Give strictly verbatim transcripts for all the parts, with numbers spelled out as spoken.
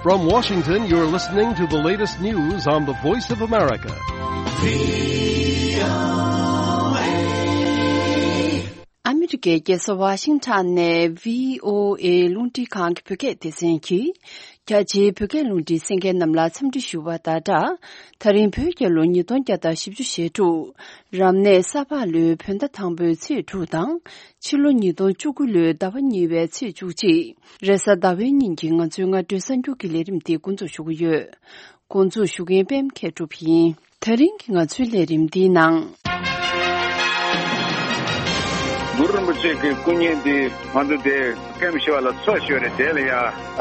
From Washington, you're listening to the latest news on the Voice of America. ཨ་མི་རི་ཀའི་རྒྱལ་ས་ཝ་ཤིང་ཊོན་ནས་བྷི་ཨོ་ཨེ་རླུང་འཕྲིན་ཁང་གི་བོད་སྐད་སྡེ་ཚན་གྱིས། རྒྱ་ཆེའི་བོད་སྐད་རླུང་འཕྲིན་གསན་མཁན་རྣམས་ལ་འཚམས་འདྲི་ཞུ་བ་དང་སྦྲགས། ད་རིང་བོད་རྒྱལ་ལོ་ཉིས་སྟོང་བརྒྱ་དང་བཞི་བཅུ་ཞེ་དྲུག་རབ་གནས་ས་ཕག་ལོའི་བོད་ཟླ་དང་པོའི་ཚེས་དྲུག་དང་། ཕྱི་ལོ་ཉིས་སྟོང་བཅུ་དགུ་ལོའི་ཟླ་བ་གཉིས་པའི་ཚེས་བཅུ་གཅིག་རེས་གཟའ་ཟླ་བའི་ཉིན་གྱི་ང་ཚོའི་སྔ་དྲོའི་གསར་འགྱུར་གྱི་ལས་རིམ་འདི་འགོ་འཛུགས་ཞུ་གི་ཡོད། འགོ་འཛུགས་ཞུ་མཁན་པད་མ་མཁས་གྲུབ་ཡིན། ད་རིང་གི་ང་ཚོའི་ལས་རིམ་འདིའི་ནང་། གུ་རུ་རིན་པོ་ཆེ་གི་སྐུ་བརྙན་འདི་ང་ཚོ་དེ་ཀེམ་ཞི་བ་ལ་འཚོ་ཞོར་རེད། དེ་ལ་ཡ་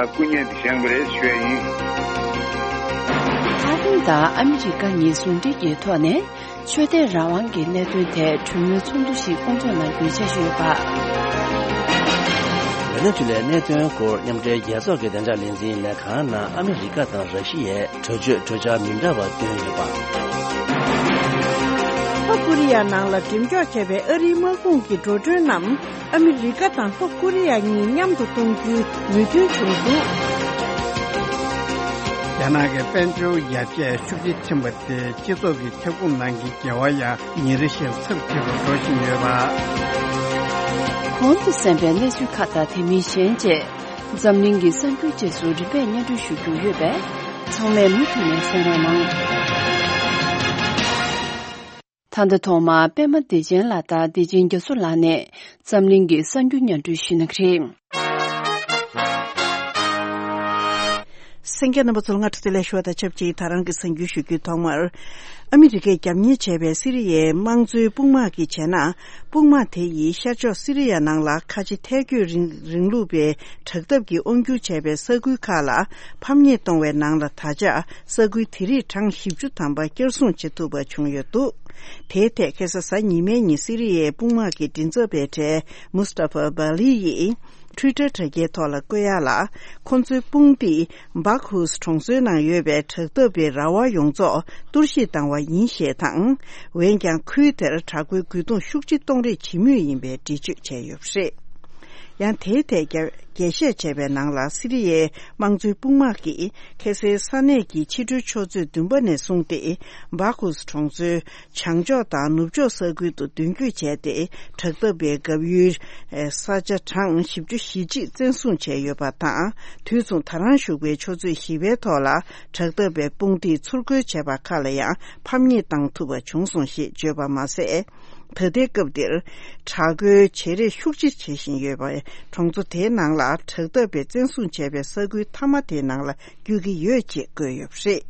སྐུ་བརྙན་འདི་བཞེངས་པ་རེད་ཞུ་ཡ་ཡིན། ཐའེ་ཝན་དང་ཨ་མི་རི་ཀ་གཉིས་ཟུང་འབྲེལ་གྱི་ཐོག་ནས་ཆོས་དད་རང་དབང་གི་གནད་དོན་ཐད་གྲོས་མོལ་ཚོགས་འདུ་ཞིག་སྐོང་ཚོགས་གནང་རྒྱུའི་འཆར་གཞི་ཡོད་པ། ཝེ་ནེ་ཛུ་ལའི་གནད་དོན་སྐོར་མཉམ་འབྲེལ་རྒྱལ་ཚོགས་ཀྱི་བདེ་འཇགས་ལས་འཛིན་ལས་ཁང་ནང་ཨ་མི་རི་ཀ་དང་ར་ཤི་ཡས་གྲོས་ཆོད་གྲོས་འཆར་མི་འདྲ་བ་བཏོན་ཡོད་པ། ལྷོ་ཀོ་རི་ཡ་ནང་ལ་འགྲེམས་འཇོག་བྱས་པའི་ཨ་རིའི་དམག་དཔུང་གི་འགྲོ་གྲོན་རྣམས་ཨ་མི་རི་ཀ་དང་ལྷོ་ཀོ་རི་ཡ་གཉིས་མཉམ་དུ་གཏོང་རྒྱུའི་མོས་མཐུན་བྱུང་འདུག་རྒྱ་ནག་གི་དཔལ་འབྱོར་ཡར་རྒྱས་ཤུགས་ཆེ་ཕྱིན་པ་དེ་སྤྱི་ཚོགས་ཀྱི་ཁྱབ་ཁོངས་ནང་གི་འགལ་བ་ཡང་ཉིན་རེ་བཞིན་ཚབས་ཆེ་རུ་འགྲོ་བཞིན་ཡོད་པ། གོང་དུ་གསན་པའི་གནས་ཚུལ་ཁག་དང་དེ་མིན་གཞན་བཅས། འཛམ་གླིང་གི་གསར་འགྱུར་རྗེས་སུ་རིམ་པས་སྙན་སྒྲོན་ཞུ་རྒྱུ་ཡོད་པས། ཚང་མས་མུ་མཐུད་ནས་གསན་རོགས་གནང་། ད་ལྟ་ཐོག་མར་པད་མ་བདེ་ཆེན་ལགས་དང་བདེ་ཆེན་རྒྱ་མཚོ་ལགས་ནས་འཛམ་གླིང་གི་གསར་འགྱུར་སྙན་སྒྲོན་ཞུ་གནང་གི་རེད། གསན་མཁན་རྣམ་པ་ཚོ་ལ་སྔ་དྲོ་བདེ་ལེགས་ཞུ་བ་དང་ཆབས་ཅིག་ད་རང་གི་གསར་འགྱུར་ཞུ་རྒྱུའི་ཐོག་མར། ཨ་མི་རི་ཀས་རྒྱབ་གཉེར་བྱས་པའི་སི་རི་ཡའི་དམངས་གཙོའི་དཔུང་དམག་གིས་བྱས་ན། དཔུང་དམག་དེ་ཡིས་ཤར་ཕྱོགས་སི་རི་ཡ་ནང་ལ་ཁ་ཆེ་ཐལ་སྐྱོད་རིང་རིང་ལུགས་པའི་དྲག་འཐབ་ཀྱི་དབང་སྒྱུར་བྱས་པའི་ས་ཁུལ་ཁག་ལ་ཕམ་ཉེས་གཏོང་བའི་ནང་ལ་ད་ཆ་ས་ཁུལ་དེ་རིགས་གྲངས་བཞི་བཅུ་ཐམ་པ་བསྐྱར་སྲུང་བྱེད་ཐུབ་པ་བྱུང་ཡོད་འདུག་དེའི་ཐད་ཁ་སང་གཟའ་ཉི་མའི་ཉིན་སི་རི་ཡའི་དཔུང་དམག་གི་མགྲིན་ཚབ་པའི་གྲས་མུས་ཏཱ་ཧྥ་བྷ་ལི་ཡིས། Twitter་དྲ་རྒྱའི་ཐོག་ལ་བཀོད་ཡག་ལ། ཁོ་ཚོའི་དཔུང་སྡེས་Baghuz་གྲོང་ཚོའི་ནང་ཡོད་པའི་དྲག་འཐབ་པའི་ར་བ་ཡོངས་རྫོགས་གཏོར་བཤིག་བཏང་བ་ཡིན་ཞེས་དང་། འོན་ཀྱང་ཁུལ་དེར་དྲག་པོའི་རྒོལ་རྡུང་ཤུགས་ཆེ་གཏོང་རེས་བྱེད་མུས་ཡིན་པའི་འགྲེལ་བརྗོད་བྱས་ཡོད་པ་རེད། ཡང་དེའི་ཐད་རྒྱ་རྒྱས་བཤད་བྱས་པའི་ནང་ལ་སི་རི་ཡའི་དམངས་གཙོའི་དཔུང་དམག་གིས་ཁ་སང་ས་གནས་ཀྱི་ཕྱི་དྲོའི་ཆུ་ཚོད་བདུན་པ་ནས་བཟུང་སྟེ་Baghuz་གྲོང་ཚོའི་བྱང་ཕྱོགས་དང་ནུབ་ཕྱོགས་ས་ཁུལ་དུ་མདུན་སྐྱོད་བྱས་ཏེ། དྲག་འཐབ་པའི་འགབ་ཡུལ་ས་ཆ་གྲངས་བཞི་བཅུ་ཞེ་གཅིག་བཙན་བཟུང་བྱས་ཡོད་པ་དང་། དུས་མཚུངས་ད་རང་བཞུགས་པའི་ཆུ་ཚོད་བཞི་པའི་ཐོག་ལ་དྲག་འཐབ་པའི་དཔུང་སྡེས་ཚུར་རྒོལ་བྱས་པ་ཁག་ལ་ཡང་ཕམ་ཉེས་བཏང་ཐུབ་པ་བྱུང་སོང་ཞེས་བརྗོད་པ་མ་ཟད། ད་ལྟའི་སྐབས་འདིར་དྲག་རྒོལ་བྱེད་རེས་ཤུགས་ཆེ་བྱེད་བཞིན་ཡོད་པས། གྲོང་ཚོ་དེའི་ནང་ལ་དྲག་འཐབ་པས་བཙན་བཟུང་བྱས་པའི་ས་ཁུལ་མཐའ་མ་དེའི་ནང་ལ་བསྐྱོད་ཀྱི་ཡོད་ཅེས་བཀོད་ཡོད་པ་རེད།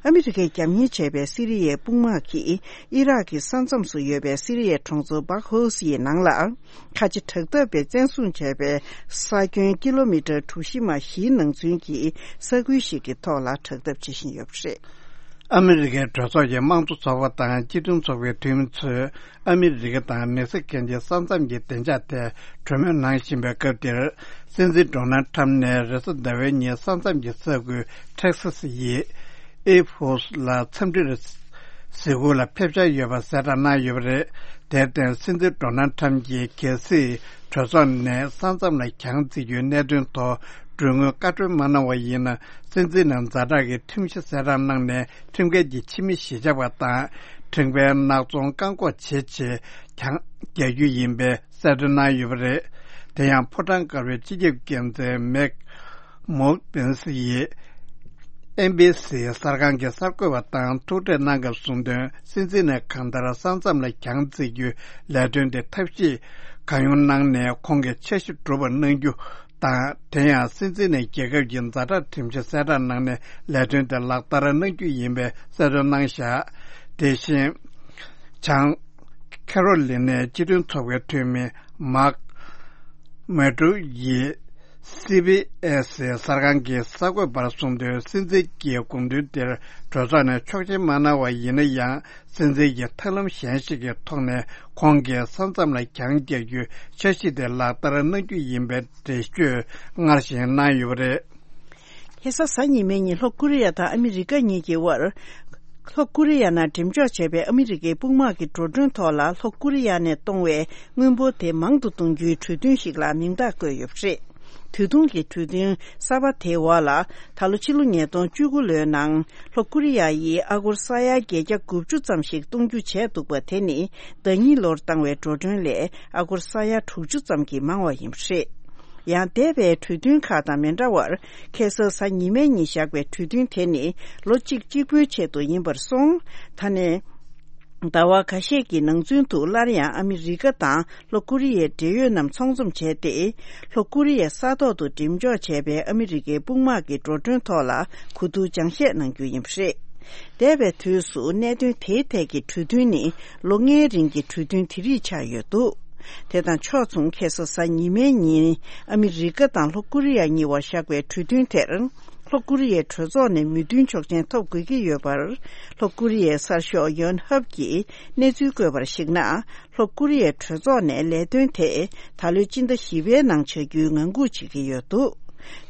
ཨ་མི་རི་ཀས་རྒྱབ་གཉེར་བྱས་པའི་སི་རི་ཡའི་དཔུང་དམག་གིས་ཨི་རག་གི་ས་མཚམས་སུ་ཡོད་པའི་སི་རི་ཡའི་གྲོང་ཚོ་Baghuz་ཡི་ནང་ལ། ཁ་ཆེ་དྲག་འཐབ་པས་བཙན་བཟུང་བྱས་པའི་ས་ཁྱོན་ཀི་ལོ་མི་ཊར་གྲུ་བཞི་མ་བཞིའི་ནང་ཚུན་གྱི་ས་ཁུལ་ཞིག་གི་ཐོག་ལ་དྲག་འཐབ་བྱེད་བཞིན་ཡོད་པ་རེད། ཨ་མི་རི་ཀའི་གྲོས་ཚོགས་ཀྱི་དམངས་གཙོ་ཚོགས་པ་དང་སྤྱི་མཐུན་ཚོགས་པའི་འཐུས་མི་ཚོས་ཨ་མི་རི་ཀ་དང་མེག་སི་ཀོ་གཉིས་ཀྱི་ས་མཚམས་ཀྱི་བདེ་འཇགས་ཐད་གྲོས་མོལ་གནང་བཞིན་པའི་སྐབས་འདིར། སྲིད་འཛིན་ཌོ་ནལ་ཁྲམ་ནས་རེས་གཟའ་ཟླ་བའི་ཉིན་ས་མཚམས་ཀྱི་ས་ཁུལ་ཊེག་སཱ་སི་ཡི་ཨེ་ཕོ་སི་ལ་འཚམས་འདྲིར་གཟིགས་སྐོར་ལ་ཕེབས་འཆར་ཡོད་པ་གསལ་བསྒྲགས་གནང་ཡོད་པ་རེད། དེར་བརྟེན། སྲིད་འཛིན་ཌོ་ནལ་ཁྲམ་གྱིས་གལ་སྲིད་གྲོས་ཚོགས་ནས་ས་མཚམས་ལ་གྱང་བརྩིགས་རྒྱུའི་གནད་དོན་ཐོག་གྲོས་མོལ་བཀའ་འཁྲོལ་མ་གནང་བ་ཡིན་ན། སྲིད་འཛིན་ནས་ཛ་དྲག་གི་ཁྲིམས་གཞི་གསལ་བསྒྲགས་གནང་ནས། ཁྲིམས་འགལ་གྱི་ཕྱི་མི་གཞིས་ཆགས་པ་དང་། ཁྲིམས་འགལ་ནག་ཚོང་བཀག་འགོག་བྱེད་ཆེད་གྱང་རྒྱག་རྒྱུ་ཡིན་པའི་གསལ་སྟོན་གནང་ཡོད་པ་རེད། དེ་ཡང་ཕོ་བྲང་དཀར་པོའི་སྤྱི་ཁྱབ་འགན་འཛིན་མེག་མོག་པེན་སི་ཡིས་ཨེན་བྷི་སི་གསར་ཁང་གི་གསར་འགོད་པ་དང་ཐུག་འཕྲད་གནང་སྐབས་གསུངས་དོན། སྲིད་འཛིན་ནས་གང་ལྟར་ས་མཚམས་ལ་གྱང་བརྩིགས་རྒྱུའི་ལས་དོན་དེ་ཐབས་ཤེས་གང་ཡོང་གནང་ནས་ཁོང་གི་འཆར་གཞི་འགྲུབ་པ་གནང་རྒྱུ་དང་། དེ་ཡང་སྲིད་འཛིན་ནས་རྒྱལ་ཁབ་ཀྱི་ཛ་དྲག་ཁྲིམས་གཞི་གསལ་བསྒྲགས་གནང་ནས་ལས་དོན་དེ་ལག་བསྟར་གནང་རྒྱུ་ཡིན་པའི་གསལ་སྟོན་གནང་བཞག་དེ་བཞིན། བྱང་ཁེ་རོ་ལི་ནའི་སྤྱི་མཐུན་ཚོགས་པའི་འཐུས་མི་མཱག་མེ་ཀྲུ་ཡིས་སི་བྷི་ཨེ་སི་གསར་ཁང་གི་གསར་འགོད་པར་གསུངས་དོན། སྲིད་འཛིན་གྱི་དགོངས་དོན་དེར་གྲོས་ཚོགས་ནས་ཆོག་མཆན་མ་གནང་བ་ཡིན་ན་ཡང་། སྲིད་འཛིན་གྱི་ཐབས་ལམ་གཞན་ཞིག་གི་ཐོག་ནས་ཁོང་གིས་ས་མཚམས་ལ་གྱང་རྒྱག་རྒྱུའི་འཆར་གཞི་དེ་ལག་བསྟར་གནང་རྒྱུ་ཡིན་པའི་འགྲེལ་བརྗོད་སྔར་བཞིན་གནང་ཡོད་པ་རེད། ཁ་སང་གཟའ་ཉི་མའི་ཉིན་ལྷོ་ཀོ་རི་ཡ་དང་ཨ་མི་རི་ཀ་གཉིས་ཀྱི་དབར། ལྷོ་ཀོ་རི་ཡ་ནང་འགྲེམས་འཇོག་བྱས་པའི་ཨ་མི་རི་ཀའི་དཔུང་དམག་གི་འགྲོ་གྲོན་ཐོག་ལ་ལྷོ་ཀོ་རི་ཡ་ནས་གཏོང་བའི་དངུལ་འབོར་དེ་མང་དུ་གཏོང་རྒྱུའི་གྲོས་མཐུན་ཞིག་ལ་མིང་རྟགས་བཀོད་ཡོད་པ་རེད། དུས་ཐུང་གི་གྲོས་མཐུན་གསར་པ་དེའི་འོག་ལ། ད་ལོ་ཕྱི་ལོ་ཉིས་སྟོང་བཅུ་དགུ་ལོའི་ནང་ལྷོ་ཀོ་རི་ཡ་ཡིས་ཨ་སྒོར་ས་ཡ་བརྒྱད་བརྒྱ་དགུ་བཅུ་ཙམ་ཞིག་གཏོང་རྒྱུ་བྱས་འདུག་པ་དེ་ནི་ཟླ་གཉིས་ལོར་བཏང་བའི་འགྲོ་གྲོན་ལས་ཨ་སྒོར་ས་ཡ་དྲུག་ཅུ་ཙམ་གྱིས་མང་བ་ཡིན་པ་རེད། ཡང་འདས་པའི་གྲོས་མཐུན་ཁག་དང་མི་འདྲ་བར། ཁ་སང་གཟའ་ཉི་མའི་ཉིན་བཞག་པའི་གྲོས་མཐུན་དེ་ནི་ལོ་གཅིག་གཅིག་པུའི་ཆེད་དུ་ཡིན་པར་སོང་། ད་ནས། ཟླ་བ་ཁ་ཤས་ཀྱི་ནང་ཚུན་དུ་སླར་ཡང་ཨ་མི་རི་ཀ་དང་ལྷོ་ཀོ་རི་ཡའི་འབྲེལ་ཡོད་རྣམས་ཚོགས་འཛོམས་བྱས་ཏེ། ལྷོ་ཀོ་རི་ཡའི་ས་ཐོག་ཏུ་འགྲེམས་འཇོག་བྱས་པའི་ཨ་མི་རི་ཀའི་དཔུང་དམག་གི་འགྲོ་གྲོན་ཐོག་ལ་གོ་བསྡུར་སྦྱང་བཤད་གནང་རྒྱུ་ཡིན་པ་རེད། འདས་པའི་དུས་སུ་གནད་དོན་དེའི་ཐད་ཀྱི་གྲོས་མཐུན་ནི་ལོ་ལྔའི་རིང་གི་གྲོས་མཐུན་དེ་རིགས་ཆགས་ཡོད་འདུག་དེ་དང་ཕྱོགས་མཚུངས། ཁ་སང་གཟའ་ཉི་མའི་ཉིན་ཨ་མི་རི་ཀ་དང་ལྷོ་ཀོ་རི་ཡ་གཉིས་བར་བཞག་པའི་གྲོས་མཐུན་དེར། ལྷོ་ཀོ་རི་ཡའི་གྲོས་ཚོགས་ནས་མོས་མཐུན་ཆོག་མཆན་ཐོབ་དགོས་ཀྱི་ཡོད་པར། ལྷོ་ཀོ་རི་ཡའི་གསར་ཤོག་ཡོན་ཧབ་ཀྱིས་གནས་ཚུལ་བཀོད་པར་གཞིགས་ན། ལྷོ་ཀོ་རི་ཡའི་གྲོས་ཚོགས་ནས་ལས་དོན་དེ་ད་ལོའི་སྤྱི་ཟླ་བཞི་པའི་ནང་བྱ་རྒྱུའི་ངང་སྒུག་བྱེད་ཀྱི་ཡོད་འདུག་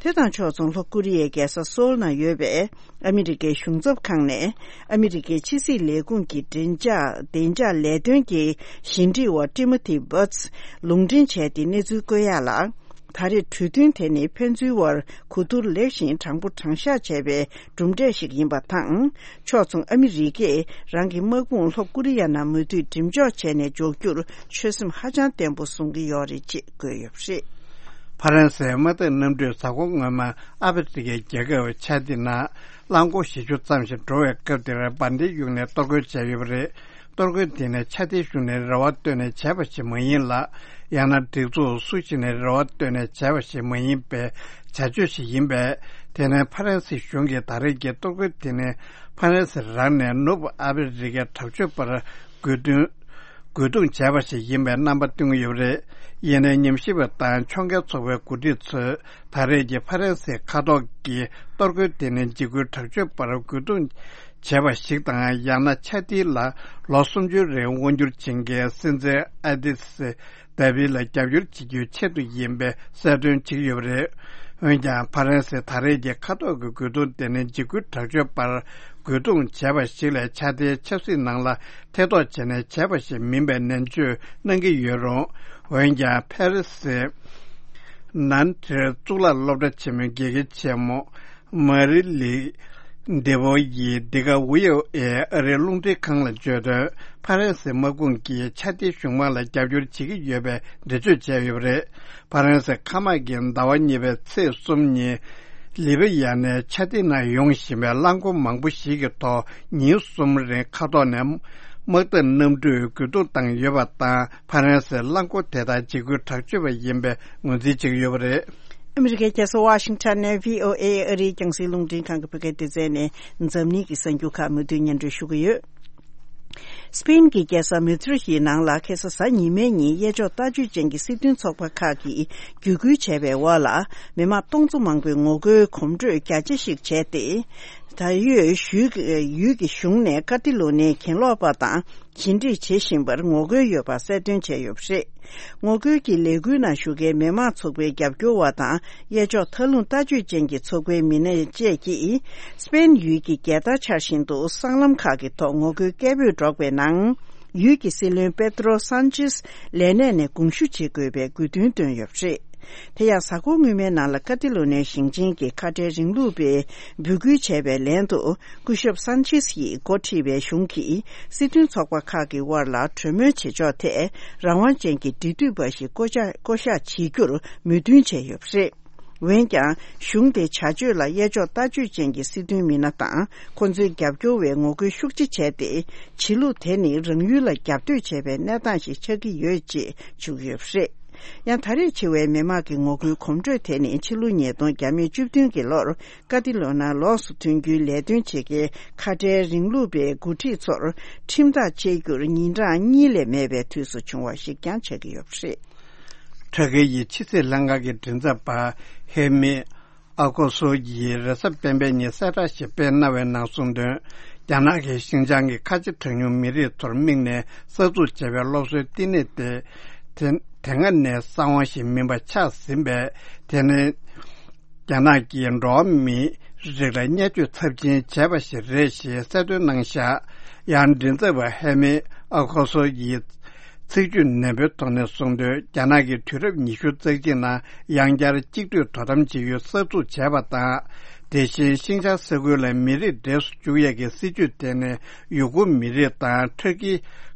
དེ་དང་ཕྱོགས་མཚུངས། ལྷོ་ཀོ་རི་ཡའི་རྒྱལ་ས་སོལ་ནང་ཡོད་པའི་ཨ་མི་རི་ཀའི་གཞུང་ཚབ་ཁང་ནས་ཨ་མི་རི་ཀའི་ཕྱི་སྲིད་ལས་ཁུངས་ཀྱི་བདེ་འཇགས་བདེ་འཇགས་ལས་དོན་གྱི་ཞི་འགྲིག་པ་ཊི་མོ་ཐི་བྷར་ཊི་ལུང་འདྲེན་བྱས་ཏེ་གནས་ཚུལ་བཀོད་ཡག་ལ། ད་རེས་གྲོས་མཐུན་དེ་ནི་ཕན་ཚུན་དབར་གོ་བསྡུར་ལེགས་ཤིང་དྲང་པོ་དྲང་བཞག་བྱས་པའི་གྲུབ་འབྲས་ཤིག་ཡིན་པ་དང་། ཕྱོགས་མཚུངས། ཨ་མི་རི་ཀས་རང་གི་དམག་དཔུང་ལྷོ་ཀོ་རི་ཡ་ནང་མུ་མཐུད་འགྲེམས་འཇོག་བྱས་ནས་འཇོག་རྒྱུར་ཆོད་སེམས་ཧ་ཅང་བརྟན་པོ་བཟུང་གི་ཡོད་རེད་ཅེས་བཀོད་ཡོད་པ་རེད། ཕ་རན་སིའི་དམག་འཐབ་གནམ་གྲུས་གཟའ་འཁོར་སྔོན་མ་ཨ་ཕི་རི་ཀའི་རྒྱལ་ཁབ་ཆ་ཏི་ནང་རླངས་འཁོར་བཞི་བཅུ་ཙམ་ཞིག་འགྲོ་བའི་སྐབས་དེར་འབར་མདེལ་གཡུགས་ནས་གཏོར་རྒོལ་བྱས་ཡོད་པ་རེད། གཏོར་རྒོལ་དེ་ནི་ཆ་ཏི་གཞུང་ནས་རེ་བ་བཏོན་ནས་བྱས་པ་ཞིག་མ་ཡིན་ལ། ཡང་ན་སྒྲིག་འཛུགས་སུ་ཞིག་ནས་རེ་བ་བཏོན་ནས་བྱས་པ་ཞིག་མ་ཡིན་པའི་བྱ་སྤྱོད་ཞིག་ཡིན་པས། དེ་ནི་ཕ་རན་སི་གཞུང་གིས་ད་རེས་ཀྱི་གཏོར་རྒོལ་དེ་ནི་ཕ་རན་སི་རང་ནས་ནུབ་ཨ་ཕི་རི་ཀའི་དྲག་སྤྱོད་པར་རྒོལ་རྡུང་རྒོལ་རྡུང་བྱས་པ་ཞིག་ཡིན་པའི་རྣམ་པ་སྟོན་གྱི་ཡོད་པ་རེད། ཡིན་ནའི་ཉམས་ཞིབ་པ་དང་ཕྱོགས་འགལ་ཚོགས་པའི་འགོ་ཁྲིད་ཚོས་ད་རེས་ཀྱི་ཕ་རན་སིའི་མཁའ་ཐོག་གི་གཏོར་རྒོལ་དེ་ནི་འཇིགས་སྐུལ་དྲག་སྤྱོད་པར་རྒོལ་རྡུང་བྱས་པ་ཞིག་དང་། ཡང་ན་ཆ་ཏི་ལ་ལོ་སུམ་ཅུའི་རིང་དབང་བསྒྱུར་བྱེད་མཁན་སྲིད་འཛིན་ཨ་དི་སི་དཱ་བི་ལ་རྒྱབ་སྐྱོར་བྱེད་རྒྱུའི་ཆེད་དུ་ཡིན་པའི་གསལ་སྟོན་བྱེད་ཀྱི་ཡོད་པ་རེད། འོན་ཀྱང་ཕ་རན་སིའི་ད་རེས་ཀྱི་མཁའ་ཐོག་གི་རྒོལ་རྡུང་དེ་ནི་འཇིགས་སྐུལ་དྲག་སྤྱོད་པར་རྒོལ་རྡུང་བྱས་པ་ཞིག་ལས་ཆ་ཏིའི་ཆབ་སྲིད་ནང་ལ་ཐེ་གཏོགས་བྱས་ནས་བྱས་པ་ཞིག་མིན་པའི་ནན་བརྗོད་གནང་གི་ཡོད་རུང་། འོན་ཀྱང་ཕ་རན་སིའི་ནན་ཊིར་གཙུག་ལག་སློབ་གྲྭ་ཆེན་མོའི་དགེ་རྒན་ཆེན་མོ་མ་རི་ལི་དེ་བོ་ཡིས་འདི་ག་ཝི་ཨོ་ཨེ་ཨ་རིའི་རླུང་འཕྲིན་ཁང་ལ་བརྗོད་དོན། ཕ་རན་སིའི་དམག་དཔུང་གིས་ཆ་ཏི་གཞུང་དམག་ལ་རྒྱབ་སྐྱོར་བྱེད་ཀྱི་ཡོད་པའི་འགྲེལ་བརྗོད་བྱས་ཡོད་པ་རེད། ཕ་རན་སིའི་མཁའ་དམག་གིས་ཟླ་བ་གཉིས་པའི་ཚེས་གསུམ་ཉིན་ལི་བི་ཡ་ནས་ཆ་ཏི་ནང་ཡོང་བཞིན་པའི་རླངས་འཁོར་མང་པོ་ཞིག་གི་ཐོག་ཉིན་གསུམ་རིང་མཁའ་ཐོག་ནས་དམག་འཐབ་གནམ་གྲུས་རྒོལ་རྡུང་བཏང་ཡོད་པ་དང་། ཕ་རན་སིའི་རླངས་འཁོར་དེ་དག་འཇིགས་སྐུལ་དྲག་སྤྱོད་པ་ཡིན་པའི་ངོས་འཛིན་བྱེད་ཀྱི་ཡོད་པ་རེད། ཨ་མི་རི་ཀའི་རྒྱལ་ས་ཝ་ཤིང་ཊོན་ནས་ཝི་ཨོ་ཨེ་ཨ་རིའི་རྒྱང་སྲིང་རླུང་འཕྲིན་ཁང་གི་བོད་སྐད་སྡེ་ཚན་ནས་འཛམ་གླིང་གི་གསར་འགྱུར་ཁག་མུ་མཐུད་སྙན་སྒྲོན་ཞུ་གི་ཡོད། སི་པེན་གྱི་རྒྱལ་ས་མེ་ཌི་རིད་ཡི་ནང་ལ་ཁ་སང་གཟའ་ཉི་མའི་ཉིན་གཡས་ཕྱོགས་ལྟ་སྤྱོད་ཅན་གྱི་སྲིད་དོན་ཚོགས་པ་ཁག་གིས་བརྒྱུད་སྐུལ་བྱས་པའི་འོག་ལ། མི་མང་སྟོང་ཚོ་མང་པོས་ངོ་རྒོལ་གོམ་བགྲོད་རྒྱ་ཆེ་ཞིག་བྱས་ཏེ། ད་ཡོད་ཡུལ་ཡུལ་གྱི་གཞུང་ནས་ཀ་ཏི་ལོ་ནིའི་གྱེན་ལོག་པ་དང་ཞི་འགྲིག་བྱེད་བཞིན་པར་ངོ་རྒོལ་ཡོད་པ་གསལ་སྟོན་བྱས་ཡོད་པ་རེད། ངོ་རྒོལ་གྱི་ལས་འགུལ་ནང་ཞུགས་མཁན་མི་མང་ཚོགས་པའི་རྒྱབ་སྐྱོར་བ་དང་གཡས་ཕྱོགས་མཐའ་ལྷུང་ལྟ་སྤྱོད་ཅན་གྱི་ཚོགས་པའི་མི་སྣ་བཅས་ཀྱིས་སི་པེན་ཡུལ་གྱི་རྒྱལ་དར་འཕྱར་བཞིན་དུ་སྲང་ལམ་ཁག་གི་ཐོག་ངོ་རྒོལ་སྐད་འབོད་སྒྲོག་པའི་ནང་། ཡུལ་གྱི་སྲིད་བློན་པེ་ཏྲོ་སན་ཆེས་ལས་གནས་ནས་དགོངས་ཞུ་བྱེད་དགོས་པའི་དགོས་འདུན་བཏོན་ཡོད་པ་རེད། དེ་ཡང་གཟའ་འཁོར་སྔོན་མའི་ནང་ལ་ཀ་ཏི་ལོ་ནིའི་ཞིང་ཆེན་གྱི་ཁ་བྲལ་རིང་ལུགས་པས་འབོད་སྐུལ་བྱས་པའི་ལན་དུ། སྐུ་ཞབས་སན་ཆེས་ཡིས་འགོ་ཁྲིད་པའི་གཞུང་གིས་སྲིད་དོན་ཚོགས་པ་ཁག་གི་དབར་ལ་གྲོས་མོལ་བྱེད་ཕྱོགས་ཐད་རང་དབང་ཅན་གྱི་འབྲེལ་མཐུད་པ་ཞིག་བསྐོ་བཞག་བསྐོ་གཞག་བྱེད་རྒྱུར་མོས་མཐུན་བྱས་ཡོད་པ་རེད། འོན་ཀྱང་། གཞུང་དེའི་བྱ་སྤྱོད་ལ་གཡས་ཕྱོགས་ལྟ་སྤྱོད་ཅན་གྱི་སྲིད་དོན་མི་སྣ་དང་ཁོང་ཚོའི་རྒྱབ་སྐྱོར་བས་ངོ་རྒོལ་ཤུགས་ཆེ་བྱས་ཏེ། བྱེད་ལུགས་དེ་ནི་རང་ཡུལ་ལ་རྒྱབ་གཏོད་བྱས་པའི་གནས་སྟངས་ཤིག་ཆགས་ཀྱི་ཡོད་ཅེས་བརྗོད་ཀྱི་ཡོད་པ་རེད། ཡང་ད་རེས་ཆེ་བའི་མི་མང་གི་ངོ་རྒོལ་གོམ་བགྲོད་དེ་ནི་ཕྱི་ལོ་ཉིས་སྟོང་བརྒྱ་མེད་བཅུ་བདུན་གྱི་ལོར་ཀ་ཏི་ལོ་ན་ལོགས་སུ་ཐོན་རྒྱུའི་ལས་དོན་བྱེད་མཁན་ཁ་བྲལ་རིང་ལུགས་པའི་འགོ་ཁྲིད་ཚོར་ཁྲིམས་ཐག་བཅད་རྒྱུར་ཉིན་གྲངས་གཉིས་ལས་མེད་པའི་དུས་སུ་བྱུང་བ་ཞིག་ཀྱང་ཆགས་ཀྱི་ཡོད་པ་རེད། ཁྲ་ཁེ་ཡི་ཕྱི་སྲིད་ལྷན་ཁང་གི་མགྲིན་ཚབ་པ་ཧེ་མི་ཨ་ཁོ་སོ་ཡིས་རེས་གཟའ་སྤེན་པའི་ཉིན་གསལ་བསྒྲགས་ཤིག་སྤེལ་གནང་བའི་ནང་གསུངས་དོན། རྒྱ་ནག་གིས་ཤིན་ཅང་གི་ཁ་ཆེ་གྲངས་ཉུང་མི་རིགས་ཚོར་དམིགས་ནས་གསར་འཛུགས་བྱས་པའི་སློབ་གསོའི་བསྟི་གནས་དེ། དེ་དེ་སྔ་ནས་གསང་བ་ཞིག་མིན་པ་ཆགས་ཟིན་པས། དེ་ནི་རྒྱ་ནག་གིས་འགྲོ་བ་མིའི་རིགས་ལ་བརྙས་བཅོས་ཚབས་ཆེན་བྱས་པ་ཞིག་རེད་ཞེས་གསལ་སྟོན་གནང་བཞག་ཡང་མགྲིན་ཚབ་པ་ཧེ་མི་ཨ་ཁོ་སོ་ཡིས། ཚིག་བརྗོད་ནན་པོའི་ཐོག་ནས་གསུངས་དོན། རྒྱ་ནག་གིས་དུས་རབས་ཉི་ཤུ་རྩ་གཅིག་ནང་ཡང་བསྐྱར་གཅིག་སྡུད་དོ་དམ་བྱེད་ཡུལ་གསར་འཛུགས་བྱས་པ་དང་། དེ་བཞིན་ཤིང་ཅང་ས་ཁུལ་ལ་མི་རིགས་འདྲེས་སུ་བཅུག་ཡས་ཀྱི་སྲིད་ཇུས་དེ་ནི་ཡུ་གུར་མི་རིགས་དང་ཊར་ཀི་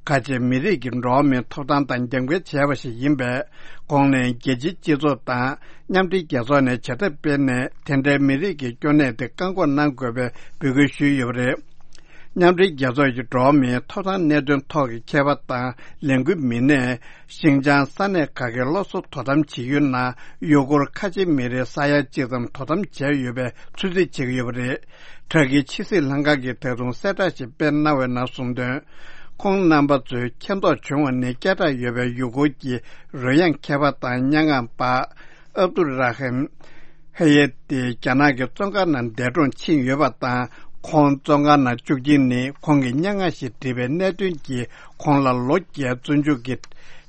ཁ་ཆེ་མི་རིགས་ཀྱི་འགྲོ་བ་མིའི་ཐོབ་ཐང་དང་རྒྱབ་འགལ་བྱས་པ་ཞིག་ཡིན་པས། ཁོང་ནས་རྒྱལ་སྤྱིའི་སྤྱི་ཚོགས་དང་མཉམ་འབྲེལ་རྒྱལ་ཚོགས་ནས་བྱེད་ཐབས་སྤེལ་ནས་དེ་འདྲའི་མི་རིགས་ཀྱི་སྐྱོ་གནས་དེ་བཀག་འགོག་གནང་དགོས་པའི་འབོད་སྐུལ་ཞུས་ཡོད་པ་རེད། མཉམ་འབྲེལ་རྒྱལ་ཚོགས་ཀྱི་འགྲོ་བ་མིའི་ཐོབ་ཐང་གནད་དོན་ཐོག་གི་མཁས་པ་དང་ལས་འགུལ་མི་སྣས་ཤིང་ཅང་ས་གནས་ཁག་གི་སློབ་གསོ་དོ་དམ་བྱེད་ཡུལ་ནང་ཡུ་གུར་ཁ་ཆེ་མི་རིགས་ས་ཡ་གཅིག་ཙམ་དོ་དམ་བྱས་ཡོད་པའི་ཚོད་རྩིས་བྱེད་ཀྱི་ཡོད་པ་རེད། ཊར་ཀིའི་ཕྱི་སྲིད་ལྷན་ཁང་གིས་ད་དུང་གསལ་བསྒྲགས་ཤིག་སྤེལ་གནང་བའི་ནང་གསུངས་དོན། ཁོང་རྣམ་པ་ཚོས་མཁྱེན་རྟོགས་བྱུང་བ་ནི། སྐད་གྲགས་ཡོད་པའི་ཡུ་གུར་གྱི་རོལ་དབྱངས་མཁས་པ་དང་སྙན་ངག་པ་ཨབ་དུ་ར་ཧིམ་ཧེ་ཡེ་ཏི་རྒྱ་ནག་གི་བཙོན་ཁང་ནང་འདས་གྲོངས་ཕྱིན་ཡོད་པ་དང་། ཁོང་བཙོན་ཁང་ནང་བཅུག་རྐྱེན་ནི་ཁོང་གིས་སྙན་ངག་ཞིག་བྲིས་པའི་གནད་དོན་གྱིས་ཁོང་ལ་ལོ་བརྒྱའི་བཙོན་འཇུག་གི་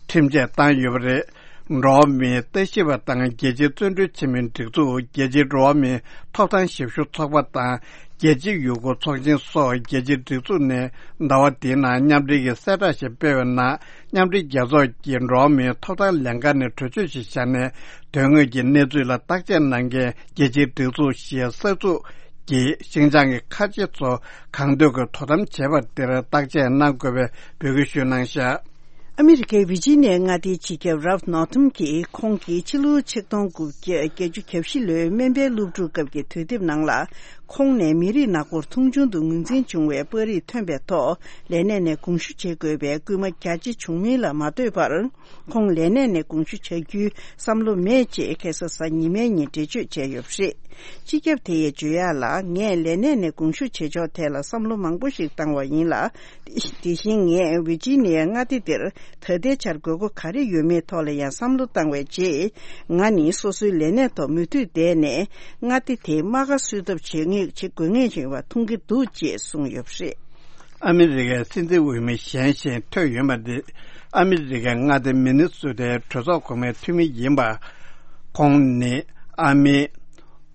ཁྲིམས་ཆད་བཏང་ཡོད་པ་རེད། འགྲོ་བ་མིའི་ལྟ་ཞིབ་པ་དང་རྒྱལ་སྤྱིའི་བརྩོན་འགྲུས་ཆེན་མོའི་སྒྲིག་འཛུགས། རྒྱལ་སྤྱིའི་འགྲོ་བ་མིའི་ཐོབ་ཐང་ཞབས་ཞུ་ཚོགས་པ་དང་། རྒྱལ་སྤྱིའི་ཡུ་གུར་ཚོགས་ཆེན་སོགས་རྒྱལ་སྤྱིའི་སྒྲིག་འཛུགས་ནས་ཟླ་བ་འདིའི་ནང་མཉམ་འབྲེལ་གྱི་གསལ་བསྒྲགས་ཤིག་སྤེལ་བའི་ནང་། མཉམ་འབྲེལ་རྒྱལ་ཚོགས་ཀྱི་འགྲོ་བ་མིའི་ཐོབ་ཐང་ལས་འགན་ནས་གྲོས་ཆོད་ཞིག་བཞག་ནས། དོན་དངོས་ཀྱི་གནས་ཚུལ་ལ་བརྟག་དཔྱད་གནང་མཁན་རྒྱལ་སྤྱིའི་སྒྲིག་འཛུགས་ཤིག་གསར་འཛུགས་ཀྱིས་ཤིན་ཅང་གི་ཁ་ཆེ་ཚོ་གང་འདོད་ཀྱིས་དོ་དམ་བྱས་པ་དེར་བརྟག་དཔྱད་གནང་དགོས་པའི་འབོད་སྐུལ་ཞུས་གནང་བཞག་ཨ་མི་རི་ཀའི་ཝི་ཇི་ནི་ཡ་མངའ་སྡེའི་སྤྱི་ཁྱབ་རཱལཕ་ནོར་ཐམ་གྱིས་ཁོང་གིས་ཕྱི་ལོ་ཆིག་སྟོང་དགུ་བརྒྱ་བརྒྱད་ཅུ་གྱ་བཞི་ལོའི་སྨན་པའི་སློབ་ཕྲུག་སྐབས་ཀྱི་དུས་དེབ་ནང་ལ། ཁོང་ནས་མི་རིགས་ནག་པོར་མཐོང་ཆུང་དུ་ངོས་འཛིན་བྱུང་བའི་པར་རིས་ཐོན་པའི་ཐོག་ལས་གནས་ནས་དགོངས་ཞུ་བྱེད་དགོས་པའི་སྐུལ་མ་རྒྱ་ཆེ་བྱུང་མིན་ལ་མ་ལྟོས་པར། ཁོང་ལས་གནས་ནས་དགོངས་ཞུ་བྱ་རྒྱུའི་བསམ་བློ་མེད་ཅེས་ཁ་སང་གཟའ་ཉི་མའི་ཉིན་འགྲེལ་བརྗོད་བྱས་ཡོད་པ་རེད། སྤྱི་ཁྱབ་དེ་ཡིས་བརྗོད་ཡག་ལ། ངས་ལས་གནས་ནས་དགོངས་ཞུ་བྱེད་ཕྱོགས་ཐད་ལ་བསམ་བློ་མང་པོ་ཞིག་བཏང་བ་ཡིན་ལ། དེ་བཞིན་ངས་ཝི་ཇི་ནི་ཡ་མངའ་སྡེ་འདིར་ད་ལྟའི་ཆར་དགོས་མཁོ་ག་རེ་ཡོད་མེད་ཐོག་ལ་ཡང་བསམ་བློ་བཏང་བའི་རྗེས། ང་ནི་སོ་སོའི་ལས་གནས་ཐོག་མུ་མཐུད་བསྡད་ནས་མངའ་སྡེ་དེའི་རྨ་ཁ་གསོ་ཐབས་བྱེད་ངེས་བྱེད་དགོས་ངེས་ཡིན་པ་མཐོང་གི་འདུག་ཅེས་གསུངས་ཡོད་པ་རེད། ཨ་མི་རི་ཀའི་སྲིད་འཛིན་འོས་མི་གཞན་ཞིག་ཐོན་ཡོད་པ་འདི། ཨ་མི་རི་ཀའི་མངའ་སྡེ་མི་ནི་སོ་ཏའི་གྲོས་ཚོགས་གོང་མའི་འཐུས་མི་ཡིན་པ། ཁོང་ནི་ཨ་མི་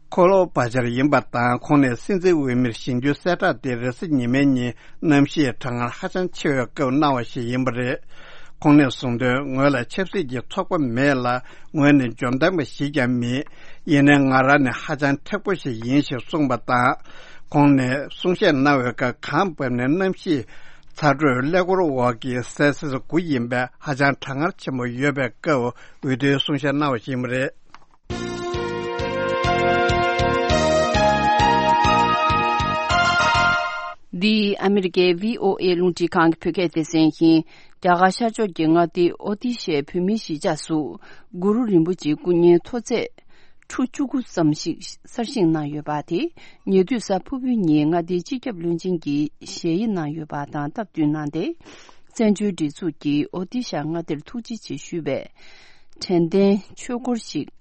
ཁོ་ལོ་བྷ་ཇར་ཡིན་པ་དང་། ཁོང་ནས་སྲིད་འཛིན་འོས་མིར་བཞེངས་རྒྱུའི་གསལ་བསྒྲགས་དེ་རེས་གཟའ་ཉི་མའི་ཉིན་གནམ་གཤིས་གྲང་ངར་ཧ་ཅང་ཆེ་བའི་སྐབས་གནང་བ་ཞིག་ཡིན་པ་རེད། ཁོང་ནས་གསུངས་དོན། ངོས་ལ་ཆབ་སྲིད་ཀྱི་ཚོགས་པ་མེད་ལ། ངོས་ནི་འཇོན་ཐང་པ་ཞིག་ཀྱང་མིན། ཡིན་ནའི་ང་རང་ནི་ཧ་ཅང་མཁྲེགས་པོ་ཞིག་ཡིན་ཞེས་གསུངས་པ་དང་། ཁོང་ནས་གསུང་བཤད་གནང་བའི་སྐབས། གངས་བབས་ནས་གནམ་གཤིས་ཚ་དྲོད་ཀླད་ཀོར་འོག་གི་སེལ་སིས་དགུ་ཡིན་པས། ཧ་ཅང་གྲང་ངར་ཆེན་པོ་ཡོད་པའི་སྐབས་འོས་བསྡུའི་གསུང་བཤད་གནང་བ་ཞིག་ཡིན་པ་རེད། འདི་ཨ་མི་རི་ཀའི་བྷི་ཨོ་ཨེ་རླུང་འཕྲིན་ཁང་གི་བོད་སྐད་སྡེ་ཚན་ཡིན། རྒྱ་གར་ཤར་ཕྱོགས་ཀྱི་མངའ་སྡེ་ཨོ་ཏི་ཤའི་བོད་མིའི་གཞིས་ཆགས་སུ་གུ་རུ་རིན་པོ་ཆེའི་སྐུ་བརྙན་མཐོ་ཚད་ཁྲུ་བཅུ་དགུ་ཙམ་ཞིག་གསར་བཞེངས་གནང་ཡོད་པ་དེ། ཉེ་དུས་གཟའ་ཕུར་བུའི་ཉིན་མངའ་སྡེའི་སྤྱི་ཁྱབ་བློན་ཆེན་གྱིས་ཞལ་དབྱེ་གནང་ཡོད་པ་དང་སྟབས་བསྟུན་གནང་སྟེ། བཙན་བྱོལ་སྒྲིག་འཛུགས་ཀྱིས་ཨོ་ཏི་ཤ་མངའ་སྡེར་ཐུགས་རྗེ་ཆེ་ཞུ་བའི་དྲན་རྟེན་ཆོས་འཁོར་ཞིག་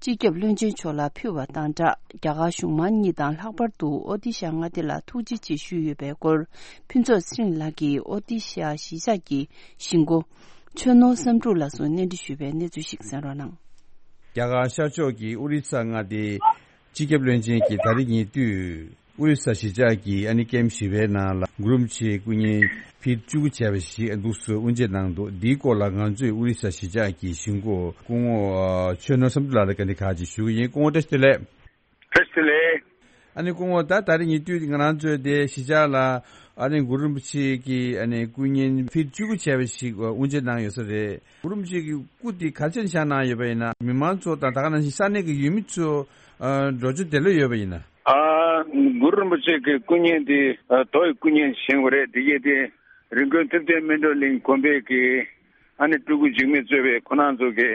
སྤྱི་ཁྱབ་བློན་ཆེན་མཆོག་ལ་ཕུལ་བ་དང་སྦྲགས། རྒྱ་གར་གཞུང་མང་གཉིས་དང་ལྷག་པར་དུ་ཨོ་ཏི་ཤ་མངའ་སྡེ་ལ་ཐུགས་རྗེ་ཆེ་ཞུས་ཡོད་པའི་སྐོར། ཕུན་ཚོགས་ཚེ་རིང་ལགས་ཀྱིས་ཨོ་ཏི་ཤ་གཞིས་ཆགས་ཀྱི་གཞིས་འགོ་ཆོས་ནོར་བསམ་འགྲུབ་ལགས་སུ་གནས་འདྲི་ཞུས་པའི་གནས་ཚུལ་ཞིག་གསན་རོགས་གནང་། རྒྱ་གར་ཤར་ཕྱོགས་ཀྱི་ཨོ་རི་ས་མངའ་སྡེའི་སྤྱི་ཁྱབ་བློན་ཆེན་གྱིས་ད་རེས་ཉེ་དུས་ཨོ་རི་ས་གཞིས་ཆགས་ཀྱི་ཨ་ནི་ཀེམ་བཞི་པའི་ནང་ལ་གུ་རུ་རིན་པོ་ཆེའི་སྐུ་བརྙན་ཕིཊ་བཅུ་དགུ་བྱས་པ་ཞིག་འདུག་སེ་དབུ་འབྱེད་གནང་འདུག་འདིའི་སྐོར་ལ་ང་ཚོས་ཨོ་རི་ས་གཞིས་ཆགས་ཀྱི་གཞིས་འགོ་སྐུ་ངོ་ཆོས་ནོར་བསམ་འགྲུབ་ལགས་ལ་བཀའ་འདྲི་ཁག་ཅིག་ཞུ་གི་ཡིན། སྐུ་ངོ་བཀྲ་ཤིས་བདེ་ལེགས། བཀྲ་ཤིས་བདེ་ལེགས། ཨ་ནི་སྐུ་ངོ་ད་ད་རེས་ཉེ་དུས་ང་རང་ཚོའི་དེ་གཞིས་ཆགས་ལ་ཨ་ནི་གུ་རུ་རིན་པོ་ཆེ་གི་ཨ་ནི་སྐུ་བརྙན་ཕིཊ་བཅུ་དགུ་བྱས་པ་ཞིག་དབུ་འབྱེད་གནང་ཡོད་ས་རེད། གུ་རུ་རིན་པོ་ཆེ་གི་སྐུ་དེ་ག་ཚོད་བཞེངས་གནང་ཡོད་པ་ཡིན་ན། མི་མང་ཚོ་དང་ད་ག་ནང་བཞིན་ས་གནས་ཀྱི་ཡུལ་མི་ཚོ་ཨ་འགྲོ་རྒྱུ་དེ་ལོས་ཡོད་པ་ཡིན་ན། ཨ་གུ་རུ་རིན་པོ་ཆེ་གི་སྐུ་བརྙན་དེ་ཨ་རྡོ་ཡི་སྐུ་བརྙན་བཞེངས་པ་རེད། དེ་གས་དེ་རི་ཀོན་ཐུབ་བསྟན་སྨིན་གྲོལ་གླིང་དགོན་པའི་གི་ཨ་ནི་སྤྲུལ་སྐུ་འཇིགས་མེད་གཙོས་པའི་ཁོང་རྣམ་ཚོ་གི་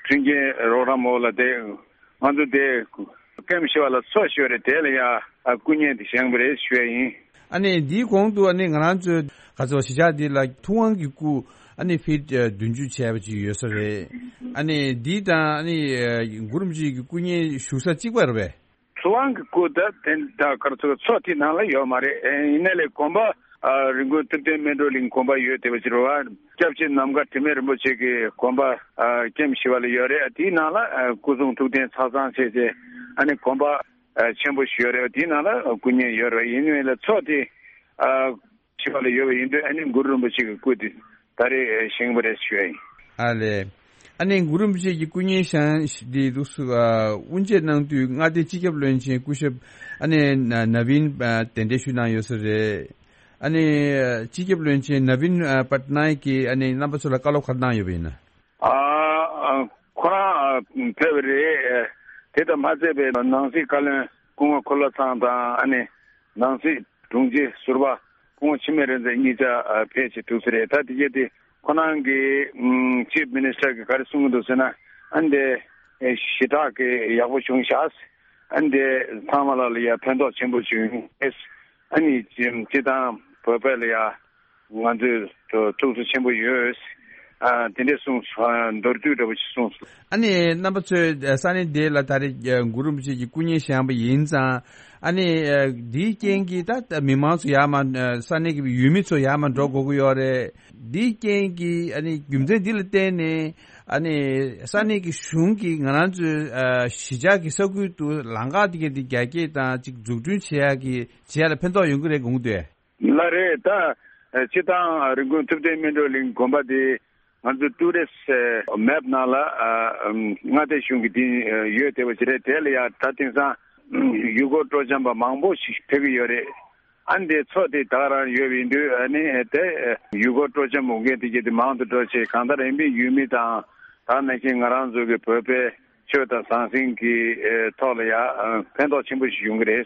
མཐུན་རྐྱེན་རོགས་རམ་འོག་ལ་དེ་ང་ཚོ་དེ་ཀེམ་བཞི་པ་ལ་འཚོ་ཞུས་པ་རེད། དེ་ལ་ཡ་ཨ་སྐུ་བརྙན་དེ་བཞེངས་པ་རེད་ཞུ་ཡ་ཡིན། ཨ་ནི་འདིའི་གོང་དུ་ཨ་ནི་ང་རང་ཚོའི་ག་ཚོད་གཞིས་ཆགས་འདི་ལ་ཐུབ་དབང་གི་སྐུ་ཨ་ནི་ཕིཊ་བདུན་ཅུ་བྱས་པ་ཅིག་ཡོད་ས་རེད། ཨ་ནི་འདི་དང་ཨ་ནི་གུ་རུ་རིན་པོ་ཆེ་གི་སྐུ་བརྙན་བཞུགས་ས་གཅིག་པ་རེད་པས། ཐུབ་དབང་གི་སྐུ་ད་དེ་ད་ག་རེ་ཟེར། མཚོ་དེའི་ནང་ལ་ཡོད་མ་རེད། ཨེ་ཡིན་ནའི་ལས་དགོན་པ་ཨ་རི་ཀོན་ཐུབ་བསྟན་སྨིན་གྲོལ་གླིང་དགོན་པ་ཡོད་བསྡད་པ་ཅིག་རེད་བ། སྐྱབས་རྗེ་ནམ་མཁའ་དྲི་མེད་རིན་པོ་ཆེ་གི་དགོན་པ་ཨ་ཀེམ་བཞི་པ་ལ་ཡོད་རེད། དེའི་ནང་ལ་ཨ་སྐུ་གསུང་ཐུགས་རྟེན་ཆ་ཚང་བྱས་བྱས་ཨ་ནི་དགོན་པ་ཨ་ཆེན་པོ་ཞིག་ཡོད་རེད། དེའི་ནང་ལ་སྐུ་བརྙན་ཡོད་རེད། ཡིན་ནའི་ལས་མཚོ་དེ་ཨ་བཞི་པ་ལ་ཡོད་པ་ཡིན་དུས་ཨ་ནི་གུ་རུ་རིན་པོ་ཆེ་གི་སྐུ་དེ་ ད་རེས་བཞེངས་པ་རེད་ཞུ་ཡ་ཡིན། ཨ་ལས། ཨ་ནི་གུ་རུ་རིན་པོ་ཆེ་གི་སྐུ་བརྙན་བཞེངས་འདི་འདུག་སུ་དབུ་འབྱེད་གནང་དུས་མངའ་སྡེའི་སྤྱི་ཁྱབ་བློན་ཆེན་སྐུ་ཞབས་ཨ་ནི་ན་ན་བིན་གདན་འདྲེན་ཞུས་གནང་ཡོད་ས་རེད། ཨ་ནི་སྤྱི་ཁྱབ་བློན་ཆེན་ན་བིན་པ་ཏ་ནའི་གིས་ཨ་ནི་རྣམ་པ་ཚོ་ལ་བཀའ་སློབ་ག་རེ་གནང་ཡོད་པ་ཡིན་ན། ཨ་ཁོ་རང་ཕེབས་པ་རེད། དེ་དང་མ་ཚད་པའི་ནང་སྲིད་བཀའ་བློན་སྐུ་ངོ་འཁོར་ལོ་ཚང་དང་ཨ་ནི་ནང་སྲིད་དྲུང་ཆེ་ཟུར་པ་སྐུ་ངོ་འཆི་མེད་རིག་འཛིན་གཉིས་ཆ་ཕེབས་བྱས་ཐུག་ས་རེད། ད་དེ་གས་དེ་ཁོ་རང་གི་ཅིབ་མི་ནི་སི་ཊར་གི་ག་རེ་གསུང་གི་འདུག་ཟེར་ན། ཨ་ནི་དེ་ཞེ་དྲག་གི་ཡག་པོ་བྱུང་ཤག་ཨ་ནི་དེ་ཚང་མ་ལ་ལ་ཡ་ཕན་ཐོགས་ཆེན་པོ་བྱུང་ཨེ། ཨ་ནི་སྤྱི་བཏང་བོད་པ་ལ་ཡ་ང་ཚོས་ཐུགས་གསོ་ཆེན་པོ་ཡོད། ཨ་དེ་འདྲས་གསུངས་སོང་། མདོར་བསྡུས་འདྲ་པོ་ཞིག་གསུངས་སོང་། ཨ་ནི་རྣམ་པ་ཚོས་ས་གནས་འདི་ལ་ད་རེས་གུ་རུ་རིན་པོ་ཆེ་གི་སྐུ་བརྙན་བཞེངས་པ་ཡིན་ཙང་། ཨ་ནི་འདིའི་རྐྱེན་གྱིས་ད་མི་མང་ཚོ་ཡར་མར་ས་གནས་ཀྱི་ཡུལ་མི་ཚོ་ཡར་མར་འགྲོ་དགོས་ཀྱི་ཡོད་རེད། འདིའི་རྐྱེན་གྱིས་ཨ་ནི་རྒྱུ་མཚན་འདི་ལ་བརྟེན་ནས་ཨ་ནི་ས་གནས་ཀྱི་གཞུང་གིས་ང་རང་ཚོའི་གཞིས་ཆགས་ཀྱི་ས་ཁུལ་དུ་ལམ་ཁ་དེ་ག་དེ་རྒྱ་སྐྱེད་དང་ཅིག་འཛུགས་སྐྲུན་བྱེད་ཡག་གི་བྱེད་ཡག་ལ་ཕན་ཐོགས་ཡོང་གི་རེད་དགོངས་འདུག་ལགས་རེད། ད་སྤྱི་བཏང་རིན་སྐུན་ཐུབ་བསྟན་སྨིན་གྲོལ་གླིང་དགོན་པ་དེ་ང་ཚོ་ཊུ་རི་སི་མེབ་ནང་ལ་མངའ་སྡེ་གཞུང་གི་དེ་ཡོད་བསྡད་པ་ཅིག་རེད། དེ་ལ་ཡང་ད་དེང་སང་ཡུལ་སྐོར་སྤྲོ་འཆམ་པ་མང་པོ་ཞིག་ཕེབས་ཀྱི་ཡོད་རེད། ཨ་ནི་དེ་མཚོ་དེ་ད་ག་རང་ཡོད་པ་ཡིན་དུས་ཨ་ནི་དེ་ཡུལ་སྐོར་སྤྲོ་འཆམ་འོང་མཁན་དེ་གྱད་དེ་མང་དུ་འགྲོ་བྱས། གང་ལྟར་ཨེ་མི་ཡུལ་མི་དང་ད་ནང་བཞིན་ང་རང་ཚོ་གི་བོད་པའི་ཆོས་དང་ཟང་ཟིང་གི་ཨེ་ཐོག་ལ་ཡང་ཨ་ཕན་ཐོགས་ཆེན་པོ་ཞིག་ཡོང་གི་རེད་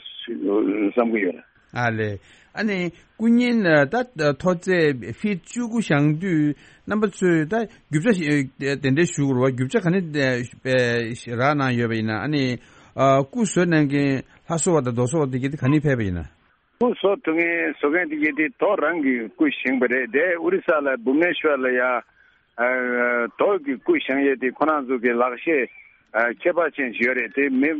བསམ་གྱི་ཡོད། ཨ་ལས། ཨ་ནི་སྐུ་བརྙན་ད་མཐོ་ཚད་ཕིཊ་བཅུ་དགུ་བཞེངས་དུས་རྣམ་པ་ཚོས་ད་རྒྱུ་ཆ་ཞིག་དེ་འདྲ་ཞུ་དགོས་རེད་བ། རྒྱུ་ཆ་ག་ནས་རག་གནང་ཡོད་པ་ཡིན་ན། ཨ་ནི་སྐུ་བཟོ་གནང་མཁན་ལྷ་བཟོ་བ་དང་རྡོ་བཟོ་བ་དེ་གྱད་དེ་ག་ནས་ཕེབས་པ་ཡིན་ན། སྐུ་བཟོ་ཐུབ་མཁན་བཟོ་མཁན་དེ་གྱད་དེ་རྡོ་རང་གི་སྐུ་བཞེངས་པ་རེད། དེ་ཨོ་རི་ས་ལ་བྷུབ་ནེ་ཤོར་ལ་ཡ་རྡོ་གི་སྐུ་བཞེངས་ཡས་དེ་ཁོ་རང་ཚོ་གི་ལག་ཤེས་ཁྱད་པར་ཅན་ཞིག་ཡོད་རེད། དེ་མི་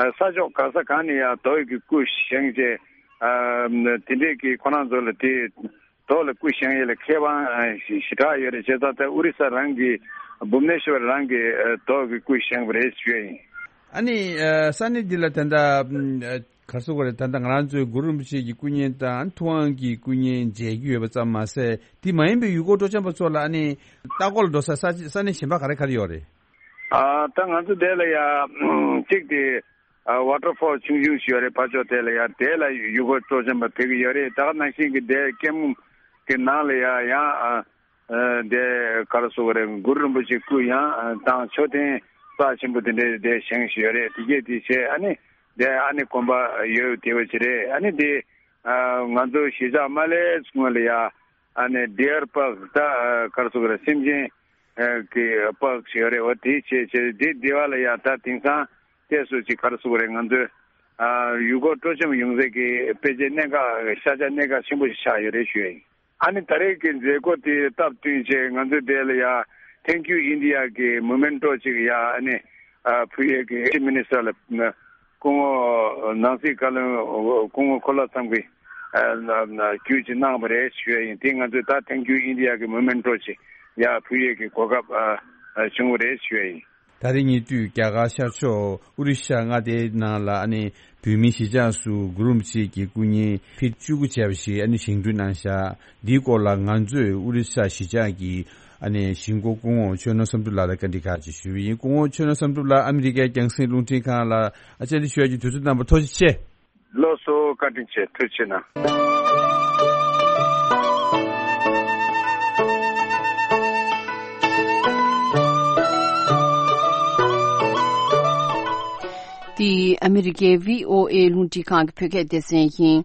ས་ཕྱོགས་ག་ས་གང་ནས་ཡ་རྡོ་གི་སྐུ་བཞེངས་བྱས་དེ་འདྲས་ཀྱི་ཁོ་རང་ཚོ་ལ་དེ་རྡོ་ལ་སྐུ་བཞེངས་ཡས་ལ་ཁེ་དབང་ཞེ་དྲག་ཡོད་རེད། བྱས་ཙང་ད་ཨོ་རི་ས་རང་གི་བྷུབ་ནེ་ཤོར་རང་གི་རྡོ་གི་སྐུ་བཞེངས་པ་རེད་ཞུ་ཡས་ཡིན། ཨ་ནི་ས་གནས་འདི་ལ་ད་ལྟ་ག་རེ་ཟེར་དགོས་རེད། ད་ལྟ་ང་རང་ཚོའི་གུ་རུ་རིན་པོ་ཆེ་གི་སྐུ་བརྙན་དང་ཐུབ་དབང་གི་སྐུ་བརྙན་མཇལ་རྒྱུ་ཡོད་པ་ཙམ་མ་ཟད། དེ་མ་ཡིན་པའི་ཡུལ་སྐོར་སྤྲོ་འཆམ་པ་ཚོ་ལ་ཨ་ནི་ལྟ་སྐོར་ལ་འགྲོ་ས་ས་ས་གནས་གཞན་པ་ག་རེ་ག་རེ་ཡོད་རེད། ཨ་ད་ང་ཚོ་དེ་ལ་ཡ་གཅིག་དེ་ཝ་ཊར་ཕོལ་ཆུང་ཆུང་ཞིག་ཡོད་རེད། ཕར་ཕྱོགས་དེ་ལ་ཡ་དེ་ལ་ཡུལ་སྐོར་སྤྲོ་འཆམ་པ་ཕེབས་ཀྱི་ཡོད་རེད། ད་ག་ནང་བཞིན་གྱི་དེ་ཀེམ་གྱི་ནང་ལ་ཡ་ཡང་དེ་ག་རེ་ཟེར་དགོས་རེད། གུ་རུ་རིན་པོ་ཆེ་སྐུ་ཡང་དང་མཆོད་རྟེན་རྩ་ཆེན་པོ་དེ་འདྲའི་དེ་བཞེངས་བཞིན་ཡོད་རེད། དེ་གྱད་དེ་བྱས་ཨ་ནི་དེ་ཨ་ནི་དགོན་པ་ཡོད་བསྡད་པ་ཅིག་རེད། ཨ་ནི་དེ་ང་ཚོ་གཞིས་ཆགས་མ་སླེབས་སྔོན་ལ་ཡ་ཨ་ནི་ཌི་ཡར་པཱག་ད་ག་རེ་ཟེར་དགོས་རེད། སེམས་ཅན་གྱི་པཱག་ཞིག་ཡོད་རེད། འོ་དེ་བྱས་བྱས་དེ་དེ་བ་ལ་ཡ་ད་དེང་སང་ཏོག་ཙམ་ཅིག་ག་རེ་ཟེར་དགོས་རེད། ང་ཚོའི་ཡུལ་སྐོར་སྤྲོ་འཆམ་ཡོང་སའི་གི་དཔེ་ཆའི་གནད་འགག་ཤ་ཆ་གནད་འགག་ཆེན་པོ་ཞིག་ཆགས་ཡོད་རེད་ཞུ་ཡ་ཡིན། ཨ་ནི་ད་རེས་ཀྱི་མཛད་སྒོ་དེ་སྟབས་བསྟུན་བྱས་ང་ཚོས་དེ་ལ་ཡ་Thank You India གི་མོ་མེན་ཊོ་ཅིག་ཡ་ཨ་ནི་ཕུལ་ཡས་ཀྱི་ཅིབ་མི་ནི་སི་ཊར་ལ་སྐུ་ངོ་ནང་སྲིད་བཀའ་བློན་སྐུ་ངོ་འཁོར་ལོ་ཚང་གིས་བརྒྱུད་ཅིག་གནང་བ་རེད་ཞུ་ཡ་ཡིན། དེ་ང་ཚོས་ད་Thank You India གི་མོ་མེན་ཊོ་ཅིག་ཡ་ཕུལ་ཡས་ཀྱི་གོ་སྐབས་བྱུང་བ་རེད་ཞུ་ཡ་ཡིན། ད་རེས་ཉེ་དུས་རྒྱ་གར་ཤར་ཕྱོགས་ཨོ་རི་ཤ་མངའ་སྡེའི་ནང་ལ་ཨ་ནི་བོད་མིའི་གཞིས་ཆགས་སུ་གུ་རུ་རིན་པོ་ཆེ་གི་སྐུ་བརྙན་ཕིཊ་བཅུ་དགུ་བྱས་པ་ཞིག་ཨ་ནི་བཞེངས་སྐྲུན་གནང་བཞག་འདིའི་སྐོར་ལ་ང་ཚོས་ཨོ་རི་ཤ་གཞིས་ཆགས་ཀྱི་ཨ་ནི་གཞིས་འགོ་སྐུ་ངོ་ཆོས་ནོར་བསམ་གྲུབ་ལགས་ལ་བཀའ་འདྲི་ཁག་ཅིག་ཞུས་པ་ཡིན། སྐུ་ངོ་ཆོས་ནོར་བསམ་གྲུབ་ལགས་ཨ་མི་རི་ཀའི་རྒྱང་སྲིང་རླུང་འཕྲིན་ཁང་ལ་ཨ་བཅར་འདྲི་ཞུ་ཡག་གི་དུས་ཚོད་གནང་བར་ཐུགས་རྗེ་ཆེ། ལགས་སོ། བཀའ་དྲིན་ཆེ། ཐུགས་རྗེ་གནང་། འདི་ཨ་མི་རི་ཀའི་བྷི་ཨོ་ཨེ་རླུང་འཕྲིན་ཁང་གི་བོད་སྐད་སྡེ་ཚན་ཡིན།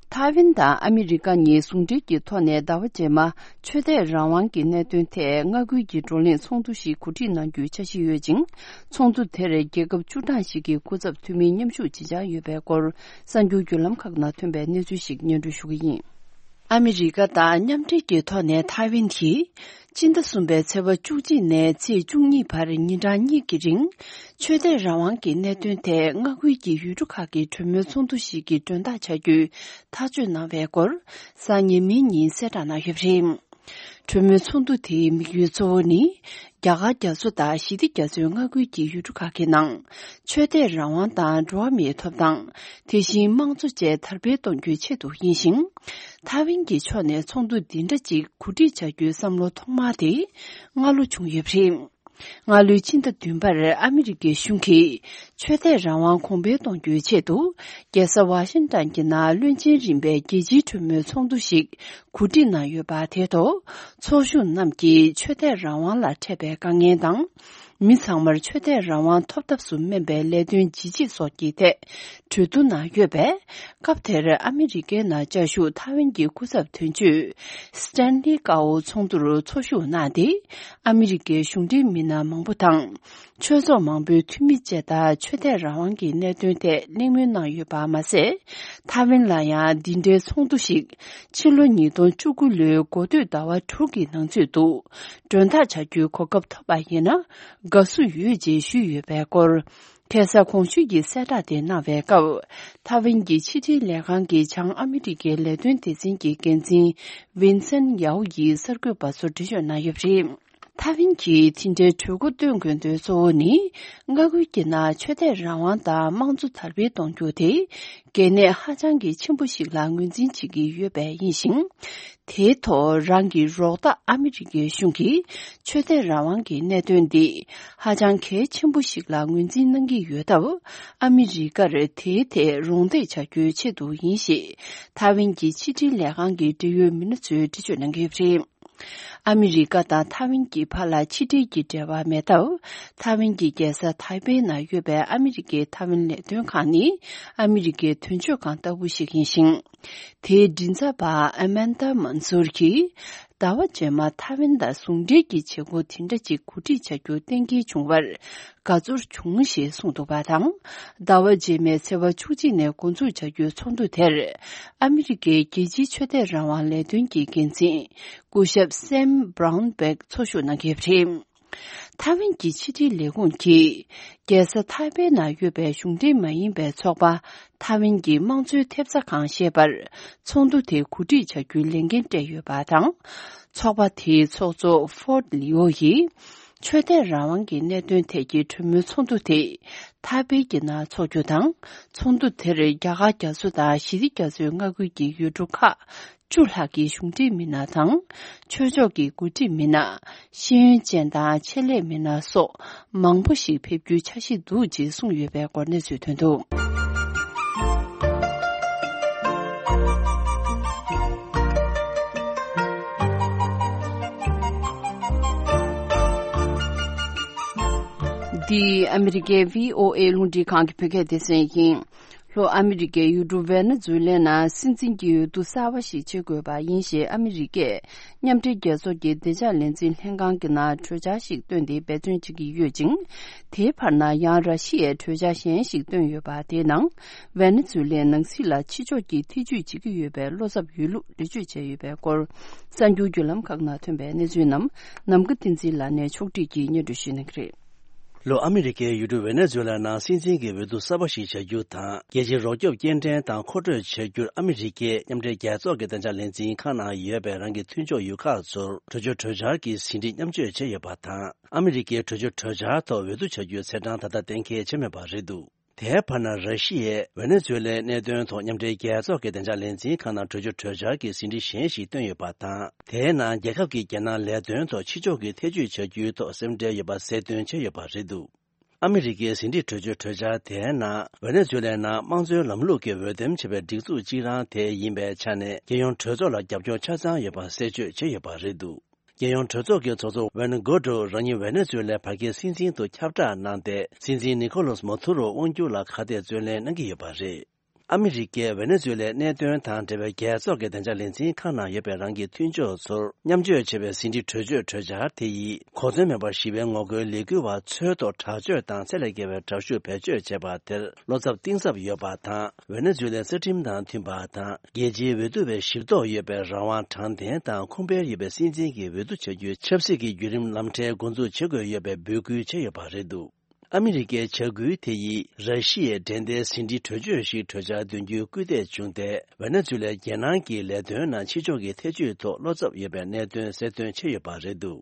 ཐའེ་ཝན་དང་ཨ་མི་རི་ཀ་གཉིས་ཟུང་འབྲེལ་གྱི་ཐོག་ནས་ཟླ་བ་རྗེས་མ་ཆོས་དད་རང་དབང་གི་གནད་དོན་ཐད་མངའ་ཁུལ་གྱི་བགྲོ་གླེང་ཚོགས་འདུ་ཞིག་གོ་སྒྲིག་གནང་རྒྱུའི་འཆར་གཞི་ཡོད་ཅིང་། ཚོགས་འདུ་དེར་རྒྱལ་ཁབ་བཅུ་གྲངས་ཤིག་གི་སྐུ་ཚབ་འཐུས་མིའི་མཉམ་ཞུགས་བྱེད་འཆར་ཡོད་པའི་སྐོར་གསར་འགྱུར་བརྒྱུད་ལམ་ཁག་ནང་ཐོན་པའི་གནས་ཚུལ་ཞིག་སྙན་སྒྲོན་ཞུ་གི་ཡིན། ཨ་མི་རི་ཀ་དང་མཉམ་འབྲེལ་གྱི་ཐོག་ནས་ཐའེ་ཝན་གྱིས་སྤྱི་ཟླ་གསུམ་པའི་ཚེས་པ་བཅུ་གཅིག་ནས་ཚེས་བཅུ་གཉིས་བར་ཉིན་གྲངས་གཉིས་ཀྱི་རིང་། ཆོས་དད་རང་དབང་གི་གནད་དོན་ཐད་མངའ་ཁུལ་གྱི་ཡུལ་གྲུ་ཁག་གི་གྲོས་མོལ་ཚོགས་འདུ་ཞིག་གི་མགྲོན་བདག་བྱ་རྒྱུའི་ཐག་གཅོད་གནང་བའི་སྐོར་གཟའ་ཉི་མའི་ཉིན་གསལ་བསྒྲགས་གནང་ཡོད་པ་རེད། གྲོས་མོལ་ཚོགས་འདུ་དེའི་དམིགས་ཡུལ་གཙོ་བོ་ནི། རྒྱ་གར་རྒྱ་མཚོ་དང་ཞི་བདེ་རྒྱ་མཚོའི་མངའ་ཁུལ་གྱི་ཡུལ་གྲུ་ཁག་གི་ནང་། ཆོས་དད་རང་དབང་དང་འགྲོ་བ་མིའི་ཐོབ་ཐང་། དེ་བཞིན་དམངས་གཙོ་བཅས་དར་སྤེལ་གཏོང་རྒྱུའི་ཆེད་དུ་ཡིན་ཞིང་། ཐའེ་ཝན་གྱི་ཕྱོགས་ནས་ཚོགས་འདུ་འདི་འདྲ་ཅིག་གོ་སྒྲིག་བྱ་རྒྱུའི་བསམ་བློ་ཐོག་མ་དེ་སྔ་ལོ་བྱུང་ཡོད་པ་རེད། སྔ་ལོའི་ཕྱི་ཟླ་བདུན་པར་ཨ་མི་རི་ཀའི་གཞུང་གིས་ཆོས་དད་རང་དབང་གོང་འཕེལ་གཏོང་རྒྱུའི་ཆེད་དུ། རྒྱལ་ས་ཝ་ཤིང་ཏན་གྱི་ནང་བློན་ཆེན་རིམ་པའི་རྒྱལ་སྤྱིའི་གྲོས་མོལ་ཚོགས་འདུ་ཞིག་གོ་སྒྲིག་གནང་ཡོད་པ་དེའི་ཐོག་ཚོགས་ཞུགས་རྣམས་ཀྱིས་ཆོས་དད་རང་དབང་ལ་འཕྲད་པའི་དཀའ་ངལ་དང་། མི་ཚང་མར་ཆོས་དད་རང་དབང་ཐོབ་ཐབས་སུ་སྨན་པའི་ལས་དོན་ཇི་བྱེད་སོགས་ཀྱི་ཐད་གྲོས་བསྡུར་གནང་ཡོད་པས། སྐབས་དེར་ཨ་མི་རི་ཀའི་ནང་བཅའ་བཞུགས་ཐའེ་ཝན་གྱི་སྐུ་ཚབ་དོན་གཅོད་སི་ཏན་ལི་ཀའོ་ཚོགས་འདུར་ཚོགས་ཞུགས་གནང་སྟེ། ཨ་མི་རི་ཀའི་གཞུང་འབྲེལ་མི་སྣ་མང་པོ་དང་། ཆོས་ཚོགས་མང་པོའི་འཐུས་མི་བཅས་དང་ཆོས་དད་རང་དབང་གི་གནད་དོན་ཐད་གླེང་མོལ་གནང་ཡོད་པ་མ་ཟད། ཐའེ་ཝན་ལ་ཡང་འདི་འདྲའི་ཚོགས་འདུ་ཞིག་ཕྱི་ལོ་ཉིས་སྟོང་བཅུ་དགུ་ལོའི་འགོ་སྟོད་ཟླ་བ་དྲུག་གི་ནང་ཚུད་དུ་མགྲོན་བདག་བྱ་རྒྱུའི་གོ་སྐབས་ཐོབ་པ་ཡིན་ན་དགའ་བསུ་ཡོད་ཅེས་ཞུས་ཡོད་པའི་སྐོར། ཁ་སང་གོང་ཞུས་ཀྱི་གསལ་བསྒྲགས་དེ་གནང་བའི་སྐབས། ཐའེ་ཝན་གྱི་ཕྱི་དྲིལ་ལས་ཁང་གི་བྱང་ཨ་མི་རི་ཀའི་ལས་དོན་སྡེ་ཚན་གྱི་འགན་འཛིན་ཝིན་སན་ཡའོ་ཡིས་གསར་འགོད་པ་ཚོར་འགྲེལ་བརྗོད་གནང་ཡོད་པ་རེད། ཐའེ་ཝན་གྱིས་དེ་འདྲའི་གྲོས་འགོ་བཏོན་དགོས་དོན་གཙོ་བོ་ནི། མངའ་ཁུལ་གྱི་ནང་ཆོས་དད་རང་དབང་དང་དམངས་གཙོ་དར་སྤེལ་གཏོང་རྒྱུ་དེ། གལ་གནད་ཧ་ཅང་གི་ཆེན་པོ་ཞིག་ལ་ངོས་འཛིན་བྱེད་ཀྱི་ཡོད་པས་ཡིན་ཞིང་། དེའི་ཐོག་རང་གི་རོགས་ཟླ་ཨ་མི་རི་ཀའི་གཞུང་གིས་ཆོས་དད་རང་དབང་གི་གནད་དོན་འདི་ཧ་ཅང་གལ་ཆེན་པོ་ཞིག་ལ་ངོས་འཛིན་གནང་གི་ཡོད་སྟབས། ཨ་མི་རི་ཀར་དེའི་ཐད་རོགས་འདེགས་བྱ་རྒྱུའི་ཆེད་དུ་ཡིན་ཞེས། ཐའེ་ཝན་གྱི་ཕྱི་དྲིལ་ལས་ཁང་གི་འབྲེལ་ཡོད་མི་སྣ་ཚོས་འགྲེལ་བརྗོད་གནང་གི་ཡོད་པ་རེད། ཨ་མི་རི་ཀ་དང་ཐའེ་ཝན་གྱི་བར་ལ་ཕྱི་འབྲེལ་གྱི་འབྲེལ་བ་མེད་སྟབས། ཐའེ་ཝན་གྱི་རྒྱལ་ས་ཐའེ་པེ་ན་ཡོད་པའི་ཨ་མི་རི་ཀའི་ཐའེ་ཝན་ལས་དོན་ཁང་ནི་ཨ་མི་རི་ཀའི་དོན་གཅོད་ཁང་ལྟ་བུ་ཞིག་ཡིན་ཞིང་། དེའི་མགྲིན་ཚབ་པ་ཨ་མན་ད་མན་སུར་གྱིས། ཟླ་བ་རྗེས་མ་ཐའེ་ཝན་དང་ཟུང་འབྲེལ་གྱི་བྱེད་སྒོ་དེ་འདྲ་ཅིག་གོ་སྒྲིག་བྱ་རྒྱུ་གཏན་འཁེལ་བྱུང་བར་དགའ་ཚོར་བྱུང་ཞེས་གསུངས་འདུག་པ་དང་། ཟླ་བ་རྗེས་མའི་ཚེས་པ་བཅུ་གཅིག་ནས་འགོ་འཛུགས་བྱ་རྒྱུའི་ཚོགས་འདུ་དེར། ཨ་མི་རི་ཀའི་རྒྱལ་སྤྱིའི་ཆོས་དད་རང་དབང་ལས་དོན་གྱི་འགན་འཛིན། སྐུ་ཞབས་སེམ་བྷ་རའུན་བྷེག་ཚོགས་ཞུགས་གནང་གི་ཡོད་པ་རེད། ཐའེ་ཝན་གྱི་ཕྱི་དྲིལ་ལས་ཁུངས་ཀྱིས། རྒྱལ་ས་ཐའེ་པེ་ན་ཡོད་པའི་གཞུང་འབྲེལ་མ་ཡིན་པའི་ཚོགས་པ། ཐའེ་ཝན་གྱི་དམངས་གཙོའི་ཐེབས་རྩ་ཁང་ཞེས་པར། ཚོགས་འདུ་དེ་གོ་སྒྲིག་བྱ་རྒྱུའི་ལས་འགན་སྤྲད་ཡོད་པ་དང་། ཚོགས་པ་དེའི་ཚོགས་གཙོ་ཧྥོར་ལི་ཨོ་ཡིས། ཆོས་དད་རང་དབང་གི་གནད་དོན་ཐད་ཀྱི་གྲོས་མོལ་ཚོགས་འདུ་དེ། ཐའེ་པེ་གྱི་ནང་འཚོགས་རྒྱུ་དང་། ཚོགས་འདུ་དེར་རྒྱ་གར་རྒྱ་མཚོ་དང་ཞི་བདེ་རྒྱ་མཚོའི་མངའ་ཁུལ་གྱི་ཡུལ་གྲུ་ཁག་བཅུ་ལྷག་གི་གཞུང་འབྲེལ་མི་སྣ་དང་། ཆོས་ཕྱོགས་ཀྱི་འགོ་ཁྲིད་མི་སྣ། ཤེས་ཡོན་ཅན་དང་ཆེད་ལས་མི་སྣ་སོགས་མང་པོ་ཞིག་ཕེབས་རྒྱུའི་འཆར་གཞི་འདུག་ཅེས་གསུངས་ཡོད་པའི་སྐོར་གནས་ཚུལ་ཐོན་འདུག། འདི་ཨ་མི་རི་ཀའི་བྷི་ཨོ་ཨེ་རླུང་འཕྲིན་ཁང་གི་བོད་སྐད་སྡེ་ཚན་ཡིན། ལྷོ་ཨ་མི་རི་ཀའི་ཡུལ་གྲུ་ཝེ་ནེ་ཛུ་ལའི་ནང་སྲིད་འཛིན་གྱི་འོས་བསྡུ་གསར་པ་ཞིག་བྱེད་དགོས་པ་ཡིན་ཞེས་ཨ་མི་རི་ཀས་མཉམ་འབྲེལ་རྒྱལ་ཚོགས་ཀྱི་བདེ་འཇགས་ལས་འཛིན་ལྷན་ཁང་གི་ནང་གྲོས་འཆར་ཞིག་བཏོན་ཏེ་འབད་བརྩོན་བྱེད་ཀྱི་ཡོད་ཅིང་། དེའི་བར་ན་ཡང་ར་ཤི་ཡས་གྲོས་འཆར་གཞན་ཞིག་བཏོན་ཡོད་པ། དེའི་ནང་ཝེ་ནེ་ཛུ་ལའི་ནང་སྲིད་ལ་ཕྱི་ཕྱོགས་ཀྱིས་ཐེ་ཇུས་བྱེད་ཀྱི་ཡོད་པའི་བློ་འཚབ་ཡོད་ལུགས་འགྲེལ་བརྗོད་བྱས་ཡོད་པའི་སྐོར། གསར་འགྱུར་བརྒྱུད་ལམ་ཁག་ནང་ཐོན་པའི་གནས་ཚུལ་རྣམས་ནམ་མཁའ་བསྟན་འཛིན་ལགས་ནས་ཕྱོགས་བསྒྲིགས་ཀྱིས་སྙན་སྒྲོན་ཞུ་གནང་གི་རེད། ལྷོ་ཨ་མི་རི་ཀའི་ཡུལ་གྲུ་ཝེ་ནེ་ཛུ་ལ་ནང་སྲིད་འཛིན་གྱི་འོས་བསྡུ་གསར་པ་ཞིག་བྱ་རྒྱུ་དང་། རྒྱལ་སྤྱིའི་རོགས་སྐྱོབ་སྐྱེལ་འདྲེན་དང་མཁོ་སྤྲོད་བྱ་རྒྱུར་ཨ་མི་རི་ཀས་མཉམ་འབྲེལ་རྒྱལ་ཚོགས་ཀྱི་བདེ་འཇགས་ལས་འཛིན་ཁང་ནང་ཡོད་པའི་རང་གི་མཐུན་ཕྱོགས་ཡུལ་ཁག་ཚོར་གྲོས་ཆོད་གྲོས་འཆར་གྱི་ཟིན་བྲིས་མཉམ་སྤྱོད་བྱས་ཡོད་པ་དང་། ཨ་མི་རི་ཀའི་གྲོས་ཆོད་གྲོས་འཆར་ཐོག་འོས་བསྡུ་བྱ་རྒྱུའི་ཚེས་གྲངས་ད་ལྟ་གཏན་འཁེལ་བྱས་མེད་པ་རེད་འདུག། དེའི་བར་ན་ར་ཤི་ཡས་ཝེ་ནེ་ཛུ་ལའི་གནད་དོན་ཐོག་མཉམ་འབྲེལ་རྒྱལ་ཚོགས་ཀྱི་བདེ་འཇགས་ལས་འཛིན་ཁང་ནང་གྲོས་ཆོད་གྲོས་འཆར་གྱི་ཟིན་བྲིས་གཞན་ཞིག་བཏོན་ཡོད་པ་དང་། དེའི་ནང་རྒྱལ་ཁབ་ཀྱི་རྒྱལ་ནང་ལས་དོན་ཐོག་ཕྱི་ཕྱོགས་ཀྱི་ཐེ་ཇུས་བྱ་རྒྱུའི་ཐོག་སེམས་ཁྲལ་ཡོད་པ་གསལ་སྟོན་བྱས་ཡོད་པ་རེད་འདུག། ཨ་མི་རི་ཀའི་ཟིན་བྲིས་གྲོས་ཆོད་གྲོས་འཆར་དེའི་ནང་ཝེ་ནེ་ཛུ་ལའི་ནང་དམངས་གཙོའི་ལམ་ལུགས་ཀྱི་འོས་འདེམས་བྱས་པའི་སྒྲིག་འཛུགས་གཅིག་རང་དེ་ཡིན་པའི་ཆ་ནས། རྒྱལ་ཡོངས་གྲོས་ཚོགས་ལ་རྒྱབ་སྐྱོར་ཆ་ཚང་ཡོད་པ་གསལ་བརྗོད་བྱས་ཡོད་པ་རེད་འདུག། རྒྱལ་ཡོངས་གྲོས་ཚོགས་ཀྱི་ཚོགས་གཙོ་ཝེན་གོ་ཏྲོ་རང་ཉིད་ཝེ་ནེ་ཛུ་ལའི་བར་བརྒལ་སྲིད་འཛིན་དུ་ཁྱབ་བསྒྲགས་གནང་སྟེ། སྲིད་འཛིན་ནི་ཁོ་ལོ་སི་མ་དུ་རོ་དབང་སྒྱུར་ལ་ཁ་གཏད་བརྩོན་ལེན་གནང་གི་ཡོད་པ་རེད། ཨ་མི་རི་ཀས་ཝེ་ནེ་ཛུ་ལའི་གནད་དོན་དང་འབྲེལ་བའི་རྒྱལ་ཚོགས་ཀྱི་བདེ་འཇགས་ལས་འཛིན་ཁང་ནང་ཡོད་པའི་རང་གི་མཐུན་ཕྱོགས་ཚོར་མཉམ་སྤྱོད་བྱས་པའི་ཟིན་བྲིས་གྲོས་ཆོད་གྲོས་འཆར་དེ་ཡིས། གོ་མཚོན་མེད་པར་ཞི་བའི་ངོ་རྒོལ་ལས་འགུལ་བ་འཚོལ་རྟོག་དྲག་སྤྱོད་དང་ཚད་ལས་བརྒལ་བའི་དྲག་ཤུགས་བེད་སྤྱོད་བྱས་པ་དེར་བློ་འཚབ་གཏིང་ཟབ་ཡོད་པ་དང་། ཝེ་ནེ་ཛུ་ལའི་རྩ་ཁྲིམས་དང་མཐུན་པ་དང་། རྒྱལ་སྤྱིའི་འོས་བསྡུ་བའི་ཞིབ་རྟོག་ཡོད་པའི་རང་དབང་དྲང་བདེན་དང་། ཁུངས་སྤེལ་ཡོད་པའི་སྲིད་འཛིན་གྱི་འོས་བསྡུ་བྱ་རྒྱུའི་ཆབ་སྲིད་ཀྱི་བརྒྱུད་རིམ་ལམ་ཁྲལ་འགོ་འཛུགས་བྱེད་དགོས་ཡོད་པའི་འབོད་སྐུལ་བྱས་ཡོད་པ་རེད་འདུག། ཨ་མི་རི་ཀའི་བྱ་འགུལ་དེ་ཡིས་ར་ཤི་ཡའི་འགྲན་ཟླའི་ཟིན་བྲིས་གྲོས་ཆོད་ཞིག་གྲོས་འཆར་འདོན་རྒྱུའི་སྐུལ་འདེད་བྱུང་སྟེ། ཝེ་ནེ་ཛུ་ལའི་རྒྱལ་ནང་གི་ལས་དོན་ནང་ཕྱི་ཕྱོགས་ཀྱི་ཐེ་བྱུས་ཐོག་བློ་འཚབ་ཡོད་པའི་གནད་དོན་གསལ་སྟོན་བྱས་ཡོད་པ་རེད་འདུག་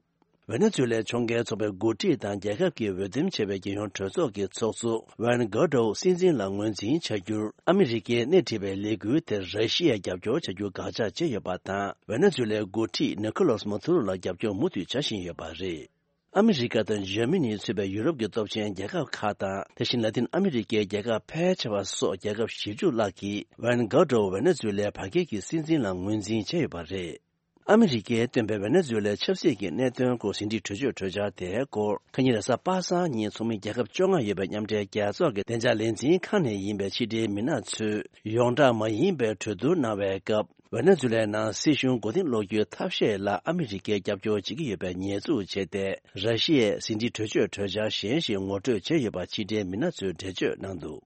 ཝེ་ནེ་ཛུ་ལའི་ཕྱོགས་འགལ་ཚོགས་པའི་འགོ་ཁྲིད་དང་རྒྱལ་ཁབ་ཀྱི་འོས་འདེམས་བྱས་པའི་རྒྱལ་ཡོངས་གྲོས་ཚོགས་ཀྱི་ཚོགས་གཙོ་ཝན་གྷོ་ཌོ་སྲིད་འཛིན་ལ་ངོས་འཛིན་བྱ་རྒྱུར་ཨ་མི་རི་ཀས་སྣེ་ཁྲིད་པའི་ལས་འགུལ་དེར་ར་ཤི་ཡས་རྒྱབ་སྐྱོར་བྱ་རྒྱུ་དགག་བྱ་བྱས་ཡོད་པ་དང་། ཝེ་ནེ་ཛུ་ལའི་འགོ་ཁྲིད་ནི་ཁོ་ལོ་སི་མ་དུ་རོ་ལ་རྒྱབ་སྐྱོར་མུ་མཐུད་བྱ་བཞིན་ཡོད་པ་རེད། ཨ་མི་རི་ཀ་དང་འཇར་མ་ནི་ཚུད་པའི་ཡུ་རོབ་ཀྱི་སྟོབས་ཆེན་རྒྱལ་ཁབ་ཁག་དང་། དེ་བཞིན་ལ་ཏིན་ཨ་མི་རི་ཀའི་རྒྱལ་ཁབ་ཕལ་ཆེ་བ་སོགས་རྒྱལ་ཁབ་བཞི་བཅུ་ལྷག་གིས་ཝན་གྷོ་ཌོ་ཝེ་ནེ་ཛུ་ལའི་བར་བརྒལ་གྱི་སྲིད་འཛིན་ལ་ངོས་འཛིན་བྱས་ཡོད་པ་རེད། ཨ་མི་རི་ཀས་བཏོན་པའི་ཝེ་ནེ་ཛུ་ལའི་ཆབ་སྲིད་ཀྱི་གནད་དོན་སྐོར་ཟིན་བྲིས་གྲོས་ཆོད་གྲོས་འཆར་དེའི་སྐོར། ཁ་ཉིན་རེས་གཟའ་པ་སངས་ཉིན་ཚོགས་མི་རྒྱལ་ཁབ་བཅོ་ལྔ་ཡོད་པའི་མཉམ་འབྲེལ་རྒྱལ་ཚོགས་ཀྱི་བདེ་འཇགས་ལས་འཛིན་ཁང་ནས་ཡིན་པའི་ཕྱི་འབྲེལ་མི་སྣ་ཚོས། ཡོངས་གྲགས་མ་ཡིན་པའི་གྲོས་བསྡུར་གནང་བའི་སྐབས། ཝེ་ནེ་ཛུ་ལའི་ནང་སྲིད་གཞུང་མགོ་རྟིང་སློག་རྒྱུའི་ཐབས་ཤེས་ལ་ཨ་མི་རི་ཀས་རྒྱབ་སྐྱོར་བྱེད་ཀྱི་ཡོད་པའི་ཉེས་འཛུགས་བྱས་ཏེ། ར་ཤི་ཡས་ཟིན་བྲིས་གྲོས་ཆོད་གྲོས་འཆར་གཞན་ཞིག་ངོ་སྤྲོད་བྱས་ཡོད་པ་ཕྱི་འབྲེལ་མི་སྣ་ཚོས་འགྲེལ་བརྗོད་གནང་འདུག་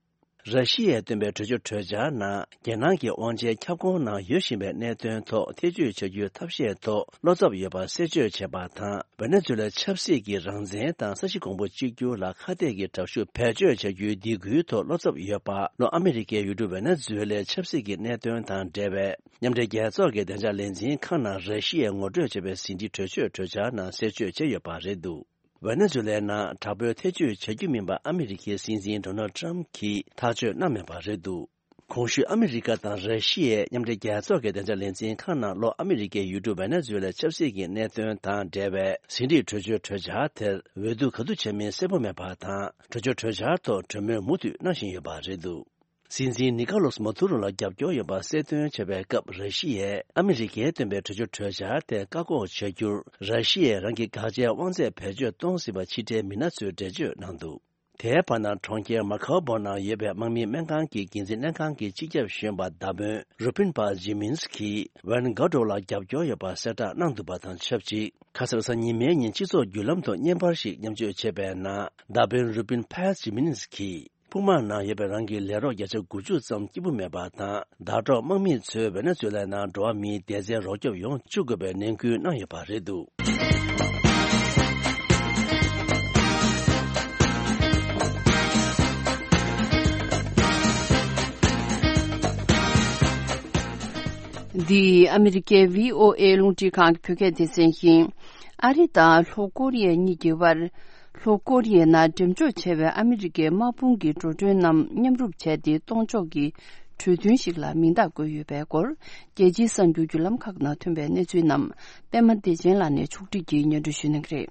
ར་ཤི་ཡས་བཏོན་པའི་གྲོས་ཆོད་གྲོས་འཆར་ནང་། རྒྱལ་ནང་གི་དབང་ཆའི་ཁྱབ་ཁོངས་ནང་ཡོད་བཞིན་པའི་གནད་དོན་ཐོག་ཐེ་བྱུས་བྱ་རྒྱུའི་ཐབས་ཤེས་ཐོག་བློ་འཚབ་ཡོད་པ་གསལ་བརྗོད་བྱས་པ་དང་། ཝེ་ནེ་ཛུ་ལའི་ཆབ་སྲིད་ཀྱི་རང་བཙན་དང་ས་གཞི་གོང་བུ་གཅིག་གྱུར་ལ་ཁ་གཏད་ཀྱི་དྲག་ཤུགས་བེད་སྤྱོད་བྱ་རྒྱུའི་སྡིགས་སྐུལ་ཐོག་བློ་འཚབ་ཡོད་པ། ལྷོ་ཨ་མི་རི་ཀའི་ཡུལ་གྲུ་ཝེ་ནེ་ཛུ་ལའི་ཆབ་སྲིད་ཀྱི་གནད་དོན་དང་འབྲེལ་བའི་མཉམ་འབྲེལ་རྒྱལ་ཚོགས་ཀྱི་བདེ་འཇགས་ལས་འཛིན་ཁང་ནང་ར་ཤི་ཡས་ངོ་སྤྲོད་བྱས་པའི་ཟིན་བྲིས་གྲོས་ཆོད་གྲོས་འཆར་ནང་གསལ་བརྗོད་བྱས་ཡོད་པ་རེད་འདུག་ཝེ་ནེ་ཛུ་ལའི་ནང་དྲག་པོའི་ཐེ་བྱུས་བྱ་རྒྱུ་མིན་པ་ཨ་མི་རི་ཀའི་སྲིད་འཛིན་ཌོ་ནལ་ཊམ་གྱིས་ཐག་གཅོད་གནང་མེད་པ་རེད་འདུག་གོང་ཞུས་ཨ་མི་རི་ཀ་དང་ར་ཤི་ཡའི་མཉམ་འབྲེལ་རྒྱལ་ཚོགས་ཀྱི་བདེ་འཇགས་ལས་འཛིན་ཁང་ནང་ལྷོ་ཨ་མི་རི་ཀའི་ཡུལ་གྲུ་ཝེ་ནེ་ཛུ་ལའི་ཆབ་སྲིད་ཀྱི་གནད་དོན་དང་འབྲེལ་བའི་ཟིན་བྲིས་གྲོས་ཆོད་གྲོས་འཆར་དེར་འོས་བསྡུ་ག་དུས་བྱ་མིན་གསལ་པོ་མེད་པ་དང་། གྲོས་ཆོད་གྲོས་འཆར་ཐོག་གྲོས་མོལ་མུ་མཐུད་གནང་བཞིན་ཡོད་པ་རེད་འདུག་སྲིད་འཛིན་ནི་ཀ་ལོ་སི་མ་དུ་རོ་ལ་རྒྱབ་སྐྱོར་ཡོད་པ་གསལ་སྟོན་བྱས་པའི་སྐབས། ར་ཤི་ཡས་ཨ་མི་རི་ཀས་བཏོན་པའི་གྲོས་ཆོད་གྲོས་འཆར་དེ་བཀག་འགོག་བྱ་རྒྱུར་ར་ཤི་ཡས་རང་གི་དགག་བྱའི་དབང་ཚད་བེད་སྤྱོད་གཏོང་སྲིད་པ་ཕྱི་འབྲེལ་མི་སྣ་ཚོས་འགྲེལ་བརྗོད་གནང་འདུག་དེའི་བར་ན། གྲོང་ཁྱེར་མ་ཁའོ་བོ་ནང་ཡོད་པའི་དམག་མིའི་སྨན་ཁང་གི་འགན་འཛིན་ལྷན་ཁང་གི་སྤྱི་ཁྱབ་གཞོན་པ་མདའ་དཔོན་རུ་པིན་པ་ཇི་མིན་སི་ཀིས་ཝན་གྷོ་ཌོ་ལ་རྒྱབ་སྐྱོར་ཡོད་པ་གསལ་བསྒྲགས་གནང་འདུག་པ་དང་ཆབས་ཅིག་ཁ་སང་གཟའ་ཉི་མའི་ཉིན་སྤྱི་ཚོགས་བརྒྱུད་ལམ་ཐོག་བརྙན་པར་ཞིག་མཉམ་སྤྱོད་བྱས་པའི་ནང་། མདའ་དཔོན་རུ་པིན་པ་ཇི་མིན་སི་ཀིས། དཔུང་དམག་ནང་ཡོད་པའི་རང་གི་ལས་རོགས་བརྒྱ་ཆ་དགུ་བཅུ་ཙམ་སྐྱིད་པོ་མེད་པ་དང་། ཟླ་གྲོགས་དམག་མི་ཚོས་ཝེ་ནེ་ཛུ་ལའི་ནང་འགྲོ་བ་མིའི་བདེ་རྩའི་རོགས་སྐྱོབ་ཡོང་བཅུག་དགོས་པའི་ནན་སྐུལ་གནང་ཡོད་པ་རེད་འདུག་འདི་ཨ་མི་རི་ཀའི་བྷི་ཨོ་ཨེ་རླུང་འཕྲིན་ཁང་གི་བོད་སྐད་སྡེ་ཚན་ཡིན། ཨ་རི་དང་ལྷོ་ཀོ་རི་ཡ་གཉིས་ཀྱི་དབར། ལྷོ་ཀོ་རི་ཡའི་ནང་འགྲེམས་འཇོག་བྱས་པའི་ཨ་མི་རི་ཀའི་དམག་དཔུང་གི་འགྲོ་གྲོན་རྣམས་མཉམ་རུབ་བྱས་ཏེ་གཏོང་ཕྱོགས་ཀྱི་གྲོས་མཐུན་ཞིག་ལ་མིང་རྟགས་བཀོད་ཡོད་པའི་སྐོར། རྒྱལ་སྤྱིའི་གསར་འགྱུར་བརྒྱུད་ལམ་ཁག་ནང་ཐོན་པའི་གནས་ཚུལ་རྣམས་པད་མ་བདེ་ཆེན་ལགས་ནས་ཕྱོགས་སྒྲིག་གིས་སྙན་སྒྲོན་ཞུ་གནང་གི་རེད།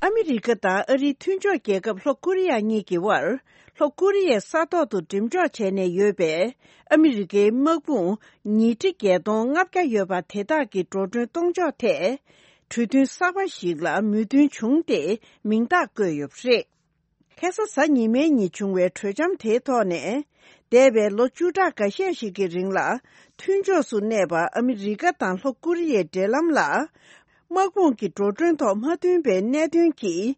ཨ་མི་རི་ཀ་དང་ཨ་རིའི་མཐུན་ཕྱོགས་རྒྱལ་ཁབ་ལྷོ་ཀོ་རི་ཡ་གཉིས་ཀྱི་དབར། ལྷོ་ཀོ་རི་ཡའི་ས་ཐོག་ཏུ་འགྲེམས་འཇོག་བྱས་ནས་ཡོད་པའི་ཨ་མི་རི་ཀའི་དམག་དཔུང་ཉིས་ཁྲི་བརྒྱད་སྟོང་ལྔ་བརྒྱ་ཡོད་པ་དེ་དག་གི་འགྲོ་གྲོན་གཏོང་ཕྱོགས་ཐད། གྲོས་མཐུན་གསར་པ་ཞིག་ལ་མོས་མཐུན་བྱུང་སྟེ་མིང་རྟགས་བཀོད་ཡོད་པ་རེད། ཁ་སང་གཟའ་ཉི་མའི་ཉིན་བྱུང་བའི་གྲོས་འཆམ་དེའི་ཐོག་ནས། འདས་པའི་ལོ་བཅུ་ཕྲག་འགའ་ཤས་ཤིག་གི་རིང་ལ། མཐུན་ཕྱོགས་སུ་གནས་པ་ཨ་མི་རི་ཀ་དང་ལྷོ་ཀོ་རི་ཡའི་འབྲེལ་ལམ་ལ། དམག་དཔུང་གི་འགྲོ་གྲོན་ཐོག་མ་མཐུན་པའི་གནད་དོན་གྱིས།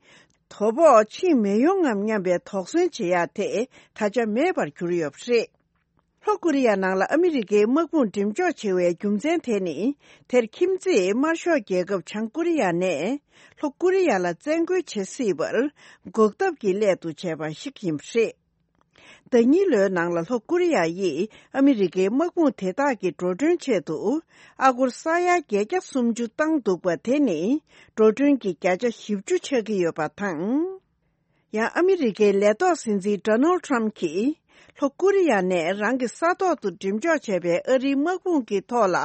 དོ་ཕོག་ཕྱིན་མི་ཡོང་ངམ་སྙམ་པའི་དོགས་ཟོན་བྱེད་ཡག་དེ་ད་ཆ་མེད་པར་གྱུར་ཡོད་པ་རེད། ལྷོ་ཀོ་རི་ཡ་ནང་ལ་ཨ་མི་རི་ཀའི་དམག་དཔུང་འགྲེམས་འཇོག་བྱེད་པའི་རྒྱུ་མཚན་དེ་ནི། དེར་ཁྱིམ་མཚེས་དམར་ཤོག་རྒྱལ་ཁབ་བྱང་ཀོ་རི་ཡ་ནས་ལྷོ་ཀོ་རི་ཡ་ལ་བཙན་རྒོལ་བྱེད་སྲིད་པར་འགོག་ཐབས་ཀྱི་སླད་དུ་བྱས་པ་ཞིག་ཡིན་པ་རེད། ཟླ་གཉིས་ལོའི་ནང་ལ་ལྷོ་ཀོ་རི་ཡ་ཡིས་ཨ་མི་རི་ཀའི་དམག་དཔུང་དེ་དག་གི་འགྲོ་གྲོན་ཆེད་དུ་ཨ་སྒོར་ས་ཡ་བརྒྱད་བརྒྱ་སུམ་ཅུ་བཏང་འདུག་པ་དེ་ནི་འགྲོ་གྲོན་གྱི་བརྒྱ་ཆ་བཞི་བཅུ་ཆགས་ཀྱི་ཡོད་པ་དང་། ཡང་ཨ་མི་རི་ཀའི་ལས་ཐོག་སྲིད་འཛིན་ཌོ་ནལ་ཊམ་གྱིས་ལྷོ་ཀོ་རི་ཡ་ནས་རང་གི་ས་ཐོག་ཏུ་འགྲེམས་འཇོག་བྱས་པའི་ཨ་རིའི་དམག་དཔུང་གི་ཐོག་ལ་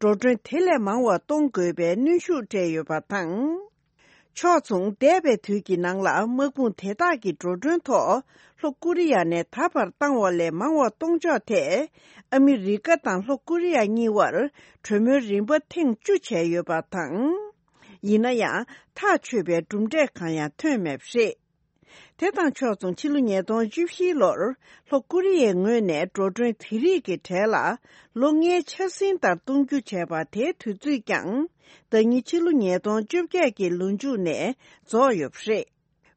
འགྲོ་གྲོན་དེ་ལས་མང་བ་གཏོང་དགོས་པའི་གནོན་ཤུགས་སྤྲད་ཡོད་པ་དང་། ཕྱོགས་མཚུངས་འདས་པའི་དུས་ཀྱི་ནང་ལ་དམག་དཔུང་དེ་དག་གི་འགྲོ་གྲོན་ཐོག་ལྷོ་ཀོ་རི་ཡ་ནས་ད་བར་བཏང་བ་ལས་མང་བ་གཏོང་ཕྱོགས་ཐད་ཨ་མི་རི་ཀ་དང་ལྷོ་ཀོ་རི་ཡ་གཉིས་བར་གྲོས་མོལ་རིམ་པ་ཐེངས་བཅུ་བྱས་ཡོད་པ་དང་། ཡིན་ན་ཡང་ཐག་ཆོད་པའི་གྲུབ་འབྲས་གང་ཡང་ཐོན་མེད་པ་རེད། དེ་དང་ཕྱོགས་མཚུངས་ཕྱི་ལོ་ཉིས་སྟོང་བཅུ་བཞི་ལོར་ལྷོ་ཀོ་རི་ཡའི་ངོས་ནས་འགྲོ་གྲོན་དེ་རིགས་ཀྱི་གྲས་ལ་ལོ་ལྔའི་འཆར་ཟིན་ལྟར་གཏོང་རྒྱུ་བྱས་པ་དེའི་དུས་ཚོད་ཀྱང་ཟླ་ཉིན་ཕྱི་ལོ་ཉིས་སྟོང་བཅོ་བརྒྱད་ཀྱི་ལོ་མཇུག་ནས་རྫོགས་ཡོད་པ་རེད།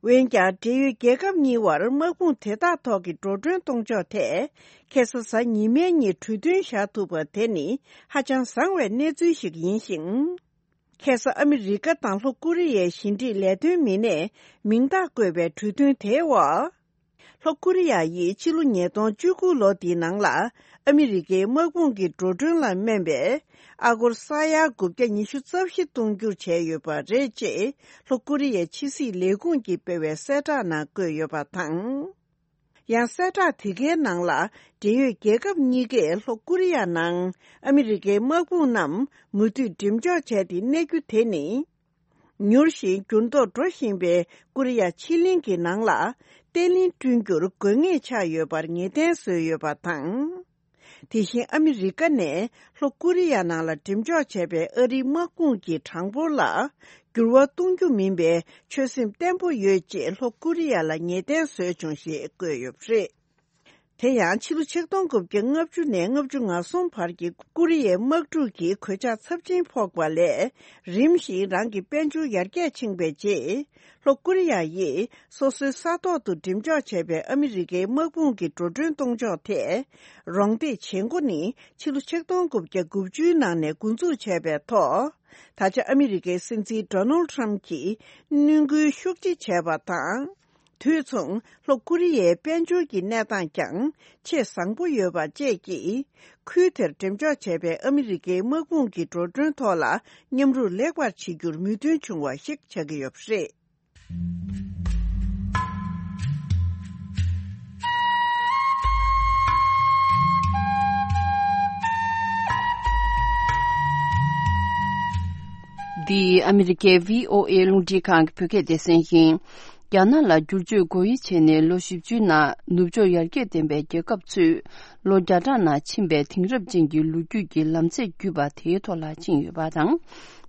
འོན་ཀྱང་འབྲེལ་ཡོད་རྒྱལ་ཁབ་གཉིས་བར་དམག་དཔུང་དེ་དག་ཐོག་གི་འགྲོ་གྲོན་གཏོང་ཕྱོགས་ཐད་ཁ་སང་གཟའ་ཉི་མའི་ཉིན་གྲོས་མཐུན་བཞག་ཐུབ་པ་དེ་ནི་ཧ་ཅང་བཟང་བའི་གནས་ཚུལ་ཞིག་ཡིན་ཞིང་། ཁ་སང་ཨ་མི་རི་ཀ་དང་ལྷོ་ཀོ་རི་ཡའི་ཞི་འགྲིག་ལས་དོན་མི་སྣས་མིང་རྟགས་བཀོད་པའི་གྲོས་མཐུན་དེའི་འོག་ལྷོ་ཀོ་རི་ཡ་ཡིས་ཕྱི་ལོ་ཉིས་སྟོང་བཅུ་དགུ་ལོ་འདིའི་ནང་ལ་ཨ་མི་རི་ཀའི་དམག་དཔུང་གི་འགྲོ་གྲོན་ལ་སྨན་པའི་ཨ་སྒོར་ས་ཡ་དགུ་བརྒྱ་ཉི་ཤུ་རྩ་བཞི་གཏོང་རྒྱུར་བྱས་ཡོད་པ་རེད་ཅེས་ལྷོ་ཀོ་རི་ཡའི་ཕྱི་སྲིད་ལས་ཁུངས་ཀྱིས་སྤེལ་བའི་གསལ་བསྒྲགས་ནང་བཀོད་ཡོད་པ་དང་། ཡང་གསལ་བསྒྲགས་དེ་གའི་ནང་ལ། འབྲེལ་ཡོད་རྒྱལ་ཁབ་གཉིས་ཀས་ལྷོ་ཀོ་རི་ཡ་ནང་ཨ་མི་རི་ཀའི་དམག་དཔུང་རྣམས་མུ་མཐུད་འགྲེམས་འཇོག་བྱས་ཏེ་གནས་རྒྱུ་དེ་ནི། མྱུར་ཞིང་འགྱུར་ལྡོག་འགྲོ་བཞིན་པའི་ཀོ་རི་ཡ་ཕྱེད་གླིང་གི་ནང་ལ་བརྟན་ལྷིང་བསྐྲུན་རྒྱུར་དགོས་ངེས་ཆགས་ཡོད་པར་ངེས་གཏན་བཟོས་ཡོད་པ་དང་། དེ་བཞིན་ཨ་མི་རི་ཀ་ནས་ལྷོ་ཀོ་རི་ཡ་ནང་ལ་འགྲེམས་འཇོག་བྱས་པའི་ཨ་རིའི་དམག་དཔུང་གི་གྲངས་འབོར་ལ་འགྱུར་བ་གཏོང་རྒྱུ་མིན་པའི་ཆོད་སེམས་བརྟན་པོ་ཡོད་ཅེས་ལྷོ་ཀོ་རི་ཡ་ལ་ངེས་གཏན་བཟོས་བྱུང་ཞེས་བཀོད་ཡོད་པ་རེད། དེ་ཡང་ཕྱི་ལོ་ཆིག་སྟོང་དགུ་བརྒྱ་ལྔ་བཅུ་ནས་ལྔ་བཅུ་ང་གསུམ་བར་གྱི་ཀོ་རི་ཡའི་དམག་འཁྲུག་གི་གོད་ཆག་ཚབས་ཆེན་ཕོག་པ་ལས་རིམ་བཞིན་རང་གི་དཔལ་འབྱོར་ཡར་རྒྱས་ཕྱིན་པའི་རྗེས། ལྷོ་ཀོ་རི་ཡ་ཡིས་སོ་སོའི་ས་ཐོག་ཏུ་འགྲེམས་འཇོག་བྱས་པའི་ཨ་མི་རི་ཀའི་དམག་དཔུང་གི་འགྲོ་གྲོན་གཏོང་ཕྱོགས་ཐད་རོགས་འདེགས་བྱེད་འགོ་ནི་ཕྱི་ལོ་ཆིག་སྟོང་དགུ་བརྒྱ་དགུ་བཅུའི་ནང་ནས་འགོ་འཛུགས་བྱས་པའི་ཐོག་ད་ཆ་ཨ་མི་རི་ཀའི་སྲིད་འཛིན་ཌོ་ནལ་ཊམ་གྱིས་བསྣུན་སྐུལ་ཤུགས་ཆེ་བྱས་པ་དང་། དུས་མཚུངས་ལྷོ་ཀོ་རི་ཡའི་དཔལ་འབྱོར་གྱི་གནས་སྟངས་ཀྱང་ཆེས་བཟང་པོ་ཡོད་པ་བཅས་ཀྱིས། ཁུལ་དེར་འགྲེམས་འཇོག་བྱས་པའི་ཨ་མི་རི་ཀའི་དམག་དཔུང་གི་འགྲོ་གྲོན་ཐོག་ལ་མཉམ་རུབ་ལེགས་པར་བྱེད་རྒྱུར་མོས་མཐུན་བྱུང་བ་ཞིག་ཆགས་ཀྱི་ཡོད་པ་རེད། འདི་ཨ་མི་རི་ཀའི་བྷི་ཨོ་ཨེ་རླུང་འཕྲིན་ཁང་གི་བོད་སྐད་སྡེ་ཚན་ཡིན། རྒྱ་ནག་ལ་བསྒྱུར་བཅོས་སྒོ་དབྱེ་བྱས་ནས་ལོ་བཞི་བཅུའི་ནང་ནུབ་ཕྱོགས་ཡར་རྒྱས་ལྡན་པའི་རྒྱལ་ཁབ་ཚོས་ལོ་བརྒྱ་ཕྲག་ནང་ཕྱིན་པའི་དེང་རབས་ཅན་གྱི་ལོ་རྒྱུས་ཀྱི་ལམ་ཚད་བརྒྱུད་པ་དེའི་ཐོག་ལ་ཕྱིན་ཡོད་པ་དང་།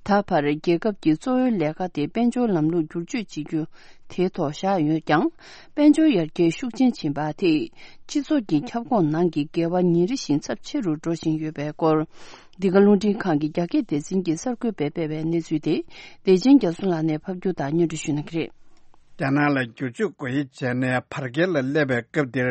ད་བར་རྒྱལ་ཁབ་ཀྱི་གཙོ་བོའི་ལས་ཀ་དེ་དཔལ་འབྱོར་ལམ་ལུགས་བསྒྱུར་བཅོས་བྱེད་རྒྱུ་དེའི་ཐོག་བཞག་ཡོད་ཀྱང་། དཔལ་འབྱོར་ཡར་རྒྱས་ཤུགས་ཆེན་ཕྱིན་པ་དེས་སྤྱི་ཚོགས་ཀྱི་ཁྱབ་ཁོངས་ནང་གི་འགལ་བ་ཉིན་རེ་བཞིན་ཚབས་ཆེ་རུ་འགྲོ་བཞིན་ཡོད་པའི་སྐོར། འདི་ག་རླུང་འཕྲིན་ཁང་གི་རྒྱ་སྐད་སྡེ་ཚན་གྱིས་གསར་འགོད་པས་སྤེལ་བའི་གནས་ཚུལ་དེ་བདེ་ཆེན་རྒྱ་མཚོ་ལགས་ནས་ཕབ་སྒྱུར་དང་སྙན་སྒྲོན་ཞུ་གནང་གི་རེད། རྒྱ་ནག་ལ་བསྒྱུར་བཅོས་སྒོ་དབྱེ་བྱས་ནས་བར་བརྒལ་ལ་སླེབས་པའི་སྐབས་འདིར།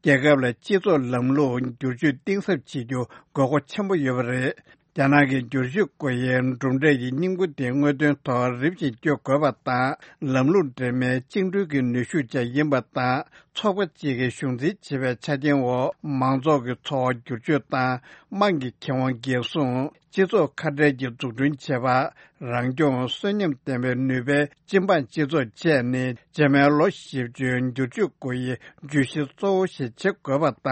རྒྱལ་ཁབ་ལ་སྤྱི་ཚོགས་ལམ་ལུགས་བསྒྱུར་བཅོས་གཏིང་ཟབ་བྱེད་རྒྱུ་དགོས་མཁོ་ཆེན་པོ་ཡོད་པ་རེད། རྒྱ་ནག་གི་བསྒྱུར་བཅོས་སྒོ་དབྱེའི་གྲུབ་འབྲས་ཀྱི་སྙིང་པོ་དེ་དངོས་དོན་ཐོག་རིམ་བཞིན་བསྐྱོད་དགོས་པ་དང་། ལམ་ལུགས་འདྲེས་མའི་བཅིངས་འགྲོལ་གྱི་ནུས་ཤུགས་ཀྱང་ཡིན་པ་དང་། ཚོགས་པ་གཅིག་གིས་གཞུང་འཛིན་བྱེད་པའི་ཆ་རྐྱེན་འོག་མང་ཚོགས་ཀྱི་འཚོ་བ་བསྒྱུར་བཅོས་དང་། དམངས་ཀྱི་ཁེ་དབང་འགན་སྲུང་། སྤྱི་ཚོགས་ཁ་བྲལ་གྱི་འཛུགས་སྐྲུན་བྱེད་པ། རང་སྐྱོང་། གསོན་ཉམས་ལྡན་པའི་ནུས་པའི་སྤྱི་འབངས་སྤྱི་ཚོགས་བཅས་ནི། རྗེས་མའི་ལོ་བཞི་བཅུའི་བསྒྱུར་བཅོས་སྒོ་དབྱེའི་བརྗོད་གཞི་གཙོ་བོ་ཞིག་བྱེད་དགོས་པ་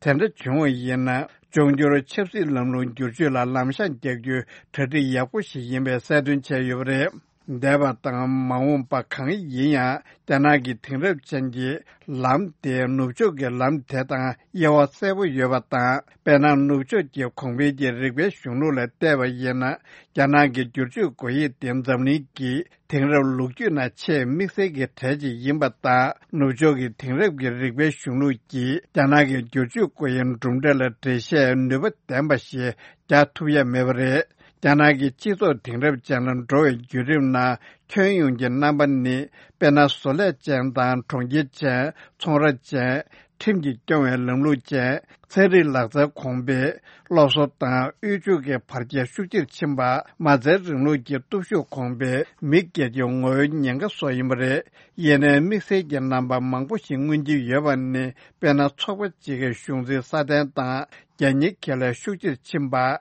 དང་། དེ་འདྲ་བྱུང་བ་ཡིན་ན། འབྱུང་འགྱུར་ཆབ་སྲིད་ལམ་ལུགས་བསྒྱུར་བཅོས་ལ་ལམ་ཤང་རྒྱག་རྒྱུའི་གྲ་སྒྲིག་ཡག་པོ་ཞིག་ཡིན་པའི་གསལ་སྟོན་བྱས་ཡོད་པ་རེད། འདས་པ་དང་མ་འོངས་པ་གང་ཡིན་ཡང་། རྒྱ་ནག་གི་དེང་རབས་ཅན་གྱི་ལམ་དེ་ནུབ་ཕྱོགས་ཀྱི་ལམ་དེ་དང་དབྱེ་བ་གསལ་པོ་ཡོད་པ་དང་། དཔེར་ན། ནུབ་ཕྱོགས་ཀྱི་གོང་འཕེལ་གྱི་རིག་པའི་གཞུང་ལུགས་ལ་བལྟས་པ་ཡིན་ན། རྒྱ་ནག་གི་བསྒྱུར་བཅོས་སྒོ་དབྱེ་དེ་འཛམ་གླིང་གི་དེང་རབས་ལོ་རྒྱུས་ནང་ཆེས་དམིགས་བསལ་གྱི་གྲས་ཅིག་ཡིན་པ་དང་། ནུབ་ཕྱོགས་ཀྱི་དེང་རབས་ཀྱི་རིག་པའི་གཞུང་ལུགས་ཀྱིས་རྒྱ་ནག་གི་བསྒྱུར་བཅོས་སྒོ་དབྱེའི་གྲུབ་འབྲས་ལ་འགྲེལ་བཤད་ནུས་པ་ལྡན་པ་ཞིག་རྒྱག་ཐུབ་ཡ་མེད་པ་རེད། རྒྱ་ནག་གི་སྤྱི་ཚོགས་དེང་རབས་ཅན་ལ་འགྲོ་བའི་བརྒྱུད་རིམ་ནང་ཁྱོན་ཡོངས་ཀྱི་རྣམ་པ་ནི། དཔེར་ན། བཟོ་ལས་ཅན་དང་གྲོང་ཁྱེར་ཅན། ཚོང་ར་ཅན། ཁྲིམས་ཀྱིས་སྐྱོང་བའི་ལམ་ལུགས་ཅན། ཚན་རིག་ལག་རྩལ་གོང་འཕེལ། སློབ་གསོ་དང་དབུལ་ཕྱུག་གི་བར་ཁྱད་ཤུགས་ཆེར་ཕྱིན་པ། མ་རྩའི་རིང་ལུགས་ཀྱི་སྟོབས་ཤུགས་གོང་འཕེལ། མི་སྒེར་གྱི་ངོ་བོའི་ཉེན་ཁ་སོགས་ཡིན་པ་རེད། ཡིན་ནའི་དམིགས་བསལ་གྱི་རྣམ་པ་མང་པོ་ཞིག་མངོན་གྱི་ཡོད་པ་ནི། དཔེར་ན། ཚོགས་པ་གཅིག་གི་གཞུང་འཛིན་སྲ་བརྟན་དང་རྒྱལ་གཉེར་ཁེ་ལས་ཤུགས་ཆེར་ཕྱིན་པ།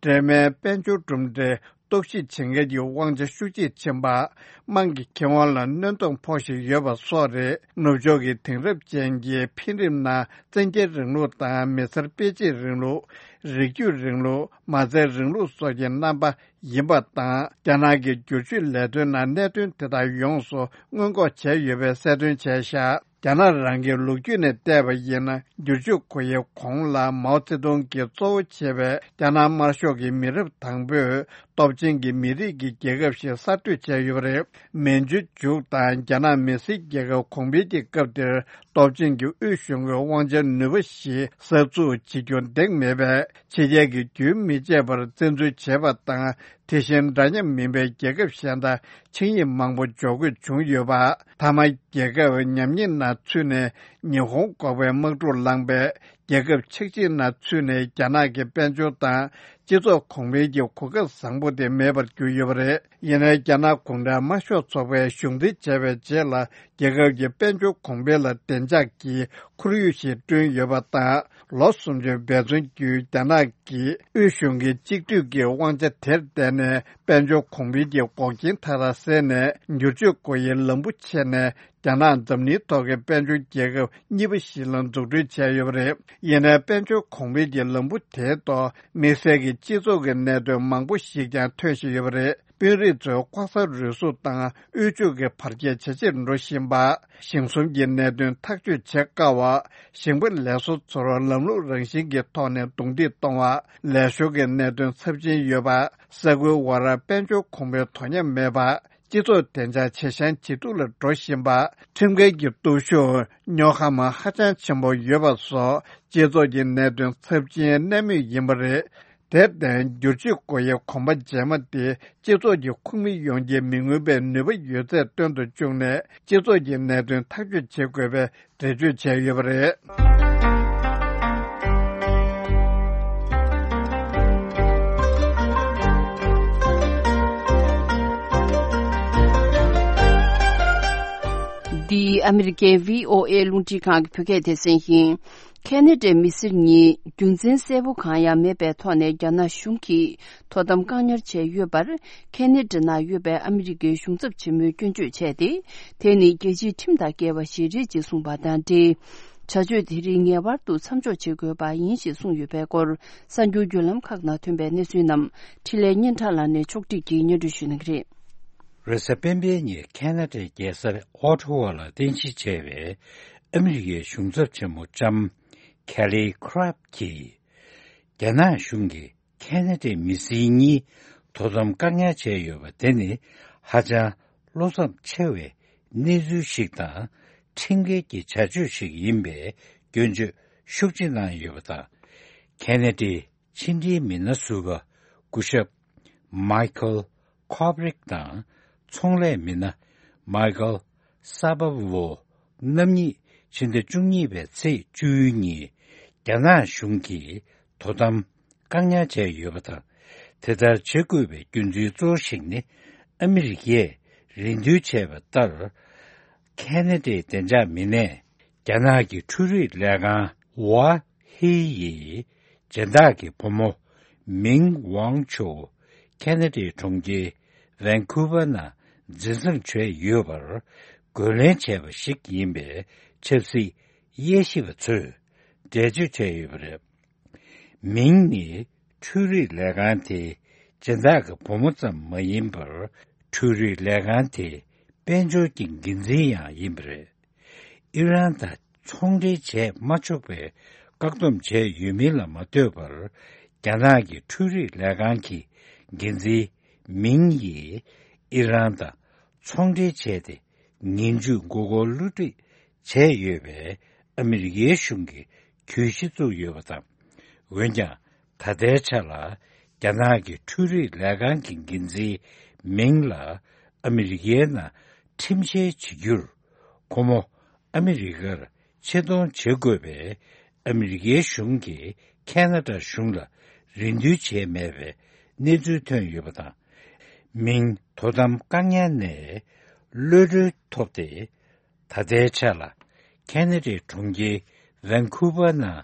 འབྲེལ་མའི་དཔལ་འབྱོར་གྲུབ་འབྲས་གཏོར་བཤིག་བྱེད་མཁན་གྱི་དབང་ཆ་ཤུགས་ཆེར་ཕྱིན་པ། དམངས་ཀྱི་ཁེ་དབང་ལ་གནོད་སྟངས་ཕོག་བཞིན་ཡོད་པ་སོགས་རེད། ནུབ་ཕྱོགས་ཀྱི་དེང་རབས་ཅན་གྱི་འཕེལ་རིམ་ནང་བཙན་རྒྱལ་རིང་ལུགས་དང་མི་སེར་དཔེ་གཅིག་རིང་ལུགས། རིགས་རྒྱུད་རིང་ལུགས། མ་རྩའི་རིང་ལུགས་སོགས་ཀྱི་རྣམ་པ་ཡིན་པ་དང་། རྒྱ་ནག་གི་བསྒྱུར་བཅོས་ལས་དོན་ནང་གནད་དོན་དེ་དག་ཡོངས་སུ་སྔོན་འགོག་བྱས་ཡོད་པའི་གསལ་སྟོན་བྱས་བཞག་རྒྱ་ནག་རང་གི་ལོ་རྒྱུས་ནས་བལྟས་པ་ཡིན་ན། བསྒྱུར་བཅོས་སྒོ་དབྱེའི་གོང་ལ་མའོ་ཙེ་ཏུང་གིས་གཙོ་བོ་བྱས་པའི་རྒྱ་ནག་དམར་ཤོག་གི་མི་རབས་དང་པོས་སྟོབས་ཆེན་གྱི་མི་རིགས་ཀྱི་རྒྱལ་ཁབ་ཞིག་གསར་གཏོད་བྱས་ཡོད་པ་རེད། མན་ཇུ་མཇུག་དང་རྒྱ་ནག་མི་སེར་རྒྱལ་ཁབ་གོང་འཕེལ་གྱི་སྐབས་དེར། སྟོབས་ཆེན་གྱི་དབུས་གཞུང་གི་དབང་ཆ་ནུས་པ་ཞིག་གསར་འཛུགས་བྱེད་རྒྱུ་འདང་མེད་པས། ཕྱི་རྒྱལ་གྱིས་རྒྱུན་མི་ཆད་པར་བཙན་འཛུལ་བྱས་པ་དང་། དེ་བཞིན་འདྲ་མཉམ་མིན་པའི་རྒྱལ་ཁབ་གཞན་དང་ཆིངས་ཡིག་མང་པོ་འཇོག་དགོས་བྱུང་ཡོད་པ། མཐའ་མ་རྒྱལ་ཁབ་ཉམས་ཉེས་ནང་ཚུད་ནས་ཉི་ཧོང་འགོག་པའི་དམག་འཁྲུག་ལངས་པས། རྒྱལ་ཁབ་ཆགས་འཇིག་ནང་ཚུད་ནས་རྒྱ་ནག་གི་དཔལ་འབྱོར་དང་སྤྱི་ཚོགས་གོང་འཕེལ་གྱི་གོ་སྐབས་བཟང་པོ་དེ་མེད་པར་གྱུར་ཡོད་པ་རེད། ཡིན་ནའི་རྒྱ་ནག་གུང་ཁྲན་དམར་ཤོག་ཚོགས་པས་གཞུང་འཛིན་བྱས་པའི་རྗེས་ལ་རྒྱལ་ཁབ་ཀྱི་དཔལ་འབྱོར་གོང་འཕེལ་ལ་བདེ་འཇགས་ཀྱི་ཁོར་ཡུག་ཞིག་བསྐྲུན་ཡོད་པ་དང་། ལོ་སུམ་ཅུ་འབད་བརྩོན་བརྒྱུད་རྒྱ་ནག་གི་དབུས་གཞུང་གི་གཅིག་སྡུད་ཀྱི་དབང་ཆ་དེར་བརྟེན་ནས་དཔལ་འབྱོར་གོང་འཕེལ་གྱི་འགོག་རྐྱེན་མཐའ་དག་སེལ་ནས་བསྒྱུར་བཅོས་སྒོ་དབྱེའི་ལམ་བུ་ཕྱེ་ནས། རྒྱ་ནག་འཛམ་གླིང་ཐོག་གི་དཔལ་འབྱོར་རྒྱལ་ཁབ་གཉིས་པ་ཞིག་ལ་འཛུགས་སྐྲུན་བྱས་ཡོད་པ་རེད། ཡིན་ནའི་དཔལ་འབྱོར་གོང་འཕེལ་གྱི་ལམ་བུ་དེའི་ཐོག་དམིགས་བསལ་གྱི་སྤྱི་ཚོགས་ཀྱི་གནད་དོན་མང་པོ་ཞིག་ཀྱང་ཐོན་བཞིན་ཡོད་པ་རེད། དཔོན་རིགས་ཚོས་ལྐོག་ཟ་རུལ་སུངས་དང་དབུལ་ཕྱུག་གི་བར་ཁྱད་ཇེ་ཆེར་འགྲོ་བཞིན་པ། ཞིང་གསུམ་གྱི་གནད་དོན་ཐག་གཅོད་བྱེད་དཀའ་བ། ཞིང་པ་ལས་བཟོ་ཚོར་ལམ་ལུགས་རང་བཞིན་གྱི་ཐོག་ནས་རྡུང་རྡེག་གཏོང་བ། ལས་ཞོར་གྱི་གནད་དོན་ཚབས་ཆེན་ཡོད་པ། ས་ཁུལ་བར་དཔལ་འབྱོར་གོང་འཕེལ་དོ་མཉམ་མེད་པ། སྤྱི་ཚོགས་བདེ་འཇགས་ཇེ་ཞན་ཇེ་སྡུག་ལ་འགྲོ་བཞིན་པ། ཁྲིམས་འགལ་གྱི་སྟོབས་ཤུགས་རྙོག་འཁམ་ཧ་ཅང་ཆེན་པོ་ཡོད་པ་སོགས་སྤྱི་ཚོགས་ཀྱི་གནད་དོན་ཚབས་ཆེན་གནས་མུས་ཡིན་པ་རེད། དེར་བརྟེན་བསྒྱུར་བཅོས་སྒོ་དབྱེའི་གོམ་པ་རྗེས་མ་དེ་སྤྱི་ཚོགས་ཀྱི་ཁོངས་མི་ཡོངས་ཀྱི་མི་མངོན་པའི་ནུས་པ་ཡོད་ཚད་སྟོན་དུ་བཅུག་ནས་སྤྱི་ཚོགས་ཀྱི་གནད་དོན་ཐག་གཅོད་བྱེད་དགོས་པའི་འགྲེལ་བརྗོད་བྱས་ཡོད་པ་རེད། འདི་ཨ་མི་རི་ཀའི་བྷི་ཨོ་ཨེ་རླུང་འཕྲིན་ཁང་གི་བོད་སྐད་སྡེ་ཚན་ཡིན། ཁེ་ན་ཌའི་མི་སེར་གཉིས་རྒྱུ་མཚན་གསལ་པོ་གང་ཡང་མེད་པའི་ཐོག་ནས་རྒྱ་ནག་གཞུང་གིས་དོ་དམ་བཀག་ཉར་བྱས་ཡོད་པར། ཁེ་ན་ཌ་ནང་ཡོད་པའི་ཨ་མི་རི་ཀའི་གཞུང་ཚབ་ཆེན་མོས་སྐྱོན་བརྗོད་བྱས་ཏེ། དེ་ནི་རྒྱལ་སྤྱིའི་ཁྲིམས་དང་འགལ་བ་ཞིག་རེད་ཅེས་གསུངས་པ་དང་འབྲེལ། བྱ་སྤྱོད་དེ་རིགས་ངེས་པར་དུ་མཚམས་འཇོག་བྱེད་དགོས་པ་ཡིན་ཞེས་གསུངས་ཡོད་པའི་སྐོར། གསར་འགྱུར་བརྒྱུད་ལམ་ཁག་ནང་ཐོན་པའི་གནས་ཚུལ་རྣམས་འཕྲིན་ལས་སྙན་གྲགས་ལགས་ནས་ཕྱོགས་སྒྲིག་གིས་སྙན་སྒྲོན་ཞུ་གནང་གི་རེད། རེས་གཟའ་སྤེན་པའི་ཉིན་ཁེ་ན་ཌའི་རྒྱལ་ས་ཨོ་ཊ་ཝ་ལ་རྟེན་གཞི་བྱས་པའི་ཨ་མི་རི་ཀའི་གཞུང་ཚབ་ཆེན་མོ་ལྕམ་ཁེ་ལི་ཁྲབ་ཀྱིས། རྒྱ་ནག་གཞུང་གིས་ཁེ་ན་ཌའི་མི་སེར་གཉིས་དོ་དམ་བཀག་ཉར་བྱས་ཡོད་པ་དེ་ནི་ཧ་ཅང་བློ་འཚབ་ཆེ་བའི་གནས་ཚུལ་ཞིག་དང་། ཁྲིམས་འགལ་གྱི་བྱ་སྤྱོད་ཞིག་ཡིན་པའི་སྐྱོན་བརྗོད་ཤུགས་ཆེ་གནང་ཡོད་པ་དང་། ཁེ་ན་ཌའི་ཕྱི་འབྲེལ་མི་སྣ་ཟུར་པ་སྐུ་ཞབས་མའི་ཁལ་ཁོབ་རིག་དང་། ཚོང་ལས་མི་སྣ་མའི་ཁལ་ས་པ་ཝོ་རྣམ་གཉིས་ཕྱི་ཟླ་བཅུ་གཉིས་པའི་ཚེས་བཅུ་ཉིན་རྒྱ་ནག་གཞུང་གིས་དོ་དམ་བཀག་ཉར་བྱས་ཡོད་པ་དང་། དེ་ལྟར་བྱེད་དགོས་པའི་རྒྱུ་མཚན་གཙོ་བོ་ཞིག་ནི། ཨ་མི་རི་ཀས་རེ་འདུན་བྱས་པ་ལྟར། ཁེ་ན་ཌའི་བདེ་འཇགས་མི་སྣས། རྒྱ་ནག་གི་འཕྲུལ་རིག་ལས་ཁང་ཝ་ཧི་ཡི་སྦྱིན་བདག་གི་བུ་མོ་མིང་ཝང་ཆོ་ཁེ་ན་ཌའི་གྲོང་ཁྱེར་ཝན་ཁུ་ཝར་ནང་འཛིན་བཟུང་བྱས་ཡོད་པར་རྒོལ་ལན་བྱས་པ་ཞིག་ཡིན་པའི་ཆབ་སྲིད་དབྱེ་ཞིབ་པ་ཚོས་འགྲེལ་བརྗོད་བྱས་ཡོད་པ་རེད། མིང་ནི་འཕྲུལ་རིག་ལས་ཁང་དེའི་སྦྱིན་བདག་གི་བུ་མོ་ཙམ་མ་ཡིན་པར། འཕྲུལ་རིག་ལས་ཁང་དེའི་དཔལ་འབྱོར་གྱི་འགན་འཛིན་ཡང་ཡིན་པ་རེད། ཨི་རན་དང་ཚོང་འབྲེལ་བྱས་མ་ཆོག་པའི་བཀག་སྡོམ་བྱས་ཡོད་མིན་ལ་མ་ལྟོས་པར། རྒྱ་ནག་གི་འཕྲུལ་རིག་ལས་ཁང་གི་འགན་འཛིན་མིང་ཡིས་ཨི་རན་དང་ཚོང་འབྲེལ་བྱས་ཏེ། ངན་ཇུས་མགོ་སྐོར་བསླུ་བྲིད་བྱས་ཡོད་པའི་ཨ་མི་རི་ཀའི་གཞུང་གིས་གྱོད་གཞི་བཙུགས་ཡོད་པ་དང་། འོན་ཀྱང་། ད་ལྟའི་ཆ་ལ་རྒྱ་ནག་གི་འཕྲུལ་རིག་ལས་ཁང་གི་འགན་འཛིན་མིང་ལ་ཨ་མི་རི་ཀའི་ནང་ཁྲིམས་འཆར་བྱེད་རྒྱུར། ཁོ་མོ་ཨ་མི་རི་ཀར་ཆེད་གཏོང་བྱེད་དགོས་པའི་ཨ་མི་རི་ཀའི་གཞུང་གིས་ཁེ་ན་ཌ་གཞུང་ལ་རེ་འདུན་བྱས་མེད་པའི་གནས་ཚུལ་ཐོན་ཡོད་པ་དང་། མིང་དོ་དམ་བཀག་ཉར་ནས་གློད་གྲོལ་ཐོབ་སྟེ། ད་ལྟའི་ཆ་ལ་ཁེ་ན་ཌའི་གྲོང་ཁྱེར་ཝན་ཁུ་ཝར་ནང་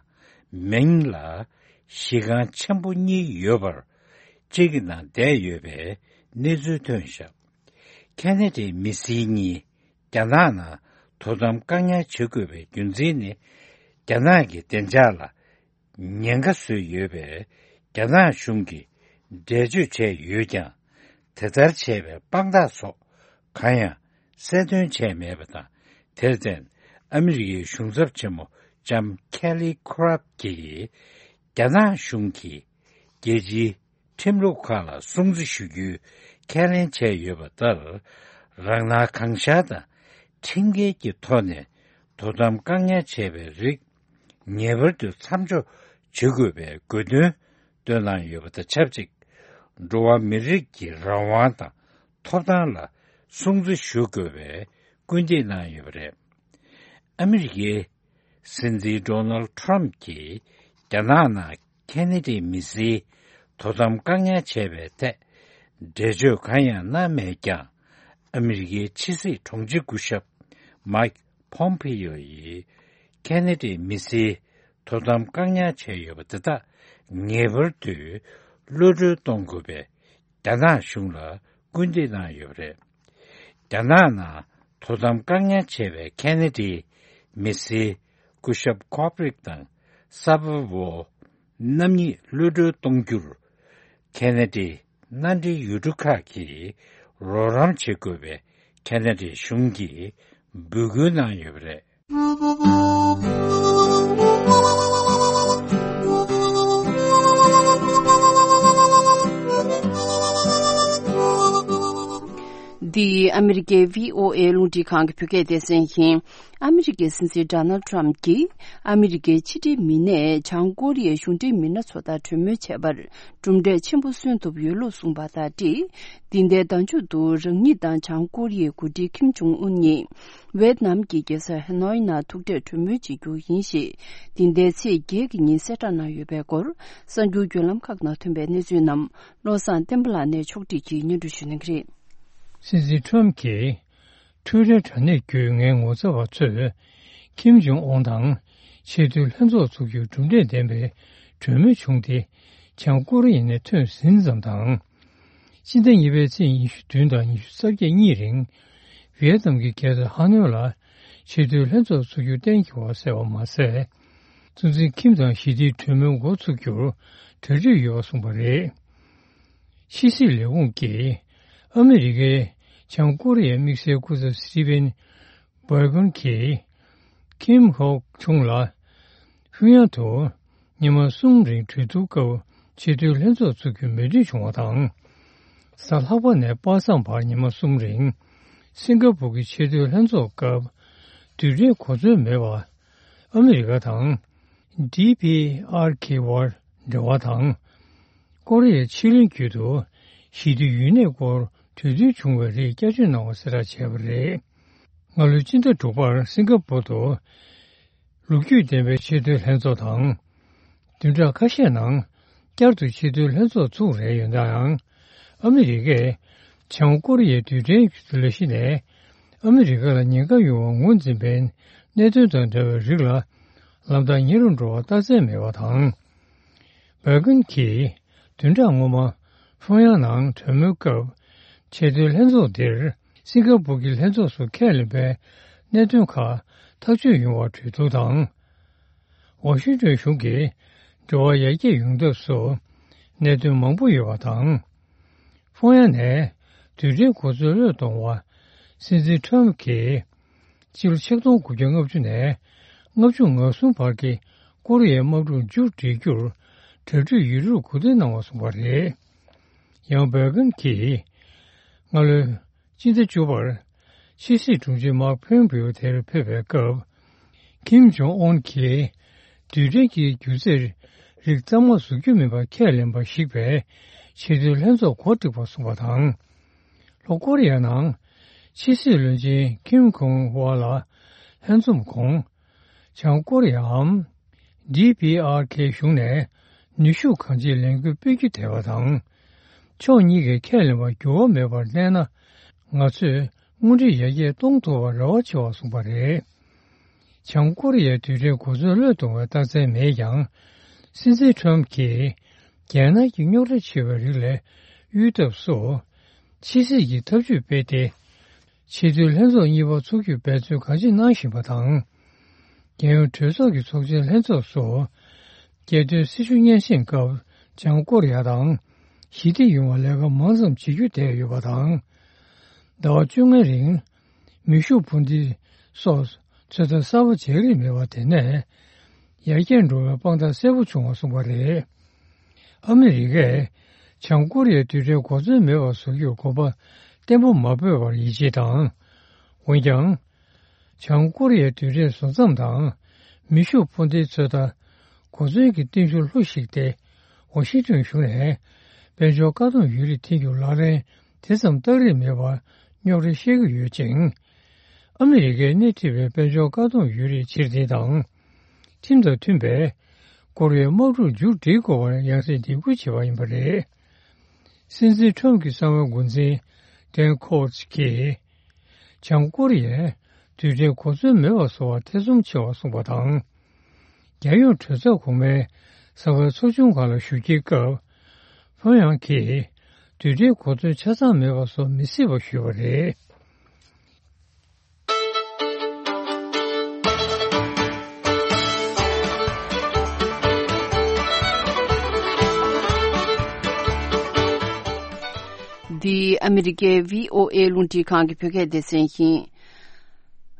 མིང་ལ་གཞིས་ཁང་ཆེན་པོ་གཉིས་ཡོད་པར། གཅིག་གི་ནང་བསྡད་ཡོད་པའི་གནས་ཚུལ་ཐོན་བཞག་ཁེ་ན་ཌའི་མི་སེར་གཉིས་རྒྱ་ནག་ནང་དོ་དམ་བཀག་ཉར་བྱེད་དགོས་པའི་རྒྱུ་མཚན་ནི། རྒྱ་ནག་གི་བདེ་འཇགས་ལ་ཉེན་ཁ་བཟོས་ཡོད་པས། རྒྱ་ནག་གཞུང་གིས་འགྲེལ་བརྗོད་བྱས་ཡོད་ཀྱང་། དེ་ལྟར་བྱས་པའི་དཔང་རྟགས་སོགས་གང་ཡང་གསལ་སྟོན་བྱས་མེད་པ་དང་། དེར་བརྟེན། ཨ་མི་རི་ཀའི་གཞུང་ཚབ་ཆེན་མོ་ལྕམ་ཁེ་ལི་ཁོ་རབ་ཀྱིས། རྒྱ་ནག་གཞུང་གིས་རྒྱལ་སྤྱིའི་ཁྲིམས་ལུགས་ཁག་ལ་སྲུང་བརྩི་ཞུ་རྒྱུའི་ཁས་ལེན་བྱས་ཡོད་པ་ལྟར། རང་སྣང་གང་ཤར་དང་ཁྲིམས་འགལ་གྱི་ཐོག་ནས་དོ་དམ་བཀག་ཉར་བྱས་པའི་རིགས། ངེས་པར་དུ་མཚམས་འཇོག་བྱེད་དགོས་པའི་དགོས་འདུན་བཏོན་གནང་ཡོད་པ་དང་ཆབས་ཅིག་འགྲོ་བ་མི་རིགས་ཀྱི་རང་དབང་དང་ཐོབ་ཐང་ལ་སྲུང་བརྩི་ཞུ་དགོས་པའི་སྐུལ་འདེད་གནང་ཡོད་པ་རེད། ཨ་མི་རི་ཀའི་ སྲིད་འཛིན་ཌོ་ནལ་ཌི་ཊརམ་ཕི་གྱིས་རྒྱ་ནག་ནང་ཁེ་ན་ཌའི་མི་སེར་དོ་དམ་བཀག་ཉར་བྱས་པའི་ཐད་འགྲེལ་བརྗོད་གང་ཡང་གནང་མེད་ཀྱང་། ཨ་མི་རི་ཀའི་ཕྱི་སྲིད་དྲུང་ཆེ་སྐུ་ཞབས་མའིག་ཕོམ་པེ་ཡོ་ཡིས་ཁེ་ན་ཌའི་མི་སེར་དོ་དམ་བཀག་ཉར་བྱས་ཡོད་པ་དེ་དག་ངེས་པར་དུ་གློད་གྲོལ་གཏོང་དགོས་པའི་རྒྱ་ནག་གཞུང་ལ་སྐུལ་འདེད་གནང་ཡོད་པ་རེད། རྒྱ་ནག་ནང་དོ་དམ་བཀག་ཉར་བྱས་པའི་ཁེ་ན་ཌའི་མི་སེར་སྐུ་ཞབས་ཀོབ་རིག་དང་གསར་པ་བོ་རྣམ་གཉིས་གློད་གྲོལ་གཏོང་རྒྱུར་ཁེ་ན་ཌའི་མནའ་འབྲེལ་ཡུལ་གྲུ་ཁག་གིས་རོགས་རམ་བྱེད་དགོས་པའི་ཁེ་ན་ཌའི་གཞུང་གིས་འབོད་སྐུལ་གནང་ཡོད་པ་རེད། འདི་ཨ་མི་རི་ཀའི་བྷི་ཨོ་ཨེ་རླུང་འཕྲིན་ཁང་གི་བོད་སྐད་སྡེ་ཚན་ཡིན། ཨ་མི་རི་ཀའི་སྲིད་འཛིན་ཌོ་ནལ་ཊརམ་གྱིས་ཨ་མི་རི་ཀའི་ཕྱི་འབྲེལ་མི་སྣས་བྱང་ཀོ་རི་ཡའི་གཞུང་འབྲེལ་མི་སྣ་ཚོ་དང་གྲོས་མོལ་བྱས་པར་གྲུབ་འབྲས་ཆེན་པོ་སོན་ཐུབ་ཡོད་ལུགས་གསུངས་པ་དང་འབྲེལ། འདི་ཟླའི་ཟླ་མཇུག་ཏུ་རང་ཉིད་དང་བྱང་ཀོ་རི་ཡའི་འགོ་ཁྲིད་ཁིམ་ཇོང་ཨུན་གཉིས་ཝེད་ནམ་གྱི་རྒྱལ་ས་ཧེ་ནོའི་ནང་ཐུག་འཕྲད་གྲོས་མོལ་བྱེད་རྒྱུ་ཡིན་ཞེས་འདི་ཟླའི་ཚེས་བརྒྱད་ཀྱི་ཉིན་གསལ་བསྒྲགས་གནང་ཡོད་པའི་སྐོར་གསར་འགྱུར་བརྒྱུད་ལམ་ཁག་ནང་ཐོན་པའི་གནས་ཚུལ་རྣམས་བློ་བཟང་བསྟན་པ་ལགས་ནས་ཕྱོགས་སྒྲིག་གིས་སྙན་སྒྲོན་ཞུ་གནང་གི་རེད། སྲིད་འཛིན་ཊརམ་གྱིས་ཊུའི་ཊར་དྲ་གནས་བརྒྱུད་ངའི་ངོ་ཚ་བ་ཚོས་ཁིམ་ཇོང་ཨོན་དང་ཆེས་མཐོའི་ལྷན་ཚོགས་འཚོགས་རྒྱུའི་གྲུབ་འབྲས་ལྡན་པའི་གྲོས་མོལ་བྱུང་སྟེ། བྱང་ཀོ་རི་ཡ་ནས་ཐོན་ཟིན་ཙམ་དང་། སྤྱི་ཟླ་གཉིས་པའི་ཚེས་ཉི་ཤུ་བདུན་དང་ཉི་ཤུ་རྩ་བརྒྱད་གཉིས་རིང་། ཝི་ཡེད་ནམ་གྱི་རྒྱལ་ས་ཧ་ནོས་ལ་ཆེས་མཐོའི་ལྷན་ཚོགས་འཚོགས་རྒྱུ་གཏན་འཁེལ་བ་གསལ་བ་མ་ཟད། གཙོ་འཛིན་ཁིམ་དང་ཞི་བདེའི་གྲོས་མོལ་འགོ་ཚུགས་རྒྱུར་གྲ་སྒྲིག་ཡོད་པ་གསུངས་པ་རེད། ཕྱི་སྲིད་ལས་ཁུངས་ཀྱིས་ཨ་མི་རི་ཀའི་བྱང་ཀོ་རི་ཡའི་དམིགས་བསལ་སྐུ་ཚབ་སི་ཊི་ཝེན་བྷར་གྷན་གྱིས་ཁིམ་ཧོག་ཆུང་ལ་ཕུ་ཡང་དུ་ཉི་མ་གསུམ་རིང་གྲོས་བསྡུར་སྐབས་ཆེས་མཐོའི་ལྷན་ཚོགས་འཚོགས་རྒྱུའི་མོས་མཐུན་བྱུང་བ་དང་། གཟའ་ལྷག་པ་ནས་པ་སངས་བར་ཉི་མ་གསུམ་རིང་སིང་ག་པུར་གྱི་ཆེས་མཐོའི་ལྷན་ཚོགས་སྐབས་རྡུལ་ཕྲན་གོ་མཚོན་མེད་པ་ཨ་མི་རི་ཀ་དང་ཌི་པི་ཨར་ཁེ་བར་འབྲེལ་བ་དང་། ཀོ་རི་ཡའི་ཕྱེད་གླིང་བརྒྱུད་དུ་ཞི་བདེ་ཡུན་གནས་སྐོར་གྲོས་མཐུན་བྱུང་བའི་རིགས་བསྐྱར་བཅོས་གནང་བ་གསལ་བསྒྲགས་བྱས་པ་རེད། སྔ་ལོའི་སྤྱི་ཟླ་དྲུག་པར་སིང་ག་པུར་དུ་ལོ་རྒྱུས་ལྡན་པའི་ཆེས་མཐོའི་ལྷན་ཚོགས་དང་། བདུན་ཕྲག་ཁ་ཤས་ནང་བསྐྱར་དུ་ཆེས་མཐོའི་ལྷན་ཚོགས་ཚུགས་རན་ཡོད་ནའང་། ཨ་མི་རི་ཀས་བྱང་ཀོ་རི་ཡའི་རྡུལ་ཕྲན་ལས་གཞི་ནས་ཨ་མི་རི་ཀ་ལ་ཉེན་ཁ་ཡོང་བར་ངོས་འཛིན་པའི་གནད་དོན་དང་འབྲེལ་བའི་རིགས་ལ་ལམ་ཐག་ཉེ་རུ་འགྲོ་བར་རྟགས་མཚན་མེད་པ་དང་། བྷར་གྷན་གྱིས་བདུན་ཕྲག་སྔོན་མ་ཕོང་ཡང་ནང་གྲོས་མོལ་སྐབས་ཆེས་མཐོའི་ལྷན་ཚོགས་འདིར་སིང་ག་པུར་གྱི་ལྷན་ཚོགས་སུ་ཁས་ལེན་པའི་གནད་དོན་ཁག་ཐག་གཅོད་ཡོང་བར་གྲོས་བསྡུར་དང་། ཝ་ཤིང་ཏོན་གཞུང་གིས་འབྲེལ་བ་ཡར་རྒྱས་ཡོང་ཐབས་སུ་གནད་དོན་མང་པོ་ཡོད་པ་དང་། ཕོང་ཡང་ནས་རྡུལ་ཕྲན་གོ་མཚོན་བློས་གཏོང་བ་སྲིད་འཛིན་ཊརམ་གྱིས་ཕྱི་ལོ་ཆིག་སྟོང་དགུ་བརྒྱ་ལྔ་བཅུ་ནས་ལྔ་བཅུ་ང་གསུམ་བར་གྱི་ཀོ་རི་ཡའི་དམག་འཁྲུག་མཇུག་སྒྲིལ་རྒྱུར་གྲ་སྒྲིག་ཡོད་ལུགས་གོ་སྒྲིག་གནང་བ་གསུངས་པ་རེད། ཡང་བྷར་གྷན་གྱིས་སྔ་ལོའི་སྤྱི་ཟླ་བཅུ་པར་ཕྱི་སྲིད་དྲུང་ཆེ་མཱག་ཕོམ་པེའོ་དེར་ཕེབས་པའི་སྐབས། ཁིམ་ཇོང་ཨོན་གྱིས་རྡུལ་ཕྲན་གྱི་སྒྱུ་རྩལ་རིགས་གཙང་མ་བཟོ་རྒྱུ་མིན་པ་ཁས་ལེན་པ་ཞིག་པའི་ཆེས་མཐོའི་ལྷན་ཚོགས་གོ་སྒྲིག་པ་གསུངས་པ་དང་། ལྷོ་ཀོ་རི་ཡ་ནང་ཕྱི་སྲིད་བློན་ཆེན་ཁིམ་ཁོང་ཝ་ལ་ལྷན་འཛོམས་གོང་། བྱང་ཀོ་རི་ཡའམ་ཌི་པི་ཨར་ཁེ་གཞུང་ནས་ནུས་ཤུགས་གང་ཆེ་ལེན་དགོས་དཔེ་རྒྱུ་དེ་བ་དང་། ཕྱོགས་གཉིས་ཀས་ཁས་ལེན་པར་འགྱུར་བ་མེད་པར་གནས་ན། ང་ཚོས་དངོས་འབྲེལ་ཡར་རྒྱས་གཏོང་ཐུབ་པར་རེ་བ་ཆེ་བ་གསུངས་པ་རེད། བྱང་ཀོ་རི་ཡའི་རྡུལ་ཕྲན་གོ་མཚོན་བློས་གཏོང་བའི་རྟགས་མཚན་མེད་ཀྱང་། སྲིད་འཛིན་ཊརམ་གྱིས་རྒྱལ་ནང་གི་རྙོག་དྲ་ཆེ་བའི་རིགས་ལས་གཡོལ་ཐབས་སུ། ཕྱི་སྲིད་ཀྱི་ཐབས་ཇུས་སྤེལ་ཏེ། ཆེས་མཐོའི་ལྷན་ཚོགས་གཉིས་པ་འཚོགས་རྒྱུར་འབད་བརྩོན་གང་ཅི་གནང་བཞིན་པ་དང་། རྒྱལ་ཡོངས་གྲོས་ཚོགས་ཀྱི་ཚོགས་ཆེན་ལྷན་ཚོགས་སུ། རྒྱལ་དོན་སྲིད་ཞུ་སྙན་སེང་སྐབས་བྱང་ཀོ་རི་ཡ་དང་ཞི་བདེ་ཡོང་བར་ལས་ཀ་མང་ཙམ་བྱེད་རྒྱུ་བསྡད་ཡོད་པ་དང་། ཟླ་བ་བཅོ་ལྔའི་རིང་མེ་ཤུགས་འཕུར་མདེལ་སོགས་ཚོད་ལྟ་གསར་པ་བྱེད་རིན་མེད་པ་དེ་ནས་ཡར་རྒྱས་འགྲོ་བའི་དཔང་རྟགས་གསལ་པོ་བྱུང་བ་གསུངས་པ་རེད། ཨ་མི་རི་ཀས་བྱང་ཀོ་རི་ཡའི་རྡུལ་ཕྲན་གོ་མཚོན་མེད་པར་བཟོ་རྒྱུར་གོམ་པ་བརྟན་པོ་མ་སྤོས་པར་ཡིད་ཆེས་དང་། འོན་ཀྱང་། བྱང་ཀོ་རི་ཡའི་རྡུལ་ཕྲན་བཟོ་མཚམས་དང་མེ་ཤུགས་འཕུར་མདེལ་ཚོད་ལྟ་གོ་མཚོན་གྱི་རྟིང་ཤུགས་ལྷོད་ཞིག་སྟེ། ཝ་ཤིང་ཏོན་གཞུང་ནས་དཔལ་འབྱོར་བཀག་སྡོམ་ཡོད་རིགས་འཐེན་རྒྱུར་ལག་ལེན་དེ་ཙམ་བསྟར་རིན་མེད་པར་རྙོག་དྲ་བཤད་ཀྱི་ཡོད་ཅིང་། ཨ་མི་རི་ཀས་སྣེ་ཁྲིད་པའི་དཔལ་འབྱོར་བཀག་སྡོམ་ཡོད་རིགས་ཕྱིར་འཐེན་དང་ ཁྲིམས་དང་མཐུན་པའི་ཀོ་རི་ཡའི་དམག་འཁྲུག་མཇུག་སྒྲིལ་དགོས་པར་ཡང་སེ་འདེད་སྐུལ་བྱས་པ་ཡིན་པ་རེད། སྲིད་འཛིན་ཁྲོམ་གྱི་གསང་བའི་འགོ་འཛིན་ཌེན་ཁོ་ཝར་ཊི་གིས། བྱང་ཀོ་རི་ཡས་རྡུལ་ཕྲན་གོ་མཚོན་མེད་པ་བཟོ་བར་ཐེ་ཚོམ་ཆེ་བ་གསུངས་པ་དང་། རྒྱལ་ཡོངས་གྲོས་ཚོགས་གོང་མའི་གསང་བའི་ཚོགས་ཆུང་ཁག་ལ་ཞུགས་ཀྱི་སྐབས། ཕོན་ཡང་གིས་རྡུལ་ཕྲན་གོ་མཚོན་ཆ་ཚང་མེད་པ་བཟོ་མི་སྲིད་པ་ཞུས་པ་རེད། འདི་ཨ་མི་རི་ཀའི་བྷི་ཨོ་ཨེ་རླུང་འཕྲིན་ཁང་གི་བོད་སྐད་སྡེ་ཚན་ཡིན།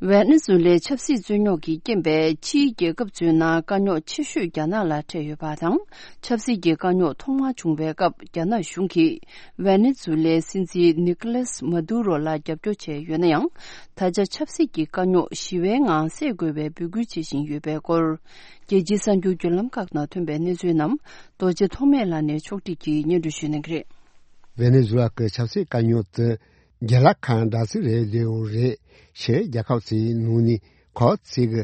ཝེ་ནེ་ཛུ་ལའི་ཆབ་སྲིད་རྩོད་རྙོག་གི་རྐྱེན་པས་ཕྱིའི་རྒྱལ་ཁབ་ཚོའི་ནང་དཀའ་རྙོག་ཆེ་ཤོས་རྒྱ་ནག་ལ་འཕྲད་ཡོད་པ་དང་། ཆབ་སྲིད་ཀྱི་དཀའ་རྙོག་ཐོག་མར་བྱུང་བའི་སྐབས་རྒྱ་ནག་གཞུང་གིས་ཝེ་ནེ་ཛུ་ལའི་སྲིད་འཛིན་ནི་ཀོ་ལེས་མ་དུ་རོ་ལ་རྒྱབ་སྐྱོར་བྱས་ཡོད་ན་ཡང་། ད་ཆ་ཆབ་སྲིད་ཀྱི་དཀའ་རྙོག་ཞི་བའི་ངང་སེལ་དགོས་པའི་འབོད་སྐུལ་བྱེད་བཞིན་ཡོད་པའི་སྐོར། རྒྱལ་སྤྱིའི་གསར་འགྱུར་བརྒྱུད་ལམ་ཁག་ནང་ཐོན་པའི་གནས་ཚུལ་རྣམས་རྡོ་རྗེ་ཐོགས་མེད་ལགས་ནས་ཕྱོགས་སྒྲིག་གིས་སྙན་སྒྲོན་ཞུ་གནང་གི་རེད། ཝེ་ནེ་ཛུ་ལ་གི་ཆབ་སྲིད་དཀའ་རྙོག་དེ་རྒྱལ་ལ་ཁང་སྦྲག་སྲིད་རེད་ལེའུ་རེད། ཕྱིའི་རྒྱལ་ཁབ་ཚོའི་ནང་ནས་ཁོ་ཚོས་གི་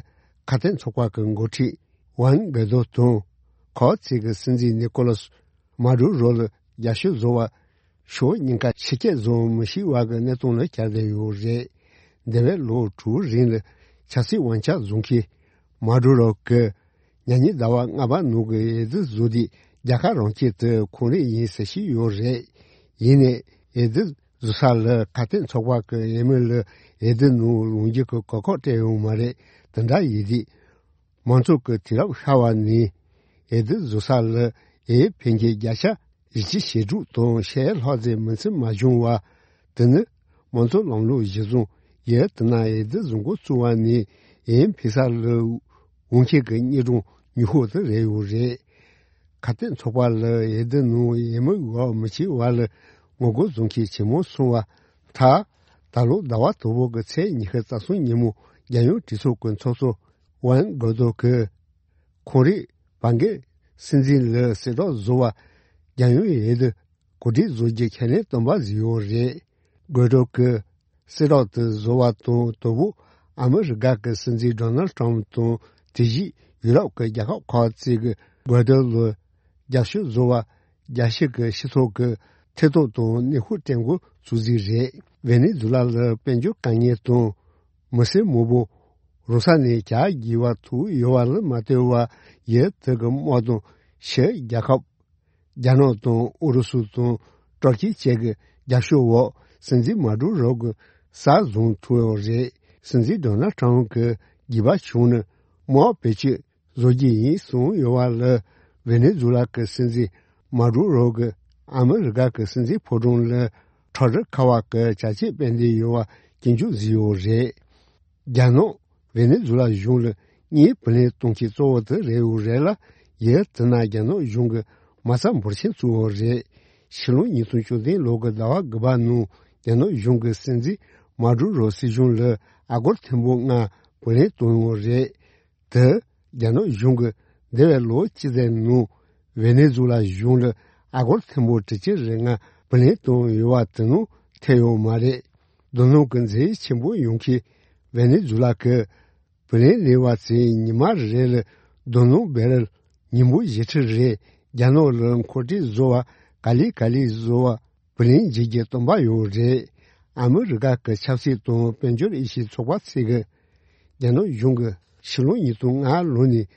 ཁ་གཏད་ཚོགས་པ་གི་འགོ་ཁྲིད་ཝན་གྷི་དོ་དང་། ཁོ་ཚོས་གི་སྲིད་འཛིན་ནི་ཀོ་ལོ་སི་མ་དུ་རོ་ལ་རྒྱབ་སྐྱོར་བཟོ་བ། ཕྱོགས་གཉིས་ཀ་ཕྱི་སྐད་བཟོ་མི་ཤེས་པ་གི་གནས་སྟངས་ལ་གྱར་བསྡད་ཡོད་རེད། འདས་པའི་ལོ་དྲུག་རིང་ལ་ཆབ་སྲིད་དབང་ཆ་བཟུང་མཁན་མ་དུ་རོ་གི་ཉེ་ཉེ་ཟླ་བ་ལྔ་པ་ནང་གི་འོས་བསྡུ་བཟོ་དུས་རྒྱལ་ཁ་རང་བཀྱེད་དེ་ཁོང་རང་ཡིན་ཟེར་བཤད་ཡོད་རེད། ཡིན་ནའི་འོས་བསྡུ་བཟོ་ས་ལ་ཁ་གཏད་ཚོགས་པ་གི་འོས་མི་ལ་འོས་བསྡུ་ནང་ལངས་རྒྱུ་གི་གོ་སྐབས་སྤྲད་ཡོད་མ་རེད། དེ་འདྲ་ཡིན་དུས། མང་ཚོགས་ཀྱི་དུས་རབས་ཤར་བ་ནས་འོས་བསྡུ་བཟོ་ས་ལ་འོས་འཕེན་མཁན་བརྒྱ་ཆ་བཞི་བཅུ་ཞེ་དྲུག་དང་ཕྱེད་ལྷག་ཙམ་མི་ཚད་མ་བྱུང་བ། དེ་ནི་མང་གཙོ་ལམ་ལུགས་གཞི་བཟུང་ཡུལ་དེ་ན་འོས་བསྡུ་བཟོ་འགོ་བཙུགས་པ་ནས་འོས་འཕེན་ས་ལ་འོས་མཁན་གྱི་སྙན་སྒྲོན་ཉུང་ཤོས་དེ་རེད་ཡོད་རེད། ཁ་གཏད་ཚོགས་པ་ལ་འོས་བསྡུ་ནང་འོས་མི་འོས་མི་བྱེད་པ་ལ་ངོ་རྒོལ་བཟོ་མཁན་ཇེ་མང་སོང་བ། མཐར་ད་ལོ་ཟླ་བ་དང་པོ་གི་ཚེས་ཉི་ཤུ་རྩ་གསུམ་ཉིན་མོ་རྒྱལ་ཡོངས་གྲོས་ཚོགས་ཀྱི་ཚོགས་གཙོ་ཝན་གྷི་དོ་གིས། ཁོང་རང་བར་བརྒལ་སྲིད་འཛིན་ལ་གསལ་བསྒྲགས་བཟོ་བ། རྒྱལ་ཡོངས་འོས་བསྡུ་གོ་སྒྲིག་བཟོ་རྒྱུ་ཁས་ལེན་བཏོན་པ་ཟིན་ཡོད་རེད། གྷི་དོ་གིས་གསལ་བསྒྲགས་དེ་བཟོ་བ་དང་དོ་བོ་ཨ་མི་རི་ཀ་གི་སྲིད་འཛིན་ཌོ་ནལ་ཊམ་དང་དེ་བཞིན་ཡུ་རོབ་ཀྱི་རྒྱལ་ཁབ་ཁག་ཅིག་གིས་གྷི་དོ་ལ་རྒྱབ་སྐྱོར་བཟོ་བ། རྒྱལ་སྤྱི་གི་སྤྱི་ཚོགས་ཀྱི་ཐེ་གཏོགས་དང་ནུས་ཤུགས་བསྐྲུན་འགོ་ཚུགས་རྩིས་རེད། ཝེ་ནེ་ཛུ་ལ་ལ་དཔལ་འབྱོར་དཀའ་ངལ་དང་། མི་སེར་མང་པོ་རང་ས་ནས་གྱར་དགོས་པ་ཐུག་ཡོད་པ་ལ་མ་ལྟོས་པར་ཡུལ་དེ་གི་དམག་དང་ཕྱིའི་རྒྱལ་ཁབ། རྒྱ་ནག་དང་ཨུ་རུ་སུ་དང་ཏུར་ཀི་བཅས་ཀྱི་རྒྱབ་སྐྱོར་འོག་སྲིད་འཛིན་མ་དུ་རོ་གི་སར་བཟུང་ཐུབ་ཡོད་རེད། སྲིད་འཛིན་ཌོ་ནལ་ཊམ་གྱི་དགོས་པ་བྱུང་ན་དམག་བེད་སྤྱོད་བཟོ་རྒྱུ་ཡིན་གསུངས་ཡོད་པ་ལ། ཝེ་ནེ་ཛུ་ལ་གི་སྲིད་འཛིན་མ་དུ་རོ་གིས་ཨ་མི་རི་ཀ་གི་སྲིད་འཛིན་ཕོ་བྲང་ལ་ཁྲག་དྲི་ཁ་བ་གི་བྱ་སྤྱོད་སྤེལ་འདོད་ཡོད་པ་སྐྱོན་བརྗོད་བཟོས་ཡོད་རེད། རྒྱ་ནག་ཝེ་ནེ་ཛུ་ལ་གཞུང་ལ་དངུལ་བུན་ལེན་གཏོང་མཁན་གཙོ་བོ་དེ་རེད་འོ་རེད་ལ། ཡུལ་དེ་ན་རྒྱ་ནག་གཞུང་གི་མ་རྩ་འབོར་ཆེན་བཙུགས་ཡོད་རེད། ཕྱི་ལོ་ཉིས་སྟོང་བཅུ་བདུན་ལོ་གི་ཟླ་བ་དགུ་པ་ནང་རྒྱ་ནག་གཞུང་གི་སྲིད་འཛིན་མ་དུ་རོ་སྲིད་གཞུང་ལ་ཨ་སྒོར་ཐེར་འབུམ་ལྔ་བུན་ལེན་བཏང་ཡོད་རེད། དེ་རྒྱ་ནག་གཞུང་གིས་འདས་པའི་ལོ་གཅིག་ཙམ་ནང་ཝེ་ནེ་ཛུ་ལ་གཞུང་ལ་ཨ་སྒོར་ཐེར་འབུམ་དྲུག་ཅུ་རེ་ལྔ་བུན་ལེན་བཏང་ཡོད་པ་དེ་ནང་ཐེ་ཡོད་མ་རེད། རྡོ་སྣུམ་གྱི་འཛིན་ཆེན་པོ་ཡོང་མཁན་ཝེ་ནེ་ཛུ་ལ་གི་བུན་ལེན་ལེན་པ་ཚོས་ཉི་མ་རེ་ལ་རྡོ་སྣུམ་བེ་རེལ་ཉིས་འབུམ་བཞི་ཁྲི་རེ་རྒྱ་ནག་ལ་མཁོ་སྤྲོད་བཟོ་བ་ག་ལེ་ག་ལེ་བཟོ་བ་བུ་ལོན་འཇལ་རྒྱུ་སྟོན་པ་ཡོད་རེད། ཨ་མི་རི་ཀ་གི་ཆབ་སྲིད་དང་དཔལ་འབྱོར་འོས་ཤོག་ཚོགས་པ་ཚོས་ཀྱི་རྒྱ་ནག་གཞུང་གིས་ཕྱི་ལོ་ཉིས་སྟོང་ལྔ་ལོ་ནས་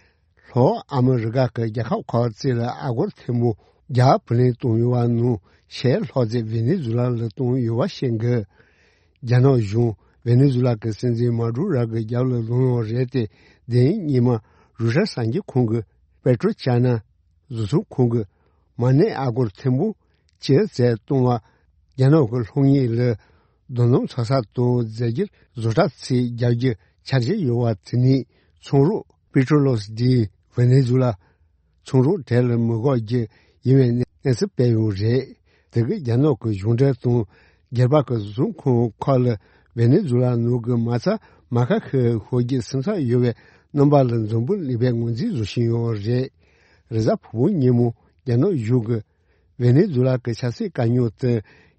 ལྷོ་ཨ་མི་རི་ཀ་གི་རྒྱལ་ཁབ་ཁག་ཅིག་ལ་ཨ་སྒོར་ཐེར་འབུམ་བརྒྱ་བུ་ལོན་བཏང་ཡོད་པ་ནང་ཕྱེད་ལྷག་ཙམ་ཝེ་ནེ་ཛུ་ལ་ལ་བཏང་ཡོད་པ་ཤེས་དགོས། རྒྱ་ནག་གཞུང་ཝེ་ནེ་ཛུ་ལ་གི་སྲིད་འཛིན་མ་དུ་རོ་གི་རྒྱབ་ལ་ལངས་ཡོད་རེད་དེ། དེ་རིང་ཉི་མ་རུ་ཤ་གསར་འགྱུར་ཁང་གི་པེ་ཏྲོ་ཅཱ་ན་གཟུགས་ཚོང་ཁང་གི་མ་ཎི་ཨ་སྒོར་ཐེར་འབུམ་གཅིག་ཙམ་གཏོང་བ། རྒྱ་ནག་གི་ལྷོ་ངོས་ལ་རྡོ་སྣུམ་འཚོ་ས་དང་རྫས་འགྱུར་བཟོ་གྲྭ་ཚོས་རྒྱག་རྒྱུ་འཆར་གཞི་ཡོད་པ་དེ་ནི་ཚོང་རོགས་པེ་ཏྲོ་ལོས་ཌི་ཝེ་ནེ་ཛུ་ལ་ཚོང་རོགས་གྲས་ལ་མི་དགོས་རྒྱུ་ཡིན་པའི་གནས་ཚུལ་སྤེལ་ཡོད་རེད། དེ་གིས་རྒྱ་ནག་གི་གཞུང་འབྲེལ་དང་སྒེར་པ་གི་གཟུགས་ཁང་ཁག་ལ་ཝེ་ནེ་ཛུ་ལ་ནང་གི་མ་རྩ་མ་ཁ་ཤས་ཤོར་རྒྱུ་སེམས་འཚབ་ཡོད་པའི་རྣམ་པ་ལ་འཛམ་བུ་གླིང་པས་ངོས་འཛིན་བཟོ་བཞིན་ཡོད་རེད། རེས་གཟའ་ཕུར་བུ་ཉིན་མོ་རྒྱ་ནག་གཞུང་གིས་ཝེ་ནེ་ཛུ་ལ་གི་ཆབ་སྲིད་དཀའ་རྙོག་དེ་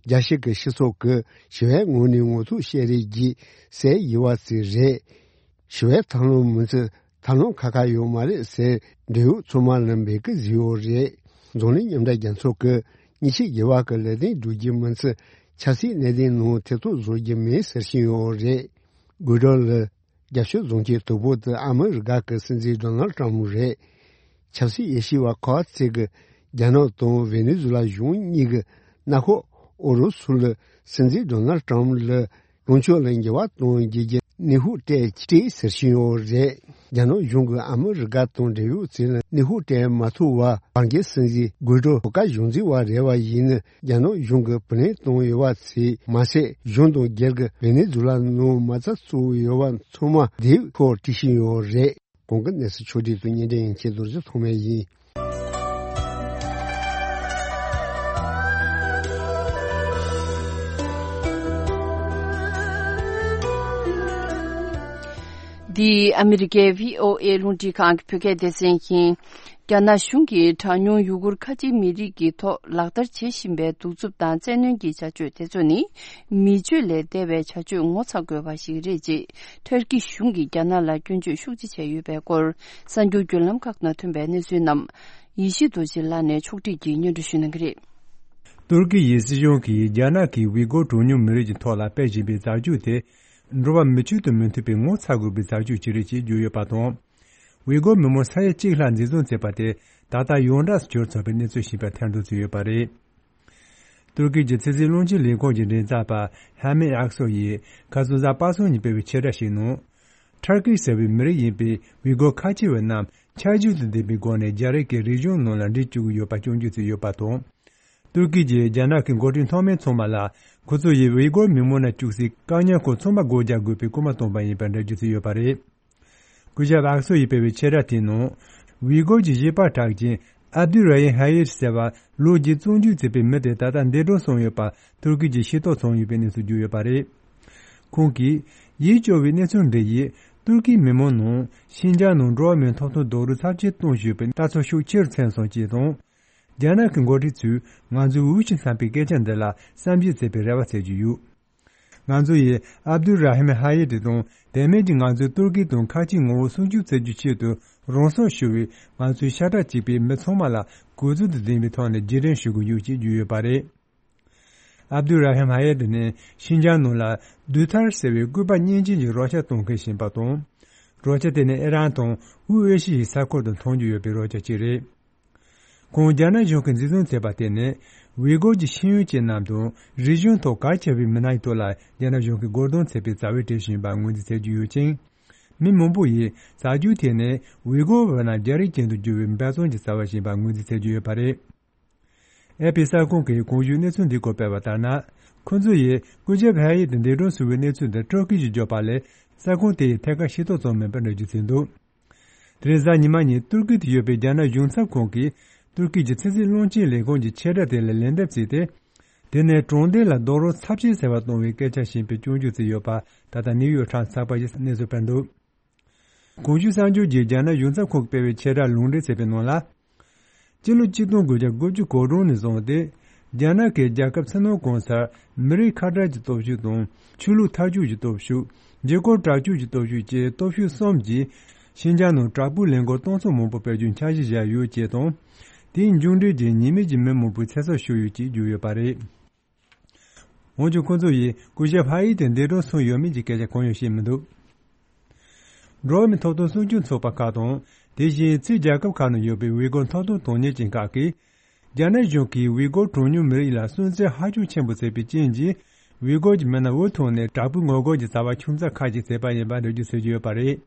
རྒྱལ་སྤྱི་གི་སྤྱི་ཚོགས་ཀྱི་ཞི་བའི་ངང་ནས་ངོ་ཐུག་བཤད་རེས་ཀྱིས་སེལ་ཡོད་པ་ཅིག་རེད། ཞི་བའི་ཐབས་ལམ་མིན་ཚུལ་ ཐབས་ལམ་ཁ་ཁ་ཡོད་མ་རེད་ཟེར། འབྲེལ་ཡོད་ཚོགས་མང་ལ་འབོད་སྐུལ་བཟོས་ཡོད་རེད། འཛམ་གླིང་མཉམ་འབྲེལ་རྒྱལ་ཚོགས་ཀྱིས་མཉེན་ཆས་སྒེར་བ་གི་ལས་དོན་སྒྲུབ་རྒྱུ་མིན་ཚེ། ཆབ་སྲིད་གནད་དོན་ནང་ཐེ་གཏོགས་བཟོ་རྒྱུ་མེད་ཟེར་བཞིན་ཡོད་རེད། གུ་ཌོ་ལི། རྒྱབ་ཕྱོགས་རྫོང་ཆེན་དོལ་པོ་དེ་ཨ་མི་རི་ཀ་གི་སྲིད་འཛིན་ཌོ་ནལ་ཊམ་རེད། ཆབ་སྲིད་དབྱེ་ཞིབ་པ་ཁོ་ཚེ་གི་རྒྱ་ནག་དང་ཝེ་ནེ་ཛུ་ལ་གཞུང་གཉིས་ཀྱི་མནའ་ཤོག་ཨུ་རུ་སུ་ལ་སྲིད་འཛིན་ཌོ་ནལ་ཊམ་ལ་ལངས་ཕྱོགས་ལ་འགྱུར་བ་གཏོང་རྒྱུ་གི་ནུས་ཤུགས་སྤྲད་སྤྲད་ཟེར་བཞིན་ཡོད་རེད། རྒྱ་ནག་གཞུང་གིས་ཨ་མི་རི་ཀ་དང་འབྲེལ་ཡོད་ཚོ་ལ་ནུས་ཤུགས་སྤྲད་མ་ཐུབ་པར་བར་བརྒལ་སྲིད་འཛིན་གུ་ཌོ་གོ་ཀ་གཞུང་འཛིན་པ་རེད་པ་ཡིན་ན། རྒྱ་ནག་གཞུང་གིས་བུ་ལོན་གཏོང་ཡོད་པ་ཚོ་མ་ཟད། གཞུང་དང་སྒེར་གྱི་ཝེ་ནེ་ཛུ་ལ་ནང་མ་རྩ་བཙུགས་ཡོད་པ་ཚང་མ་དེབ་ཐོག་བྲིས་བཞིན་ཡོད་རེད། གོང་གི་གནས་ཚུལ་ཕྱོགས་བསྒྲིགས་དང་སྙན་སྒྲོན་ཡན་ཆད་རྡོ་རྗེ་ཐོགས་མེད་ཡིན། འདི་ཨ་མི་རི་ཀའི་བྷི་ཨོ་ཨེ་རླུང་འཕྲིན་ཁང་གི་བོད་སྐད་སྡེ་ཚན་ཡིན། རྒྱ་ནག་གཞུང་གིས་གྲངས་ཉུང་ཡུ་གུར་ཁ་ཆེ་མི་རིགས་ཀྱི་ཐོག་ལག་བསྟར་བྱེད་བཞིན་པའི་གདུག་རྩུབ་དང་བཙན་གནོན་གྱི་བྱ་སྤྱོད་དེ་ཚོ་ནི། མི་སྤྱོད་ལས་འདས་པའི་བྱ་སྤྱོད་ངོ་ཚ་དགོས་པ་ཞིག་རེད་ཅེས་ཐུར་ཀི་གཞུང་གིས་རྒྱ་ནག་ལ་སྐྱོན་བརྗོད་ཤུགས་ཆེ་བྱས་ཡོད་པའི་སྐོར། གསར་འགྱུར་བརྒྱུད་ལམ་ཁག་ནང་ཐོན་པའི་གནས་ཚུལ་རྣམས་ཡེ་ཤེས་རྡོ་རྗེ་ལགས་ནས་ཕྱོགས་སྒྲིག་གིས་སྙན་སྒྲོན་ཞུ་གནང་གི་རེད། ཏུར་ཀི་ཡི་སྲིད་གཞུང་གིས་རྒྱ་ནག་གིས་ཝི་གོ་གྲངས་ཉུང་མི་རིགས་ཀྱི་ཐོག་ལ་སྤེལ་བཞིན་པའི་བྱ་སྤྱོད་དེ། འགྲོ་བ་མི་ཆོས་དང་མི་མཐུན་པའི་ངོ་ཚ་དགོས་པའི་བྱ་སྤྱོད་ཅིག་རེད་ཅེས་བརྗོད་ཡོད་པ་དང་། ཝི་གོ་མི་མང་ས་ཡ་གཅིག་ལྷག་འཛིན་བཟུང་བྱས་པ་དེ་ད་ལྟ་ཡོངས་གྲགས་སུ་གྱུར་ཚར་བའི་གནས་ཚུལ་ཞིག་ཡིན་པ་ཐེར་འདོན་བྱས་ཡོད་པ་རེད། ཏུར་ཀི་གྱི་ཚན་རྩལ་རླུང་འཕྲིན་ལས་ཁུངས་ཀྱི་མགྲིན་ཚབ་པ་ཧ་མེ་ཨག་སོ་ཡིས་ཁ་སང་གཟའ་པ་སངས་ཉིན་སྤེལ་བའི་ཕྱིར་བསྒྲགས་ཤིག་ནང་། ཁྲར་ཀི་ཟེར་བའི་མི་རིགས་ཡིན་པའི་ཝི་གོ་ཁ་ཆེ་བ་རྣམས་ཆ་རྒྱུས་དང་ལྡན་པའི་སྒོ་ནས་རྒྱ་རིགས་ཀྱི་རིག་གཞུང་ནང་ལ་འདྲེས་བཅུག་གི་ཡོད་པ་སྐྱོན་བརྗོད་བྱས་ཡོད་པ་དང་། ཏུར་ཀི་གྱིས་རྒྱ་ནག་གི་འགོ་ཁྲིད་མཐོ་དམན་ཚང་མ་ལ། ཁོ་ཚོ་ཡིས་ཝི་གོར་མི་མང་ལ་བཅུག་སའི་བཀག་ཉར་ཁང་ཚང་མ་སྒོ་རྒྱག་དགོས་པའི་སྐུལ་མ་བཏང་པ་ཡིན་པར་འགྲེལ་བརྗོད་བྱས་ཡོད་པ་རེད། སྐུ་ཞབས་ཨག་སོ་ཡིས་སྤེལ་བའི་ཕྱིར་བསྒྲགས་དེའི་ནང་། ཝི་གོར་གྱི་གཞས་པ་གྲགས་ཅན་ཨབ་དུ་ར་ཧིམ་ཧ་ཡེ་ཏི་ཟེར་བ་ལོ་བརྒྱད་བཙོན་འཇུག་བྱས་པའི་མི་དེ་ད་ལྟ་འདས་གྲོངས་སོང་ཡོད་པ་ཏུར་ཀི་གྱིས་ཤེས་རྟོགས་བྱུང་ཡོད་པའི་གནས་ཚུལ་བརྗོད་ཡོད་པ་རེད། ཁོང་གིས། ཡིད་སྐྱོ་བའི་གནས་ཚུལ་འདི་ཡིས་ཏུར་ཀིའི་མི་མང་ནང་ཤིན་ཅང་ནང་འགྲོ་བ་མིའི་ཐོབ་ཐང་རྡོག་རོལ་ཚབས་ཆེ་གཏོང་བཞིན་ཡོད་པའི་ལྟ་ཚུལ་ཤུགས་ཆེ་རུ་ཕྱིན་སོང་ཅེས་དང་། རྒྱ་ནག་གི་འགོ་ཁྲིད་ཚོས་ང་ཚོའི་འུ་ཅག་བསམ་པའི་སྐད་ཆ་འདི་ལ་བསམ་གཞིག་བྱེད་པའི་རེ་བ་བྱེད་ཀྱི་ཡོད། ང་ཚོ་ཡིས་ཨབ་དུ་ར་ཧིམ་ཧ་ཡེ་ཏི་དང་དེ་མིན་གྱི་ང་ཚོའི་ཏུར་ཀི་དང་ཁ་ཆེའི་ངོ་བོ་སྲུང་སྐྱོབ་བྱེད་རྒྱུའི་ཆེད་དུ་རང་སྲོག་ཤོར་བའི་ང་ཚོའི་ཤ་ཁྲག་གཅིག་པའི་མི་ཚང་མ་ལ་གུས་བརྩི་དང་ལྡན་པའི་ཐོག་ནས་རྗེས་དྲན་ཞུ་གི་ཡོད་ཅེས་བརྗོད་ཡོད་པ་རེད། ཨབ་དུ་ར་ཧིམ་ཧ་ཡེ་ཏི་ནི་ཤིན་ཅང་ནང་ལ་དུས་ཐར་ཟེར་བའི་སྐུད་པ་སྙིང་རྗེ་ཡི་རོགས་སྐྱོར་གཏོང་མཁན་ཞིག་ཡིན་པ་དང་། རོགས་སྐྱོར་དེ་ནི་ཨི་རན་དང་དབུས་ཨེ་ཤི་ཡའི་ས་ཁུལ་དུ་མཐོང་རྒྱུ་ཡོད་པའི་རོགས་སྐྱོར་ཅིག་རེད། ཁོང་རྒྱ་ནག་གཞུང་གིས་འཛིན་བཟུང་བྱས་པ་དེ་ནི་ཝི་གོར་གྱི་ཤེས་ཡོན་ཅན་རྣམས་དང་རིག་གཞུང་ཐོག་གལ་ཆེ་བའི་མི་སྣ་ཡི་ཐོག་ལ་རྒྱ་ནག་གཞུང་གིས་རྒོལ་རྡུང་བྱས་པའི་རྩ་བའི་གྲས་ཤིག་ཡིན་པ་ངོས་འཛིན་བྱེད་ཀྱི་ཡོད་ཅིང་། མི་མང་པོ་ཡིས་བྱ་སྤྱོད་དེ་ནི་ཝི་གོར་བ་རྣམས་རྒྱ་རིགས་ཅན་དུ་འགྱུར་བའི་འབད་བརྩོན་གྱི་རྩ་བ་ཞིག་ཡིན་པ་ངོས་འཛིན་བྱེད་ཀྱི་ཡོད་པ་རེད། ཨེ་ཕི་གསར་ཁང་གིས་གོང་ཞུས་གནས་ཚུལ་འདིའི་སྐོར་སྤེལ་བ་ལྟར་ན། ཁོ་ཚོ་ཡིས་སྐུ་ཞབས་ཧ་ཡེ་ཏི་འདས་གྲོངས་སོང་བའི་གནས་ཚུལ་འདི་སྤྲོ་སྐྱིད་ཀྱིས་བརྗོད་པ་ལས་གསར་ཁང་དེ་ཡིས་ཐད་ཀར་ཤེས་རྟོགས་བྱུང་མེད་པར་འགྲེལ་བརྗོད་བྱས་འདུག་དེ་རིང་གཟའ་ཉི་མ་ཉིན་ཏུར་ཀི་དུ་ཡོད་པའི་རྒྱ་ནག་གཞུང་ཚབ་ཁང་གིས་ཏུར་ཀི་གྱི་ཚན་རྩལ་རླུང་འཕྲིན་ལས་ཁུངས་ཀྱི་ཆེད་བསྒྲགས་དེ་ལ་ལན་འདེབས་བྱས་ཏེ། དེ་ནི་དྲང་བདེན་ལ་རྡོག་རོལ་ཚབས་ཆེན་བྱས་པ་གཏོང་བའི་སྐད་ཆ་བཤད་པའི་སྐྱོན་བརྗོད་བྱས་ཡོད་པ་ད་ལྟ་ནིའུ་ཡོག་ཊའིམ་སི་ཚགས་པར་གྱིས་གནས་ཚུལ་སྤེལ་འདུག་གོང་ཞུས་གསར་འགྱུར་གྱིས་རྒྱ་ནག་གཞུང་ཚབ་ཁང་གིས་སྤེལ་བའི་ཆེད་བསྒྲགས་ལུང་འདྲེན་བྱས་པའི་ནང་ལ། སྤྱི་ལོ་ཆིག་སྟོང་དགུ་བརྒྱ་དགུ་བཅུ་གོ་གྲངས་ནས་བཟུང་སྟེ། རྒྱ་ནག་གིས་རྒྱལ་ཁབ་ཕྱི་ནང་གང་སར་མི་རིགས་ཁ་བྲལ་གྱི་སྟོབས་ཤུགས་དང་། ཆོས་ལུགས་མཐའ་སྐྱོང་གི་སྟོབས་ཤུགས། རྒྱལ་ཁབ་དྲག་སྤྱོད་ཀྱི་སྟོབས་ཤུགས་བཅས་སྟོབས་ཤུགས་གསུམ་གྱིས། ཤིན་ཅང་ནང་དྲག་པོའི་ལས་འགུལ་གཏོང་ཚོགས་མང་པོ་སྤེལ་རྒྱུའི་འཆར་གཞི་བཞག་ཡོད་ཅེས་དང་། དེའི་མཇུག་འབྲས་ཀྱིས་ཉེས་མེད་ཀྱི་མི་མང་པོའི་ཚེ་སྲོག་ཤོར་ཡོད་ཅེས་བརྗོད་ཡོད་པ་རེད། འོན་ཀྱང་ཁོ་ཚོ་ཡིས་སྐུ་ཞབས་ཧ་ཡེ་ཏི་འདས་གྲོངས་སོང་ཡོད་མེད་ཀྱི་སྐད་ཆ་གང་ཡང་བཤད་མི་འདུག་འགྲོ་བ་མིའི་ཐོབ་ཐང་སྲུང་སྐྱོང་ཚོགས་པ་ཁག་དང་། དེ་བཞིན་ཕྱིའི་རྒྱལ་ཁབ་ཁག་ནང་ཡོད་པའི་ཝི་གོར་ཐོབ་ཐང་དོན་གཉེར་ཅན་ཁག་གིས། རྒྱ་ནག་གཞུང་གིས་ཝི་གོར་གྲངས་ཉུང་མི་རིགས་ལ་སུན་གཙེར་ཧ་ཅང་ཆེན་པོ་བྱས་པའི་རྐྱེན་གྱིས། ཝི་གོར་གྱི་མི་སྣ་འུ་ཐུག་ནས་དྲག་པོའི་ངོ་རྒོལ་གྱི་བྱ་བ་ཆུང་ཙག་ཁག་ཅིག་བྱས་པ་ཡིན་པ་འགྲེལ་བརྗོད་བྱེད་ཀྱི་ཡོད་པ་རེད།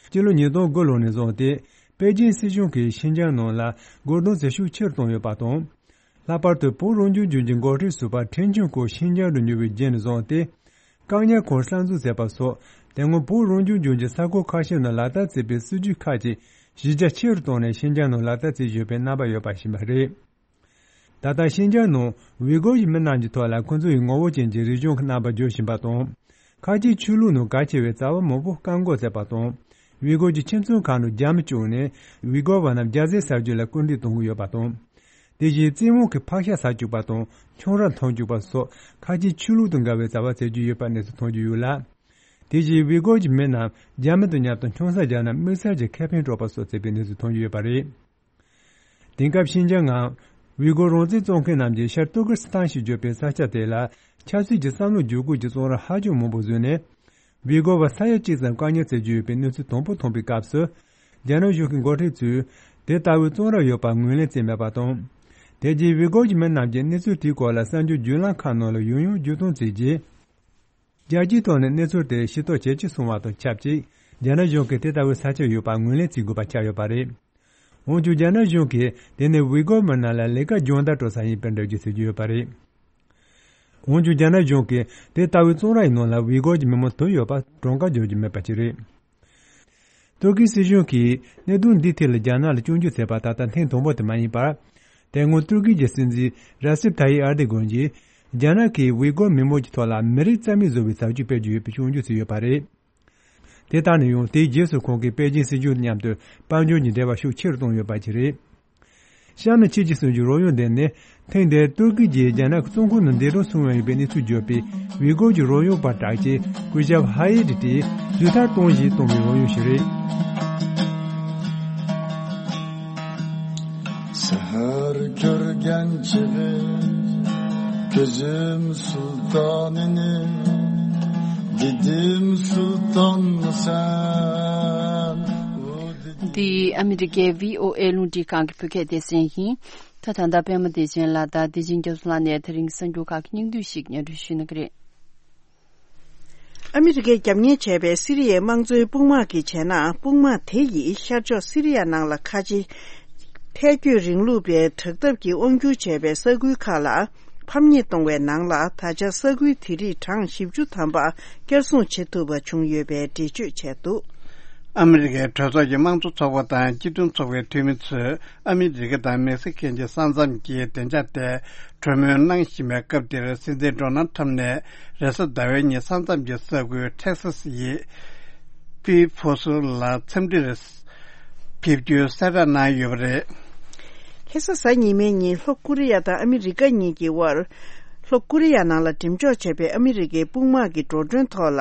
སྤྱི་ལོ་ཉིས་སྟོང་དགུ་ལོ་ནས་བཟུང་སྟེ། པེ་ཅིན་སྲིད་གཞུང་གིས་ཤིན་ཅང་ནང་ལ་རྒོལ་རྡུང་བྱེད་ཤུགས་ཆེ་རུ་བཏང་ཡོད་པ་དང་། ལྷག་པར་དུ་བོད་རང་སྐྱོང་ལྗོངས་ཀྱི་འགོ་ཁྲིད་ཟུར་པ་ཁྲེན་ཆོན་ཀོ་ཤིན་ཅང་དུ་ཉུལ་བའི་རྗེས་ནས་བཟུང་སྟེ། བཀག་ཉར་ཁང་གསར་འཛུགས་བྱས་པ་སོགས་དེ་སྔོན་བོད་རང་སྐྱོང་ལྗོངས་ཀྱི་ས་ཁུལ་ཁ་ཤས་ནང་ལག་བསྟར་བྱས་པའི་སྲིད་ཇུས་ཁག་ཅིག་གཞི་རྒྱ་ཆེ་རུ་བཏང་ནས་ཤིན་ཅང་ནང་ལག་བསྟར་བྱེད་བཞིན་པའི་རྣམ་པ་ཡོད་པ་ཞིག་ཡིན་པ་རེད། ད་ལྟ་ཤིན་ཅང་ནང་ཝི་གོར་གྱི་མི་རྣམས་ཀྱི་ཐོག་ལ་ཁོ་ཚོ་ཡི་ངོ་བོ་ཅན་གྱི་རིག་གཞུང་གི་རྣམ་པ་བརྗོད་བཞིན་པ་དང་། ཁ་ཆེའི་ཆོས་ལུགས་ནང་གལ་ཆེ་བའི་རྩ་བ་མང་པོ་བཀག་འགོག་བྱས་པ་དང་། ཝི་གོར་གྱི་ཁྱིམ་ཚང་ཁག་ནང་རྒྱ་མི་བཅུག་ནས་ཝི་གོར་བ་རྣམས་རྒྱ་ཟས་ཟ་རྒྱུ་ལ་སྐུལ་འདེད་གཏོང་གི་ཡོད་པ་དང་། དེ་བཞིན་བཙན་དབང་གིས་ཕག་ཤ་ཟ་བཅུག་པ་དང་ཁྱུང་ར་འཐུང་བཅུག་པ་སོགས་ཁ་ཆེའི་ཆོས་ལུགས་དང་འགལ་བའི་བྱ་བ་བྱེད་ཀྱི་ཡོད་པ་གནས་ཚུལ་ཐོན་གྱི་ཡོད་ལ། དེ་བཞིན་ཝི་གོར་གྱི་མི་རྣམས་རྒྱ་མི་དང་མཉམ་དུ་ཆང་ས་བརྒྱབ་ན་དམིགས་བསལ་གྱི་ཁེ་ཕན་སྤྲོད་པ་སོགས་བྱས་པའི་གནས་ཚུལ་ཐོན་གྱི་ཡོད་པ་རེད། དེང་སྐབས་ཤིན་ཅང་ངམ་ཝི་གོར་རང་བཙན་བཙོན་མཁན་རྣམས་ཀྱིས་ཤར་ཏུར་ཀི་སི་ཐན་ཞེས་བརྗོད་པའི་ས་ཆ་དེ་ལ་ཆབ་སྲིད་ཀྱི་བསམ་བློ་འགྱུར་ཁུག་གི་བཙོན་ར་ཧ་ཅང་མང་པོ་བཟོས་ནས། ཝི་གོར་བ་ས་ཡ་གཅིག་ཙམ་བཀག་ཉར་བྱེད་ཀྱི་ཡོད་པའི་གནས་ཚུལ་དང་པོ་ཐོན་པའི་སྐབས་སུ། རྒྱ་ནག་གཞུང་གི་འགོ་ཁྲིད་ཚོས་དེ་ལྟ་བུའི་བཙོན་ར་ཡོད་པར་ངོས་ལེན་བྱས་མེད་པ་དང་། དེ་རྗེས་ཝི་གོར་གྱི་མི་རྣམས་ཀྱིས་གནས་ཚུལ་དེའི་སྐོར་ལ་གསར་འགྱུར་བརྒྱུད་ལམ་ཁག་ནང་ལ་ཡང་ཡང་བརྗོད་གཏོང་བྱས་རྗེས། རྒྱལ་སྤྱིའི་ཐོག་ནས་གནས་ཚུལ་དེ་ཤེས་རྟོགས་ཇེ་ཆེར་སོང་བ་དང་ཆབས་ཅིག་རྒྱ་ནག་གཞུང་གིས་དེ་ལྟ་བུའི་ས་ཆ་ཡོད་པར་ངོས་ལེན་བྱེད་དགོས་པ་ཆགས་ཡོད་པ་རེད། འོན་ཀྱང་རྒྱ་ནག་གཞུང་གིས་དེ་ནི་ཝི་གོར་མི་རྣམས་ལ་ལས་ཀ་སྦྱོང་བརྡར་སྤྲོད་ས་ཡིན་པའི་འགྲེལ་བརྗོད་བྱེད་ཀྱི་ཡོད་པ་རེད། འོན་ཀྱང་རྒྱ་ནག་གཞུང་གིས་དེ་ལྟ་བུའི་བཙོན་ར་ཡི་ནང་ལ་ཝི་གོར་གྱི་མི་མང་དུ་ཡོད་པར་གྲངས་ཀ་འཇོག་རྒྱུ་མེད་པ་ཞིག་རེད། ཏུར་ཀིའི་སྲིད་གཞུང་གིས་གནད་དོན་འདིའི་ཐད་ལ་རྒྱ་ནག་ལ་སྐྱོན་བརྗོད་མཛད་པ་ད་ལྟ་ཐེངས་དང་པོ་དེ་མ་ཡིན་པར། དེ་སྔོན་ཏུར་ཀི་གི་སྲིད་འཛིན་ར་སེབ་ཐ་ཡིབ་ཨར་དི་གོན་གྱིས་རྒྱ་ནག་གིས་ཝི་གོར་མི་མང་གི་ཐོག་ལ་མི་རིགས་རྩ་མེད་བཟོ་བའི་བྱ་སྤྱོད་སྤེལ་གྱི་ཡོད་པའི་སྐྱོན་བརྗོད་བྱས་ཡོད་པ་རེད། དེ་ལྟར་ན་ཡང་དེའི་རྗེས་སུ་ཁོང་གིས་པེ་ཅིན་སྲིད་གཞུང་མཉམ་དུ་དཔལ་འབྱོར་གྱི་འབྲེལ་བ་ཤུགས་ཆེ་རུ་བཏང་ཡོད་པ་ཞིག་རེད། གཤམ་ནས་ཁྱེད་ཀྱིས་གསུང་རྒྱུའི་རོལ་དབྱངས་འདི་ནི་ཐེངས་འདིར་ཏུར་ཀི་གྱིས་རྒྱ་ནག་གི་བཙོན་ཁང་ནང་འདས་གྲོངས་སོང་བའི་བཙོན་རའི་གནས་ཚུལ་བརྗོད་པའི་ཝི་གོར་གྱི་རོལ་དབྱངས་པ་གྲགས་ཅན་སྐུ་ཞབས་ཧ་ཡེ་ཏི་ཏིས་དུས་ཐར་གཏོང་བཞིན་གཏོང་བའི་རོལ་དབྱངས་ཤིག་རེད། سحر كۆرگەن چېغى كۆزۈم سۇلتانىنى، دېدىم سۇلتانمۇ سەن؟ འདི་ཨ་མི་རི་ཀའི་ཝི་ཨོ་ཨེ་རླུང་འཕྲིན་ཁང་གི་བོད་སྐད་སྡེ་ཚན་ཡིན། ད་ད་ལྟ་པད་མ་བདེ་ཆེན་ལགས་དང་བདེ་ཆེན་རྒྱ་མཚོ་ལགས་ནས་དེ་རིང་གསར་འགྱུར་ཁག་གི་སྙིང་བསྡུས་ཤིག་སྙན་སྒྲོན་ཞུ་གནང་གི་རེད། ཨ་མི་རི་ཀས་རྒྱབ་གཉེར་བྱས་པའི་སི་རི་ཡའི་དམངས་གཙོའི་དཔུང་དམག་གིས་བྱས་ན། དཔུང་དམག་དེ་ཡིས་ཤར་ཕྱོགས་སི་རི་ཡ་ནང་ལ་ཁ་ཆེ་ཐལ་སྐྱོད་རིང་ལུགས་པའི་དྲག་འཐབ་ཀྱིས་དབང་སྒྱུར་བྱས་པའི་ས་ཁུལ་ཁག་ལ་ཕམ་ཉེས་གཏོང་བའི་ནང་ལ། ད་ཆ་ས་ཁུལ་དེ་རིགས་གྲངས་བཞི་བཅུ་ཐམ་པ་བསྐྱར་སྲུང་བྱེད་ཐུབ་པ་བྱུང་ཡོད་པའི་འགྲེལ་བརྗོད་བྱས་འདུག། ཨ་མི་རི་ཀའི་གྲོས་ཚོགས་ཀྱི་དམངས་གཙོ་ཚོགས་པ་དང་སྤྱི་མཐུན་ཚོགས་པའི་འཐུས་མི་ཚོས་ཨ་མི་རི་ཀ་དང་མེག་སི་ཀོའི་ས་མཚམས་ཀྱི་བདེ་འཇགས་ཐད་གྲོས་མོལ་གནང་བཞིན་པའི་སྐབས་འདིར། སྲིད་འཛིན་ཌོ་ནལ་ཁྲམ་ནས་རེས་གཟའ་ཟླ་བའི་ཉིན་ས་མཚམས་ཀྱི་ས་ཁུལ་ཊེག་སཱ་སི་ཡི་པི་ཕོ་སུ་ལ་འཚམས་འདྲིར་ཕེབས་རྒྱུའི་གསལ་བསྒྲགས་གནང་ཡོད་པ་རེད། ཁ་སང་གཟའ་ཉི་མའི་ཉིན་ལྷོ་ཀོ་རི་ཡ་དང་ཨ་མི་རི་ཀ་གཉིས་ཀྱི་དབར། ལྷོ་ཀོ་རི་ཡ་ནང་ལ་འགྲེམས་འཇོག་བྱས་པའི་ཨ་མི་རི་ཀའི་དཔུང་དམག་གི་འགྲོ་གྲོན་ཐོག་ལ།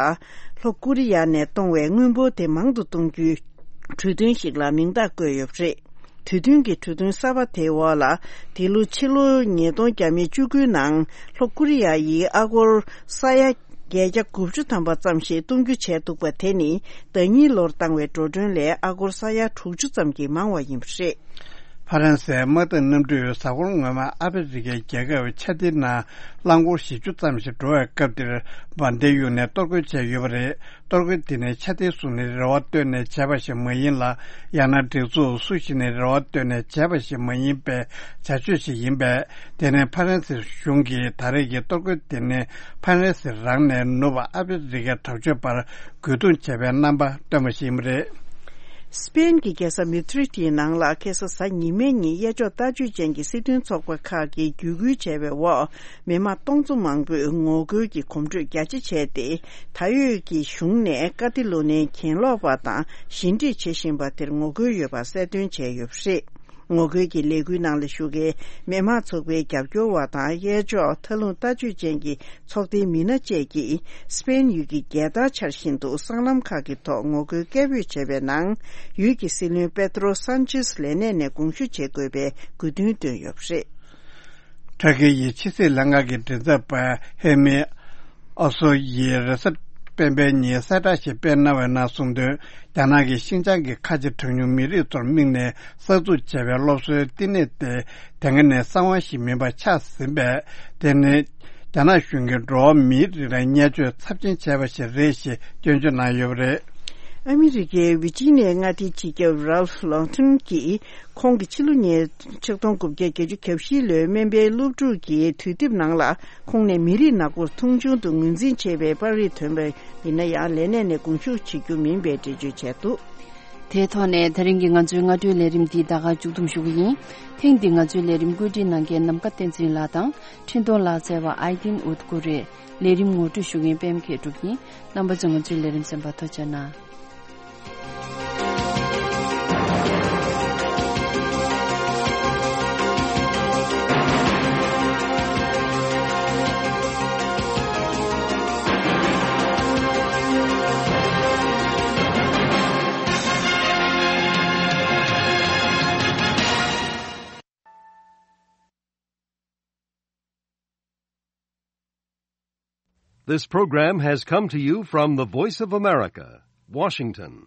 ལྷོ་ཀོ་རི་ཡ་ནས་གཏོང་བའི་དངུལ་འབོར་དེ་མང་དུ་གཏོང་རྒྱུའི་གྲོས་མཐུན་ཞིག་ལ་མིང་རྟགས་བཀོད་ཡོད་པ་རེད། གྲོས་མཐུན་གྱི་གྲོས་མཐུན་གསར་པ་དེའི་འོག་ལ། འདི་ལོ་ཕྱི་ལོ་ཉིས་སྟོང་བརྒྱ་མེད་བཅུ་དགུའི་ནང་ལྷོ་ཀོ་རི་ཡ་ཡིས་ཨ་སྒོར་ས་ཡ་བརྒྱད་བརྒྱ་དགུ་བཅུ་ཐམ་པ་ཙམ་ཞིག་གཏོང་རྒྱུ་བྱས་འདུག་པ་དེ་ནི་ཟླ་ཉིན་ལོར་བཏང་བའི་འགྲོ་གྲོན་ལས་ཨ་སྒོར་ས་ཡ་དྲུག་ཅུ་ཙམ་གྱིས་མང་བ་ཡིན་པ་རེད། ཕ་རན་སིའི་དམག་འཐབ་གནམ་གྲུས་གཟའ་འཁོར་སྔོན་མ་ཨ་ཧྥེ་རི་ཁའི་རྒྱལ་ཁབ་ཆ་ཏི་ནང་རླངས་འཁོར་བཞི་བཅུ་ཙམ་ཞིག་འགྲོ་བའི་སྐབས་དེར་འབར་མདེལ་གཡུགས་ནས་གཏོར་རྒོལ་བྱས་ཡོད་པ་རེད། གཏོར་རྒོལ་དེ་ནི་ཆ་ཏི་སུ་ནས་རེ་བ་བཏོན་ནས་བྱས་པ་ཞིག་མ་ཡིན་ལ། ཡང་ན་སྒྲིག་འཛུགས་སུ་ཞིག་ནས་རེ་བ་བཏོན་ནས་བྱས་པ་ཞིག་མ་ཡིན་པའི་བྱ་སྤྱོད་ཞིག་ཡིན་པས། དེ་ནི་ཕ་རན་སི་གཞུང་གིས་ད་རེས་ཀྱི་གཏོར་རྒོལ་དེ་ནི་ཕ་རན་སི་རང་ནས་ནུབ་པ་ཨ་ཧྥེ་རི་ཁའི་དྲག་སྤྱོད་པར་རྒོལ་རྡུང་བྱས་པའི་རྣམ་པ་སྟོན་པ་ཞིག་ཡིན་པ་རེད། སི་པེན་གྱི་རྒྱལ་ས་མེ་ཏྲིད་ཀྱི་ནང་ལ་ཁ་སང་གཟའ་ཉི་མའི་ཉིན་གཡས་ཕྱོགས་ལྟ་སྤྱོད་ཅན་གྱི་སྲིད་དོན་ཚོགས་པ་ཁག་གིས་བརྒྱུད་སྐུལ་བྱས་པའི་འོག། མི་མང་སྟོང་ཚོ་མང་པོས་ངོ་རྒོལ་གྱི་གོམ་བགྲོད་རྒྱ་ཆེ་བྱས་ཏེ། ད་ཡོད་ཀྱི་གཞུང་ནས་ཀ་ཏི་ལོ་ནིའི་གྱེན་ལོག་པ་དང་ཞི་འགྲིག་བྱེད་བཞིན་པ་དེར་ངོ་རྒོལ་ཡོད་པ་གསལ་སྟོན་བྱས་ཡོད་པ་རེད། ངོ་རྒོལ་གྱི་ལས་འགུལ་ནང་ལ་ཞུགས་མཁན་མི་མང་ཚོགས་པའི་རྒྱབ་སྐྱོར་བ་དང་། གཡས་ཕྱོགས་མཐའ་ལྷུང་ལྟ་སྤྱོད་ཅན་གྱི་ཚོགས་སྡེའི་མི་སྣ་བཅས་ཀྱིས་སི་པེན་ཡུལ་གྱི་རྒྱལ་དར་འཕྱར་བཞིན་དུ་སྲང་ལམ་ཁག་གི་ཐོག་ངོ་རྒོལ་སྐད་འབོད་བྱས་པའི་ནང་། ཡུལ་གྱི་སྲིད་བློན་པེ་ཏྲོ་སན་ཆེས་ལས་གནས་ནས་དགོངས་ཞུ་བྱེད་དགོས་པའི་དགོས་འདུན་བཏོན་ཡོད་པ་རེད། ཏུར་ཀི་ཡི་ཕྱི་སྲིད་ལྷན་ཁང་གི་མགྲིན་ཚབ་པ་ཧེ་མི་ཨོ་སོ་ཡིས་རེས་གཟའ་སྤེན་པའི་ཉིན་གསལ་བསྒྲགས་ཤིག་སྤེལ་གནང་བའི་ནང་གསུངས་དོན། རྒྱ་ནག་གིས་ཤིན་ཅང་གི་ཁ་ཆེ་གྲངས་ཉུང་མི་རིགས་ཚོར་དམིགས་ནས་གསར་འཛུགས་བྱས་པའི་སློབ་གསོའི་བསྟི་གནས་དེ་དེ་སྔ་ནས་གསང་བ་ཞིག་མིན་པ་ཆགས་ཟིན་པས། དེ་ནི་རྒྱ་ནག་གཞུང་གིས་འགྲོ་བ་མིའི་རིགས་ལ་བརྙས་བཅོས་ཚབས་ཆེན་བྱས་པ་ཞིག་རེད་ཞེས་སྐྱོན་བརྗོད་གནང་ཡོད་པ་རེད། ཨ་མི་རི་ཀའི་ཝི་ཇི་ནི་ཡའི་མངའ་སྡེའི་སྤྱི་ཁྱབ་རལ་ལོང་ཐོན་གྱིས། ཁོང་གིས་ཕྱི་ལོ་ཉིས་ཆིག་སྟོང་དགུ་བརྒྱ་བརྒྱད་ཅུ་གྱ་བཞི་ལོའི་སྨན་པའི་སློབ་ཕྲུག་གི་དུས་དེབ་ནང་ལ། ཁོང་ནས་མི་རིགས་ནག་པོར་མཐོང་ཆུང་དུ་ངོས་འཛིན་བྱས་པའི་པར་རིས་ཐོན་པ་ཡིན་ན་ཡང་ལས་གནས་ནས་དགོངས་ཞུ་བྱེད་རྒྱུ་མིན་པའི་འགྲེལ་བརྗོད་བྱས་འདུག། དེའི་ཐོག་ནས་ད་རིང་གི་ང་ཚོའི་སྔ་དྲོའི་ལས་རིམ་འདི་ད་ག་མཇུག་བསྡོམས་ཞུ་གི་ཡིན། ཐེངས་འདི་ང་ཚོའི་ལས་རིམ་བཀོད་སྒྲིག་གནང་མཁན་ནམ་མཁའ་བསྟན་འཛིན་ལགས་དང་འཕྲིན་གཏོང་ལག་རྩལ་བ་ཨའི་ཏིན་ཨུད་ཀུ་རེད། ལས་རིམ་ངོ་སྤྲོད་ཞུ་མཁན་པད་མ་མཁས་གྲུབ་ཡིན། རྣམ་པ་ཚོས་ང་ཚོའི་ལས་རིམ་གསན་པར་ཐུགས་རྗེ་གནང་། This program has come to you from the Voice of America, Washington.